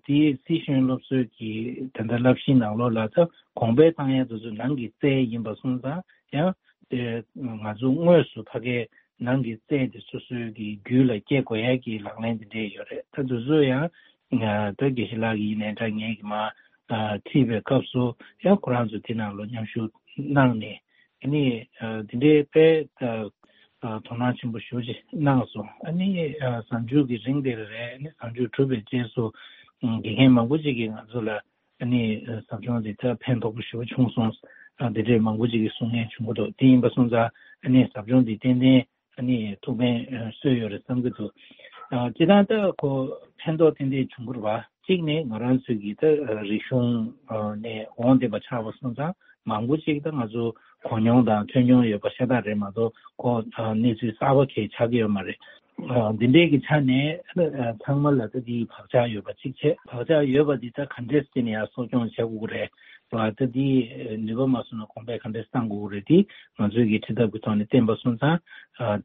དེའི་སྲིད་གཞུང་སློབ་གསོའི་གི་ད་ལྟ་བསླབ་གཞིའི་ནང་ལོགས་ལ་ད་གོང་འཕེལ་བཏང་ཡ་དེ་ཚོ་ནང་གི་རྩལ་ཡིན་པ་སོང་ཙང་ཡང་དེ་ང་ཚོ་དངོས་སུ་ཕ་གའི་ནང་གི་རྩལ་དེ་སོ་སོའི་གི་རྒྱུད་ལ་སྐྱེ་དགོས་ཡ་གི་ལག་ལེན་དེ་འདྲས་ཡོད་རེད། ད་དེ་ཚོ་ཡང་ད་དགེ་བཤེས་ལགས་ཀྱི་ཡིན་ནའི་འདྲ་ངས་ཀྱི་མ་ཁྲིད་པའི་སྐབས་སུ་ཡང་ཁོ་རང་ཚོ་དེ་ནང་ལ་མཉམ་ཞུགས་གནང་ནས་ཨ་ནི་དེ་འདྲའི་དཔེ་དོ་སྣང་ཆེན་པོ་ཞེ་པོ་ཅིག་གནང་སོང་། ཨ་ནི་གཟའ་མཇུག་གི་རིང་དེར་རེད། ཨ་ནི་གཟའ་མཇུག་གྲུབ་པའི་རྗེས་སུ་དགེ་རྒན་མང་པོ་ཅིག་གིས་ང་ཚོ་ལ་ཨ་ནི་ཟབ་སྦྱོང་འདི་ད་ཕན་ཐོགས་པོ་ཞེ་པོ་བྱུང་སོང་། ཨ་འདི་འདྲའི་མང་པོ་ཅིག་གིས་གསུང་མཁན་བྱུང་གི་འདུག་དེ་ཡིན་པ་སོང་ཙང་ཨ་ནི་ཟབ་སྦྱོང་འདི་ཏན་ཏན་ཨ་ནི་ཐུགས་ཕན་གསོས་ཡོད་རེད་བསམ་གྱི་འདུག་ཨ་སྤྱིར་བཏང་ད་ཁོ་ཕན་ཐོགས་ཏན་ཏན་བྱུང་གི་རེད་བ། གཅིག་ནས་ང་རང་ཚོའི་གི་ད་རིག་གཞུང་ནས་འོང་བསྡད་པ་ཆགས་པ་སོང་ཙང་མང་པོ་ཅིག་ད་ང་ཚོ་གོ་མྱོང་དང་ཐོས་མྱོང་ཡོད་པ་ཤ་སྟག་རེད་མ་གཏོགས་ཁོ་གནས་ཚུལ་གསར་པ་གང་ཆགས་ཀྱི་ཡོད་མ་རེད། འདི་འདྲའི་གི་ཆ་ནས་ཚང་མ་ལ་ད་འདིའི་བག་ཆགས་ཡོད་པ་གཅིག་བྱས། བག་ཆགས་ཡོད་པ་འདི་ད་ག་འདྲས་བྱས་ནས་ཡར་གསོ་སྐྱོང་བྱེད་དགོས་ཀྱི་རེད་བ། ད་འདི་ནུས་པ་མ་སོང་ན་གོང་འཕེལ་ག་འདྲས་གཏང་དགོས་ཀྱི་རེད། འདི་ང་ཚོའི་གི་ཁྲིད་ཐབས་ཀྱི་ཐོག་ནས་བསྟན་པ་སོང་ཙང་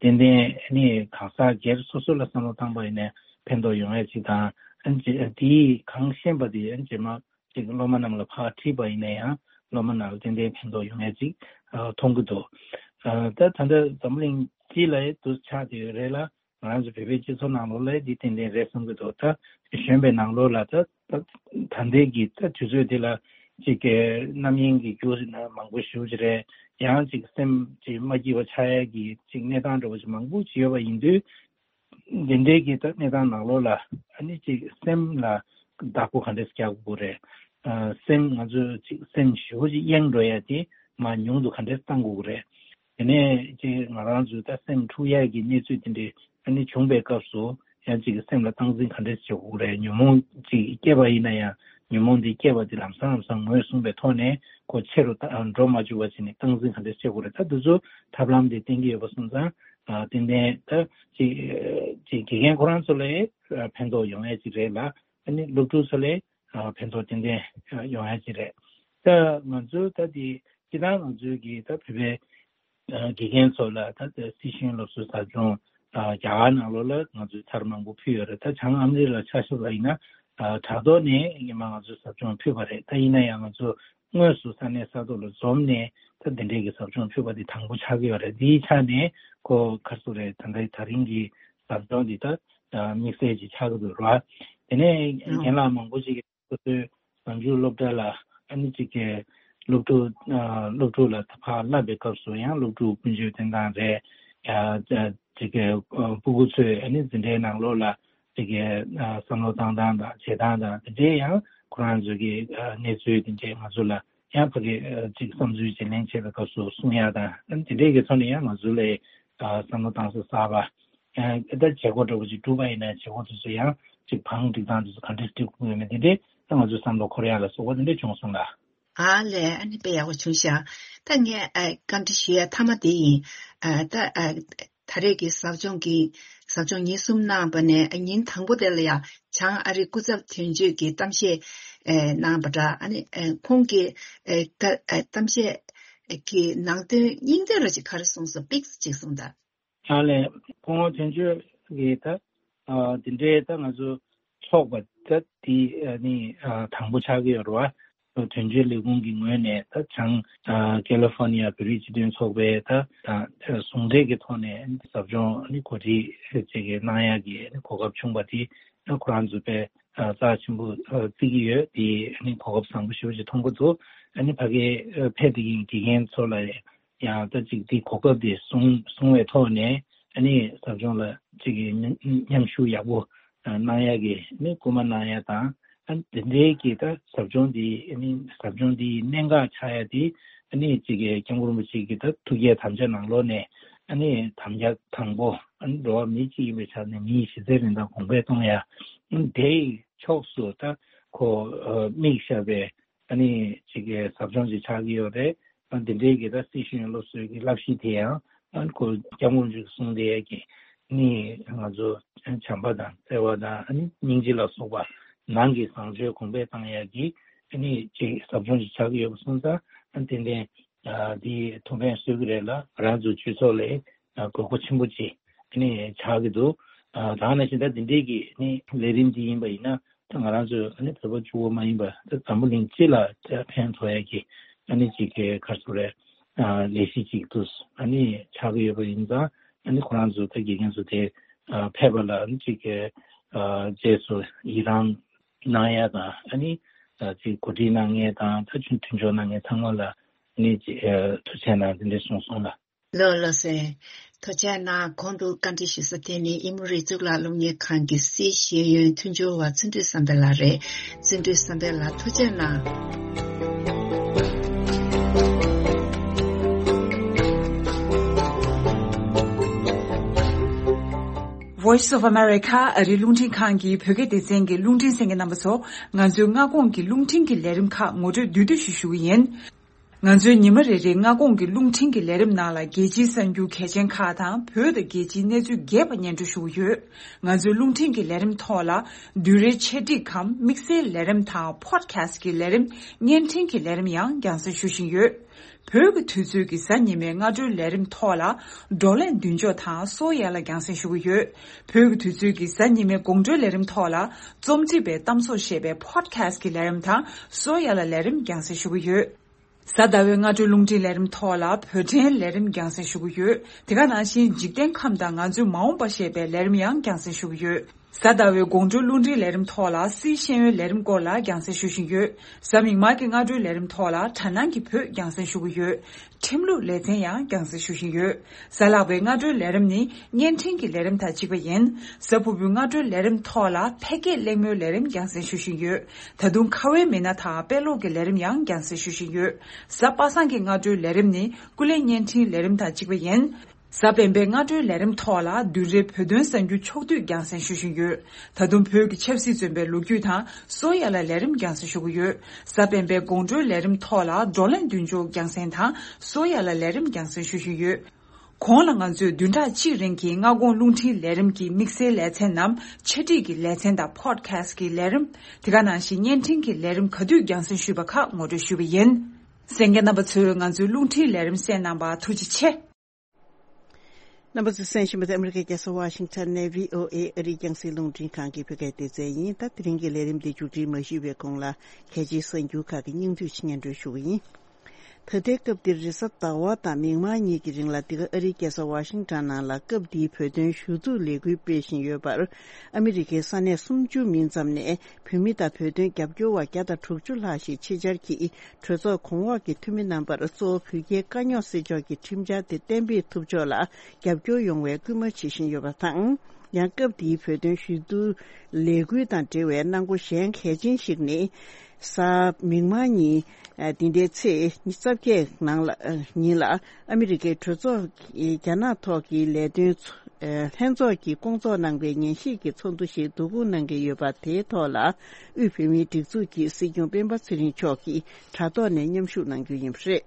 ཏན་ཏན་ནི་གང་ཟག་སྒེར་སོ་སོ་ལ་བསམ་བློ་བཏང་པ་ཡིན་ནའི་ཕན་ཐོགས་ཡོང་ཡ་གཅིག་དང་། འདིའི་གང་ཤེས་པ་འདི་རྗེས་མ་ཅིག་སློབ་མ་རྣམས་ལ་ཕར་ཁྲིད་པ་ཡིན་ན་ཡང་སློབ་མ་རྣམས་ལ་ཏན་ཏན་ཕན་ཐོགས་ཡོང་ཡ་ཅིག་མཐོང་གི་འདུག་ད་ད་ལྟ་འཛམ་བུ་གླིང་སྤྱི་ལ་འདུ་ཆགས་བསྡད་ཡོད་རེད་ལ། ང་རང་ཚོ་བོད་པའི་སྤྱི་ཚོགས་ནང་ལོགས་ལ་འདི་ཏན་ཏན་རེད་བསམ་གི་འདུག་ད་གཞོན་པའི་ནང་ལོགས་ལ་ད་ད་ད་ལྟའི་གི་ད་དུས་ཚོད་འདི་ལ་ཅིག་གི་རྣམ་གཡེང་གི་རྒྱུ་ཟེར་ན་མང་པོ་ཞེ་པོ་ཅིག་རེད། ཡང་ཅིག་སེམས་ཅིག་མ་སྐྱིད་པ་ཆགས་ཡ་གི་ཅིག་གནས་སྟངས་འདྲ་བོ་ཅིག་མང་པོ་ཅིག་ཡོད་པ་ཡིན་དུས། འདི་འདྲའི་གི་ད་གནས་སྟངས་ནང་ལོགས་ལ་ཨ་ནི་ཅིག་སེམས་ལ་བདག་པོ་ག་འདྲས་རྒྱག་དགོས་རེད། ཨ་སེམས་ང་ཚོ་ཅིག་སེམས་ཞེ་པོ་ཅིག་གཡེང་འགྲོ་ཡ་དེ་མར་ཉུང་དུ་ག་འདྲས་གཏང་དགོས་རེད། དེ་ནས་ཅིག་ང་རང་ཚོའི་ད་སེམས་འཁྲུག་ཡ་གི་གནས་ཚུལ་དེ་འདྲའི་ཨ་ནི་བྱུང་པའི་སྐབས་སུ་ཡང་ཅིག་སེམས་ལ་སྟངས་འཛིན་ག་འདྲས་བྱེད་དགོས་རེད། ཉོན་མོངས་ཅིག་སྐྱེས་པ་ཡིན་ན་ཡང་ཉོན་མོངས་འདི་སྐྱེས་པ་འདི་ལམ་སང་ལམ་སང་ངོས་བཟུང་བའི་ཐོག་ནས་ཁོ་ཆེ་རུ་ད་འགྲོ་མ་བཅུག་པ་བྱས་ནས་སྟངས་འཛིན་ག་འདྲས་བྱེད་དགོས་རེད། ད་འདི་ཚོ་ཐབས་ལམ་དེ་བསྟན་གྱི་ཡོད་པ་སོང་ཙང་། ཏན་ཏན་ད་ཅིག་ཅིག་དགེ་རྒན་ཁོ་རང་ཚོ་ལ་ཕན་ཐོགས་ཡོང་ཡ་ཅིག་རེད་ལ། ཨ་ནི་སློབ་ཕྲུག་ཚོ་ལ་ཕན་ཐོགས་ཏན་ཏན་ཡོང་ཡ་ཅིག་རེད། ད་ང་ཚོའི་ད་དེ་སྤྱིར་བཏང་ང་ཚོའི་གི་ད་བོད་པའི་དགེ་རྒན་ཚོ་ལ་ད་ལྟ་སྲིད་གཞུང་སློབ་གསོའི་ཟབ་སྦྱོང་རྒྱ་གར་ནང་ལོགས་ལ་ང་ཚོས་ཚར་མང་པོ་ཕུལ་ཡོད་རེད། ད་བྱང་ཨ་མི་རི་ལ་ཆ་བཞག་པ་ཡིན་ན་དྲ་ཐོག་ནས་སྔོན་མ་ང་ཚོས་ཟབ་སྦྱོང་ཕུལ་བ་རེད། ད་ཡིན་ན་ཡང་ང་ཚོ་དངོས་སུ་ས་གནས་ས་ཐོག་ལ་འཛོམས་ནས་ད་འདི་འདྲའི་གི་ཟབ་སྦྱོང་ཕུལ་བ་འདི་དང་པོ་ཆགས་ཀྱི་ཡོད་རེད། འདིའི་ཆ་ནས་ཁོ་ག་རེ་ཟེར་རེད། ད་ལྟའི་ད་རིང་གི་ཟབ་སྦྱོང་འདི་ད་དམིགས་བསལ་ཅིག་ཆགས་ཀྱི་འདུག་ར། དེ་ནས་རྒན་ལགས་མང་པོ་ཅིག་གིས་སོ་སོའི་གཟའ་མཇུག་སློབ་གྲྭ་ལ་ཨ་ནི་ཅིག་གི་སློབ་ཕྲུག་སློབ་ཕྲུག་ལ་ཕར་བསླབ་པའི་སྐབས་སུ་ཡང་སློབ་ཕྲུག་ཀུན་སྤྱོད་བསྟེན་སྟངས་རེད། ཅིག་གི་སྤུ་གུ་ཚོས་ཨ་ནི་འཛིན་གྲྭའི་ནང་ལོགས་ལ་ཅིག་གི་བསམ་བློ་བཏང་སྟངས་དང་བྱེད་སྟངས་དང་དེ་འདྲའི་ཡང་ཁོ་རང་ཚོའི་གི་གནས་ཚུལ་དེ་འདྲའི་ང་ཚོ་ལ་ཡང་ཕ་གི་ཅིག་བསམ་ཚུལ་བརྗེ་ལེན་བྱེད་པའི་སྐབས་སུ་གསུང་ཡག་དང་ཨ་ནི་དེ་འདྲའི་གི་ཐོག་ནས་ཡང་ང་ཚོ་ལ་བསམ་བློ་བཏང་ས་གསར་པ། ད་བྱེད་སྒོ་འདྲ་བོ་ཅིག་བསྒྲུབས་པ་ཡིན་ན་བྱེད་སྒོ་དེ་ཚོ་ཡང་ཅིག་བང་སྒྲིག་སྟངས་དེ་ཚོ་ག་འདྲས་སྒྲིག་དགོས་ཡོད་མེད་དེ་འདྲས་ད་ང་ཚོའི་བསམ་བློ་འཁོར་ཡག་ལ་སོགས་པ་དེ་འདྲས་བྱུང་སོང་ལ། ཨ་ལས། ཨ་ནི་དཔེ་ཡག་པོ་བྱུང་ཤག་ད་ངས་ཨ་བཀའ་འདྲི་ཞུ་ཡ་མཐའ་མ་དེ་ཡིན། ཨ་ད་ཨ་ད་རེས་ཀྱི་ཟབ་སྦྱོང་གི་ཟབ་སྦྱོང་ཉིན་གསུམ་གནང་བ་ནས་ཨ་ཉིན་དང་པོ་དེ་ལ་ཡང་བྱང་ཨ་རིའི་སྐུ་ཚབ་དོན་གཅོད་ཀྱིས་གཏམ་བཤད་ཨ་གནང་བ་འདྲ། ཨ་ནི་ཨ་ཁོང་གིས་ཨ་ད་ཨ་གཏམ་བཤད་ཀྱི་ནང་དོན་སྙིང་དོན་ར་ཅིག་ག་རེ་གསུངས་སོང་། པིག་ཅིག་གསུངས་དང་། ཨ་ལས། སྐུ་ངོ་དོན་གཅོད་ཀྱིས་ད་ཨ་འདི་འདྲའི་ད་ང་ཚོ་ཚོགས་པ་ད་འདི་ཨ་ནི་ཨ་དང་པོ་ཆགས་ཀྱི་ཡོད་རེད་བ། དོན་གཅོད་ལས་ཁུངས་ཀྱི་ངོས་ནས་ད་བྱང་ཨ་ཀེ་ལི་ཧྥོར་ནི་ཡ་བོད་རིགས་སྤྱི་མཐུན་ཚོགས་པའི་ད་ད་ཟུང་འབྲེལ་གྱི་ཐོག་ནས་ཟབ་སྦྱོང་ཨ་ནི་གོ་སྒྲིག་ཅིག་གནང་ཡག་གི་ཨ་ནི་གོ་སྐབས་བྱུང་བ་དེ་ཨ་ཁོ་རང་ཚོ་དཔེ་ཨ་རྩ་ཆེན་པོ་ཨ་བརྩི་གི་ཡོད། དེ་ཨ་ནི་གོ་སྐབས་བཟང་པོ་ཞེ་པོ་ཅིག་མཐོང་གི་འདུག་ཨ་ནི་ཕ་གིའི་ཨ་ཕེབས་བསྡད་མཁན་དགེ་རྒན་ཚོ་ལ་ཡང་ད་ཅིག་དེའི་གོ་སྐབས་དེ་བཟུང་བཟུང་བའི་ཐོག་ནས་ཨ་ནི་ཟབ་སྦྱོང་ལ་ཅིག་གི་མཉམ་མཉམ་ཞུགས་ཡག་པོ་གནང་ཡག་གི་ཨ་ནི་སྐུལ་མ་གནང་ཡག་དང་། ཨ་ནི་དེ་འདྲའི་གི་ད་ཟབ་སྦྱོང་དེ་ཨ་ནི་ཟབ་སྦྱོང་དེའི་གནད་འགག་ཆགས་ཡག་དེ་ཨ་ནི་ཅིག་གི་སྐྱབས་མགོན་རིན་པོ་ཆེ་གི་ད་ཐུགས་བསྐྱེད་དམ་བཅའ་ནང་ལོགས་ནས་ཨ་ནི་དམ་བཅའ་དང་པོ་ཨ་ནི་འགྲོ་བ་མི་གཅིག་ཡིན་པའི་ཆ་ནས་མིའི་གཞི་རྩའི་རིན་ཐང་གོང་འཕེལ་གཏོང་ཡག་ཨ་ནི་དེའི་ཕྱོགས་སུ་ད་ཁོ་ཨ་དམིགས་བཞག་པའི་ཨ་ནི་ཅིག་གི་ཟབ་སྦྱོང་ཅིག་ཆགས་ཀྱི་ཡོད་རེད། ཨ་འདི་འདྲའི་གི་ད་སྲིད་གཞུང་སློབ་གསོའི་གི་བསླབ་གཞི་དེ་ཡང་ཨ་ཁོ་སྐྱབས་མགོན་རིན་པོ་ཆེས་གསུངས་བསྡད་ཡ་གི་ ནི་ང་ཚོ་བྱམས་པ་དང་བརྩེ་བ་དང་ཨ་ནི་སྙིང་རྗེ་ལ་སོགས་པ་ནང་གི་བཟང་སྤྱོད་གོང་འཕེལ་བཏང་ཡག་གི་ཨ་ནི་ཅིག་ཟབ་སྦྱོང་ཅིག་ཆགས་ཀྱི་ཡོད་པ་སོང་ཙང་ཨ་ནི་ཏན་ཏན་ཨ་འདི་ཐུགས་ཕན་གསོས་ཀྱི་རེད་ལ། ང་རང་ཚོ་སྤྱི་ཚོགས་ལ་ཨ་དགོས་མཁོ་ཆེན་པོ་ཅིག་ཨ་ནི་ཆགས་ཀྱི་འདུག་ཨ་ད་ག་ནང་བཞིན་ད་འདི་འདྲའི་གི་ཨ་ནི་ལས་རིམ་འདི་ཡིན་པ་ཡིན་ན། ད་ང་རང་ཚོ་ཨ་ནི་བོད་པ་གཅིག་པོ་མ་ཡིན་པར་ད་འཛམ་བུ་གླིང་སྤྱི་ལ་ད་ཕན་ཐོགས་ཡ་གི་ཨ་ནི་ཅིག་གི་ག་རེ་ཟེར་དགོས་རེད། ཨ་ལས་གཞི་ཅིག་ཏུ་ཨ་ནི་ཆགས་ཀྱི་ཡོད་པ་ཡིན་ཙང་། ཨ་ནི་ཁོ་རང་ཚོ་ད་དགེ་རྒན་ཚོ་དེ་ཨ་ཕེབས་པ་ལ་ཨ་ནི་ཅིག་གི་ཨ་རྗེས་སུ་ཡི་རང་གནང་ཡ་དང་། ཨ་ནི་ཨ་ཅིག་གོ་སྒྲིག་གནང་མཁན་དང་ད་ཆུང་མཐུན་ཕྱོགས་གནང་མཁན་ཚང་མ་ལ་ཨ་ནི་ཅིག་ཨ་ཐུགས་རྗེ་གནང་དེ་འདྲ་གསུངས་སོང་ལ། ལགས་ལགས་སེ། ཐུགས་རྗེ་གནང་། གོང་དུ་བཀའ་འདྲི་ཞུ་ས་དེ་ནི་ཨི་མོ་རི་གཙུག་ལག་སློབ་གཉེར་ཁང་གི་སྲིད་ཤེས་ཡོན་མཐུན་སྦྱོར་བ་བརྩོན་འགྲུས་བསམ་འཕེལ་ལགས་རེད། བརྩོན་འགྲུས་བསམ་འཕེལ་ལགས་ཐུགས་རྗེ་གནང་། Voice of America ཨ་རིའི་རླུང་འཕྲིན་ཁང་གི་བོད་སྐད་སྡེ་ཚན་གྱི་རླུང་འཕྲིན་གསན་མཁན་རྣམ་པ་ཚོ། ང་ཚོའི་སྔ་དགོང་གི་རླུང་འཕྲིན་གྱི་ལས་རིམ་ཁག་ངོ་སྤྲོད་བསྡུས་བསྡུས་ཤིག་ཞུ་གི་ཡིན། ང་ཚོའི་ཉི་མ་རེ་རེའི་སྔ་དགོང་གི་རླུང་འཕྲིན་གྱི་ལས་རིམ་ནང་ལ་རྒྱལ་སྤྱིའི་གསར་འགྱུར་གལ་ཆེན་ཁག་དང་བོད་དང་རྒྱལ་སྤྱིའི་གནས་ཚུལ་རྒྱས་པ་སྙན་སྒྲོན་ཞུ་གི་ཡོད། ང་ཚོའི་རླུང་འཕྲིན་གྱི་ལས་རིམ་ཐོག་ལ་བསྡུས་རའི་འཆད་ཁྲིད་གམ་དམིགས་བསལ་ལས་རིམ་དང་པོ་ཌི་ཁ་སི་ཊི་གི་ལས་རིམ་བརྙན་འཕྲིན་གྱི་ལས་རིམ་ཡང་རྒྱང་སྲིང་ཞུ་བཞིན་ཡོད། བོད་ཀྱི་དུས་ཚོད་ཀྱི་གཟའ་ཉི་མའི་སྔ་དྲོའི་ལས་རིམ་ཐོག་ལ་བགྲོ་གླེང་མདུན་ལྕོག་དང་གསོ་བ་ཡན་ལ་རྒྱང་སྲིང་ཞུ་གི་ཡོད། བོད་ཀྱི་དུས་ཚོད་ཀྱི་གཟའ་ཉི་མའི་དགོང་དྲོའི་ལས་རིམ་ཐོག་ལ་རྩོམ་སྒྲིག་པའི་གཏམ་བཟོ་ཞེས་པའི་པོ་ཌི་ཁ་སི་ཊི་གི་ལས་རིམ་དང་གསོ་བ་ཡན་ལ་ལས་རིམ་རྒྱང་སྲིང་ཞུ་གི་ཡོད། གཟའ་ཟླ་བའི་སྔ་དྲོའི་རླུང་འཕྲིན་ལས་རིམ་ཐོག་ལ་བོད་ཕྲན་ལས་རིམ་རྒྱང་སྲིང་ཞུ་གི་ཡོད། དེ་ག་ནང་བཞིན་འཇིག་རྟེན་ཁམས་དང་ང་ཚོའི་མ་འོངས་པ་ཞེས་པའི་ལས་རིམ་ཡང་རྒྱང་སྲིང་ཞུ་གི་ཡོད། གཟའ་ཟླ་བའི་དགོང་དྲོའི་རླུང་འཕྲིན་ལས་རིམ་ཐོག་ལ་སྲིད་ཤེས་ཡོན་ལས་རིམ་སྐོར་ལ་རྒྱང་སྲིང་ཞུ་བཞིན་ཡོད། གཟའ་མིག་དམར་གྱི་སྔ་དྲོའི་ལས་རིམ་ཐོག་ལ་དྲ་སྣང་གི་བོད་རྒྱང་སྲིང་ཞུ་གི་ཡོད། ཁྲིམས་ལུགས་ལེ་ཚན་ཡང་རྒྱང་སྲིང་ཞུ་བཞིན་ཡོད། གཟའ་ལྷག་པའི་སྔ་དྲོའི་ལས་རིམ་ནི་བརྙན་འཕྲིན་གྱི་ལས་རིམ་དང་གཅིག་པ་ཡིན། གཟའ་ཕུར་བུའི་སྔ་དྲོའི་ལས་རིམ་ཐོག་ལ་ཕལ་སྐད་གླེང་མོལ་ལས་རིམ་རྒྱང་སྲིང་ཞུ་བཞིན་ཡོད། ད་དུང་ཁ་བའི་མི་སྣ་དང་དཔེ་ཀློག་གི་ལས་རིམ་ཡང་རྒྱང་སྲིང་ཞུ་བཞིན་ཡོད། གཟའ་པ་སངས་ཀྱི་སྔ་དྲོའི་ལས་རིམ་ནི་སྐུ་ལས་བརྙན་འཕྲིན་ལས་རིམ་དང་གཅིག་པ་ཡིན། གཟའ་སྤེན་པའི་སྔ་དྲོའི་ལས་རིམ་ཐོག་ལ་བདུན་རེའི་བོད་དོན་གསར་འགྱུར་ཕྱོགས་བསྡུས་རྒྱང་སྲིང་ཞུ་བཞིན་ཡོད། ད་དུང་བོད་ཀྱི་ཆབ་སྲིད་བཙོན་པའི་ལོ་རྒྱུས་དང་གསོ་ཡ་ལ་ལས་རིམ་རྒྱང་སྲིང་ཞུ་གི་ཡོད། གཟའ་སྤེན་པའི་དགོང་དྲོའི་ལས་རིམ་ཐོག་ལ་བགྲོ་གླེང་མདུན་ལྕོག་རྒྱང་སྲིང་དང་གསོ་ཡ་ལ་ལས་རིམ་རྒྱང་སྲིང་ཞུ་བཞིན་ཡོད། གོང་ལ་ང་ཚོས་བདུན་ཕྲག་གཅིག་རིང་གི་སྔ་དགོང་རླུང་འཕྲིན་ལས་རིམ་གྱི་དམིགས་བསལ་ལེ་ཚན་ནམ་འཆད་ཁྲིད་ཀྱི་ལེ་ཚན་དང་པོ་ཌི་ཁ་སི་ཊི་ཀྱི་ལས་རིམ། དེ་ག་ནང་བཞིན་བརྙན་འཕྲིན་གྱི་ལས་རིམ་ག་དུས་རྒྱང་སྲིང་ཞུས་པ་ཁག་ངོ་སྤྲོད་ཞུས་པ་ཡིན། གསན་མཁན་རྣམ་པ་ཚོས་ང་ཚོའི་རླུང་འཕྲིན་ལས་རིམ་གསན་གནང་བར་ཐུགས་རྗེ་ཆེ། རྣམ་པ་ཚོས་གསན་བཞིན་པ་དེ་ཨ་མི་རི་ཀའི་རྒྱལ་ས་ཝ་ཤིང་ཊོན་ནས་བྷི་ཨོ་ཨེ་ཨ་རིའི་རྒྱང་སྲིང་རླུང་འཕྲིན་ཁང་གི་བོད་སྐད་སྡེ་ཚན་ཡིན། ད་དེ་རིང་གི་ལས་རིམ་འདི་མཇུག་སྒྲིལ་མ་ཞུས་པའི་གོང་ལ་གལ་ཆེའི་གསར་འགྱུར་ཁག་གི་སྙིང་བསྡུས་ཤིག་སྙན་སྒྲོན་ཞུ་གི་ཡིན། ད་ལྟའི་སྐབས་འདིར་རེས་གཟའ་ཟླ་བ་དང་མིག་དམར་གཉིས་ཀྱི་རིང་ལ་འདི་ག་ཨ་རིའི་རྒྱལ་ས་ཝ་ཤིང་ཊོན་ནང་ལ་སྐབས་འདིའི་བོད་དོན་ཞུ་གཏུག་ལས་འགུལ་སྤེལ་བཞིན་ཡོད་པར། ཨ་མི་རི་ཀའི་ས་གནས་སུམ་ཅུ་མིན་ཙམ་ནས་བོད་མི་དང་བོད་དོན་རྒྱབ་སྐྱོར་བ་བརྒྱ་དང་དྲུག་ཅུ་ལྷག་ཞིག་ཕྱི་གྱར་གྱིས་གྲོས་ཚོགས་གོང་འོག་གི་འཐུས་མི་རྣམ་པར་གཙོ་བོ་བོད་རྒྱའི་དཀའ་རྙོག་སེལ་ཕྱོགས་ཀྱི་ཁྲིམས་འཆར་དེ་གཏན་འབེབས་ཐུབ་ཕྱོགས་ལ་རྒྱབ་སྐྱོར་ཡོང་བའི་སྐུལ་མ་བྱེད་བཞིན་ཡོད་པ་དང་། ཡང་སྐབས་འདིའི་བོད་དོན་ཞུ་གཏུག་ལས་འགུལ་དང་འབྲེལ་བའི་གནང་སྒོ་གཞན་གལ་ཆེན་ཞིག་ནི། གཟའ་མིག་དམར་ཉིན། འདི་ཟླའི་ཚེས་ཉི་ཤུ་རྩ་བརྒྱད་ནང་ལ། ཉིན་ལ་ཨ་མི་རི་ཀའི་གྲོས་ཚོགས་ཀྱི་རྒྱ་ནག་ཐོག་གི་ལས་དོན་ཚོགས། ལྷན་ཚོགས་ཀྱིས་སྐོང་ཚོགས་གནང་པའི་ཉན་ཞིབ་ཀྱི་ཚོགས་འདུ་ཞིག་བསྡུ་སྐོང་གནང་གི་ཡོད་པ། དེའི་ཐོག་ལ་དབུས་བོད་མིའི་སྒྲིག་འཛུགས་ཀྱི་སྲིད་སྐྱོང་སྤེན་པ་ཚེ་རིང་མཆོག་གིས་དྲ་ཐོག་ནས་མཉམ་ཞུགས་གནང་རྒྱུ་ཡིན་པ་རེད།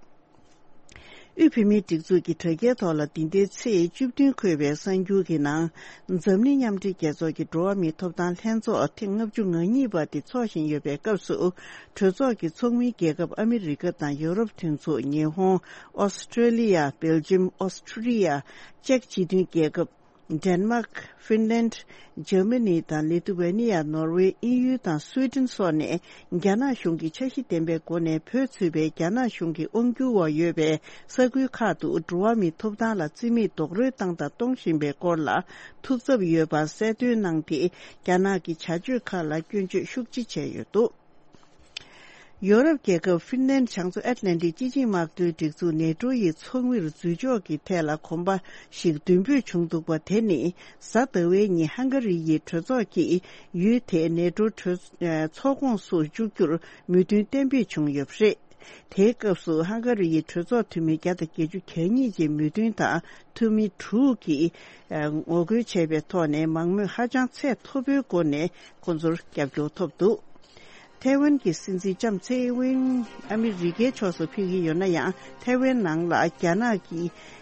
དབུས་བོད་མིའི་སྒྲིག་འཛུགས་ཀྱི་དྲ་རྒྱའི་ཐོག་ལ་འདི་ཟླའི་ཚེས་བཅུ་བདུན་འཁོད་པའི་གསར་འགྱུར་གྱི་ནང་། འཛམ་གླིང་མཉམ་འབྲེལ་རྒྱལ་ཚོགས་ཀྱི་འགྲོ་བ་མིའི་ཐོབ་ཐང་ལྷན་ཚོགས་ཐེངས་ལྔ་བཅུ་ང་གཉིས་པ་དེ་འཚོགས་བཞིན་ཡོད་པའི་སྐབས་སུ། གྲོས་ཚོགས་ཀྱི་ཚོགས་མི་རྒྱལ་ཁབ་ཨ་མི་རི་ཀ་དང་ཡོ་རོབ་མཐུན་ཚོགས། ཉི་ཧོང་། ཨོ་སི་ཁྲེ་ལི་ཡ། སྦེལ་ཇམ། ཨོ་སི་ཁྲི་ཡ། ཅེཀ་སྤྱི་མཐུན་རྒྱལ་ཁབ། ཌེན་མཱག། ཧྥིན་ལན། འཇར་མ་ནི་དང་ལི་ཐུ་ཝེ་ནི་ཡ། ནོར་ཝེ། དབྱིན་ཡུལ་དང་སུའེ་ཏེན་སོགས་ནས་རྒྱ་ནག་གཞུང་གིས་འཆར་གཞི་ལྡན་པའི་སྒོ་ནས་བོད་ཚུད་པའི་རྒྱ་ནག་གཞུང་གི་དབང་སྒྱུར་འོག་ཡོད་པའི་ས་ཁུལ་ཁག་ཏུ་འགྲོ་བ་མིའི་ཐོབ་ཐང་ལ་བརྩི་མེད་རྡོག་རོལ་བཏང་དང་གཏོང་བཞིན་པའི་སྐོར་ལ་ཐུགས་འཚབ་ཡོད་པ་གསལ་སྟོན་གནང་སྟེ། རྒྱ་ནག་གི་བྱ་སྤྱོད་ཁག་ལ་སྐྱོན་བརྗོད་ཤུགས་ཆེ་བྱས་ཡོད་འདུག་ཡོ་རོབ་རྒྱལ་ཁབ་ཧྥིན་ལན། བྱང་མཚོ་ཨེཊ་ལན་ཊིག་སྤྱི་ཆིངས་དམག་དོན་སྒྲིག་འཛུགས་ནེ་ཊོ་ཡི་ཚོགས་མིར་འཛུལ་ཕྱོགས་ཀྱི་ཐད་ལ་གོམ་པ་ཞིག་མདུན་སྤོས་བྱུང་འདུག་པ། དེ་ནི་གཟའ་ཟླ་བའི་ཉིན་ཧང་ག་རི་ཡི་གྲོས་ཚོགས་ཀྱིས་ཡུལ་དེའི་ནེ་ཊོ་གྲོས། ཚོགས་ཁོངས་སུ་བཅུག་རྒྱུར་མོས་མཐུན་གཏན་འབེབས་བྱུང་ཡོད་པ་རེད། དེའི་སྐབས་སུ་ཧང་ག་རི་ཡི་གྲོས་ཚོགས་འཐུས་མི་བརྒྱ་དང་བརྒྱད་ཅུ་གྱ་གཉིས་ཀྱིས་མོས་མཐུན་དང་། འཐུས་མི་དྲུག་གིས་ངོ་རྒོལ་བྱས་པའི་ཐོག་ནས་མང་མོས་ཧ་ཅང་ཚད་མཐོ་པོའི་སྒོ་ནས་ཁོང་ཚོར་རྒྱབ་སྐྱོར་ཐོབ་འདུག་ཐའེ་ཝན་གྱི་སྲིད་འཛིན་ལྕམ་ཚེ་ཝེན་ཨ་མི་རི་ཀའི་ཕྱོགས་སུ་ཕེབས་ཀྱི་ཡོད་ན་ཡང་། ཐའེ་ཝན་ནང་ལ་རྒྱ་ནག་གི་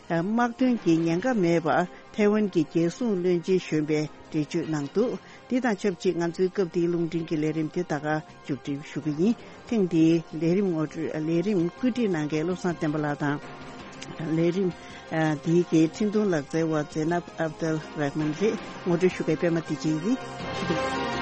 དམག་དོན་གྱི་ཉེན་ཁ་མེད་པར་ཐའེ་ཝན་གྱི་རྒྱལ་སྲུང་བློན་ཆེན་གཞོན་པས་འགྲེལ་བརྗོད་གནང་འདུག། འདི་དང་ཆབས་ཅིག་ང་ཚོའི་སྐབས་འདིའི་རླུང་འཕྲིན་གྱི་ལས་རིམ་དེ་ད་ག་མཇུག་སྒྲིལ་ཞུ་གི་ཡིན། ཐེངས་འདིའི་ལས་རིམ་ངོ་སྤྲོད། ལས་རིམ་བཀོད་སྒྲིག་གནང་མཁན་བློ་བཟང་བསྟན་པ་ལགས་དང་། ལས་རིམ་ཨ་འདིའི་གི་འཕྲིན་ཐུང་ལག་རྩལ་བ་ཛེ་ནབ་ཨབ་དལ་རེག་མན་རེད། ངོ་སྤྲོད་ཞུ་མཁན་པད་མ་བདེ་ཆེན་ཡིན།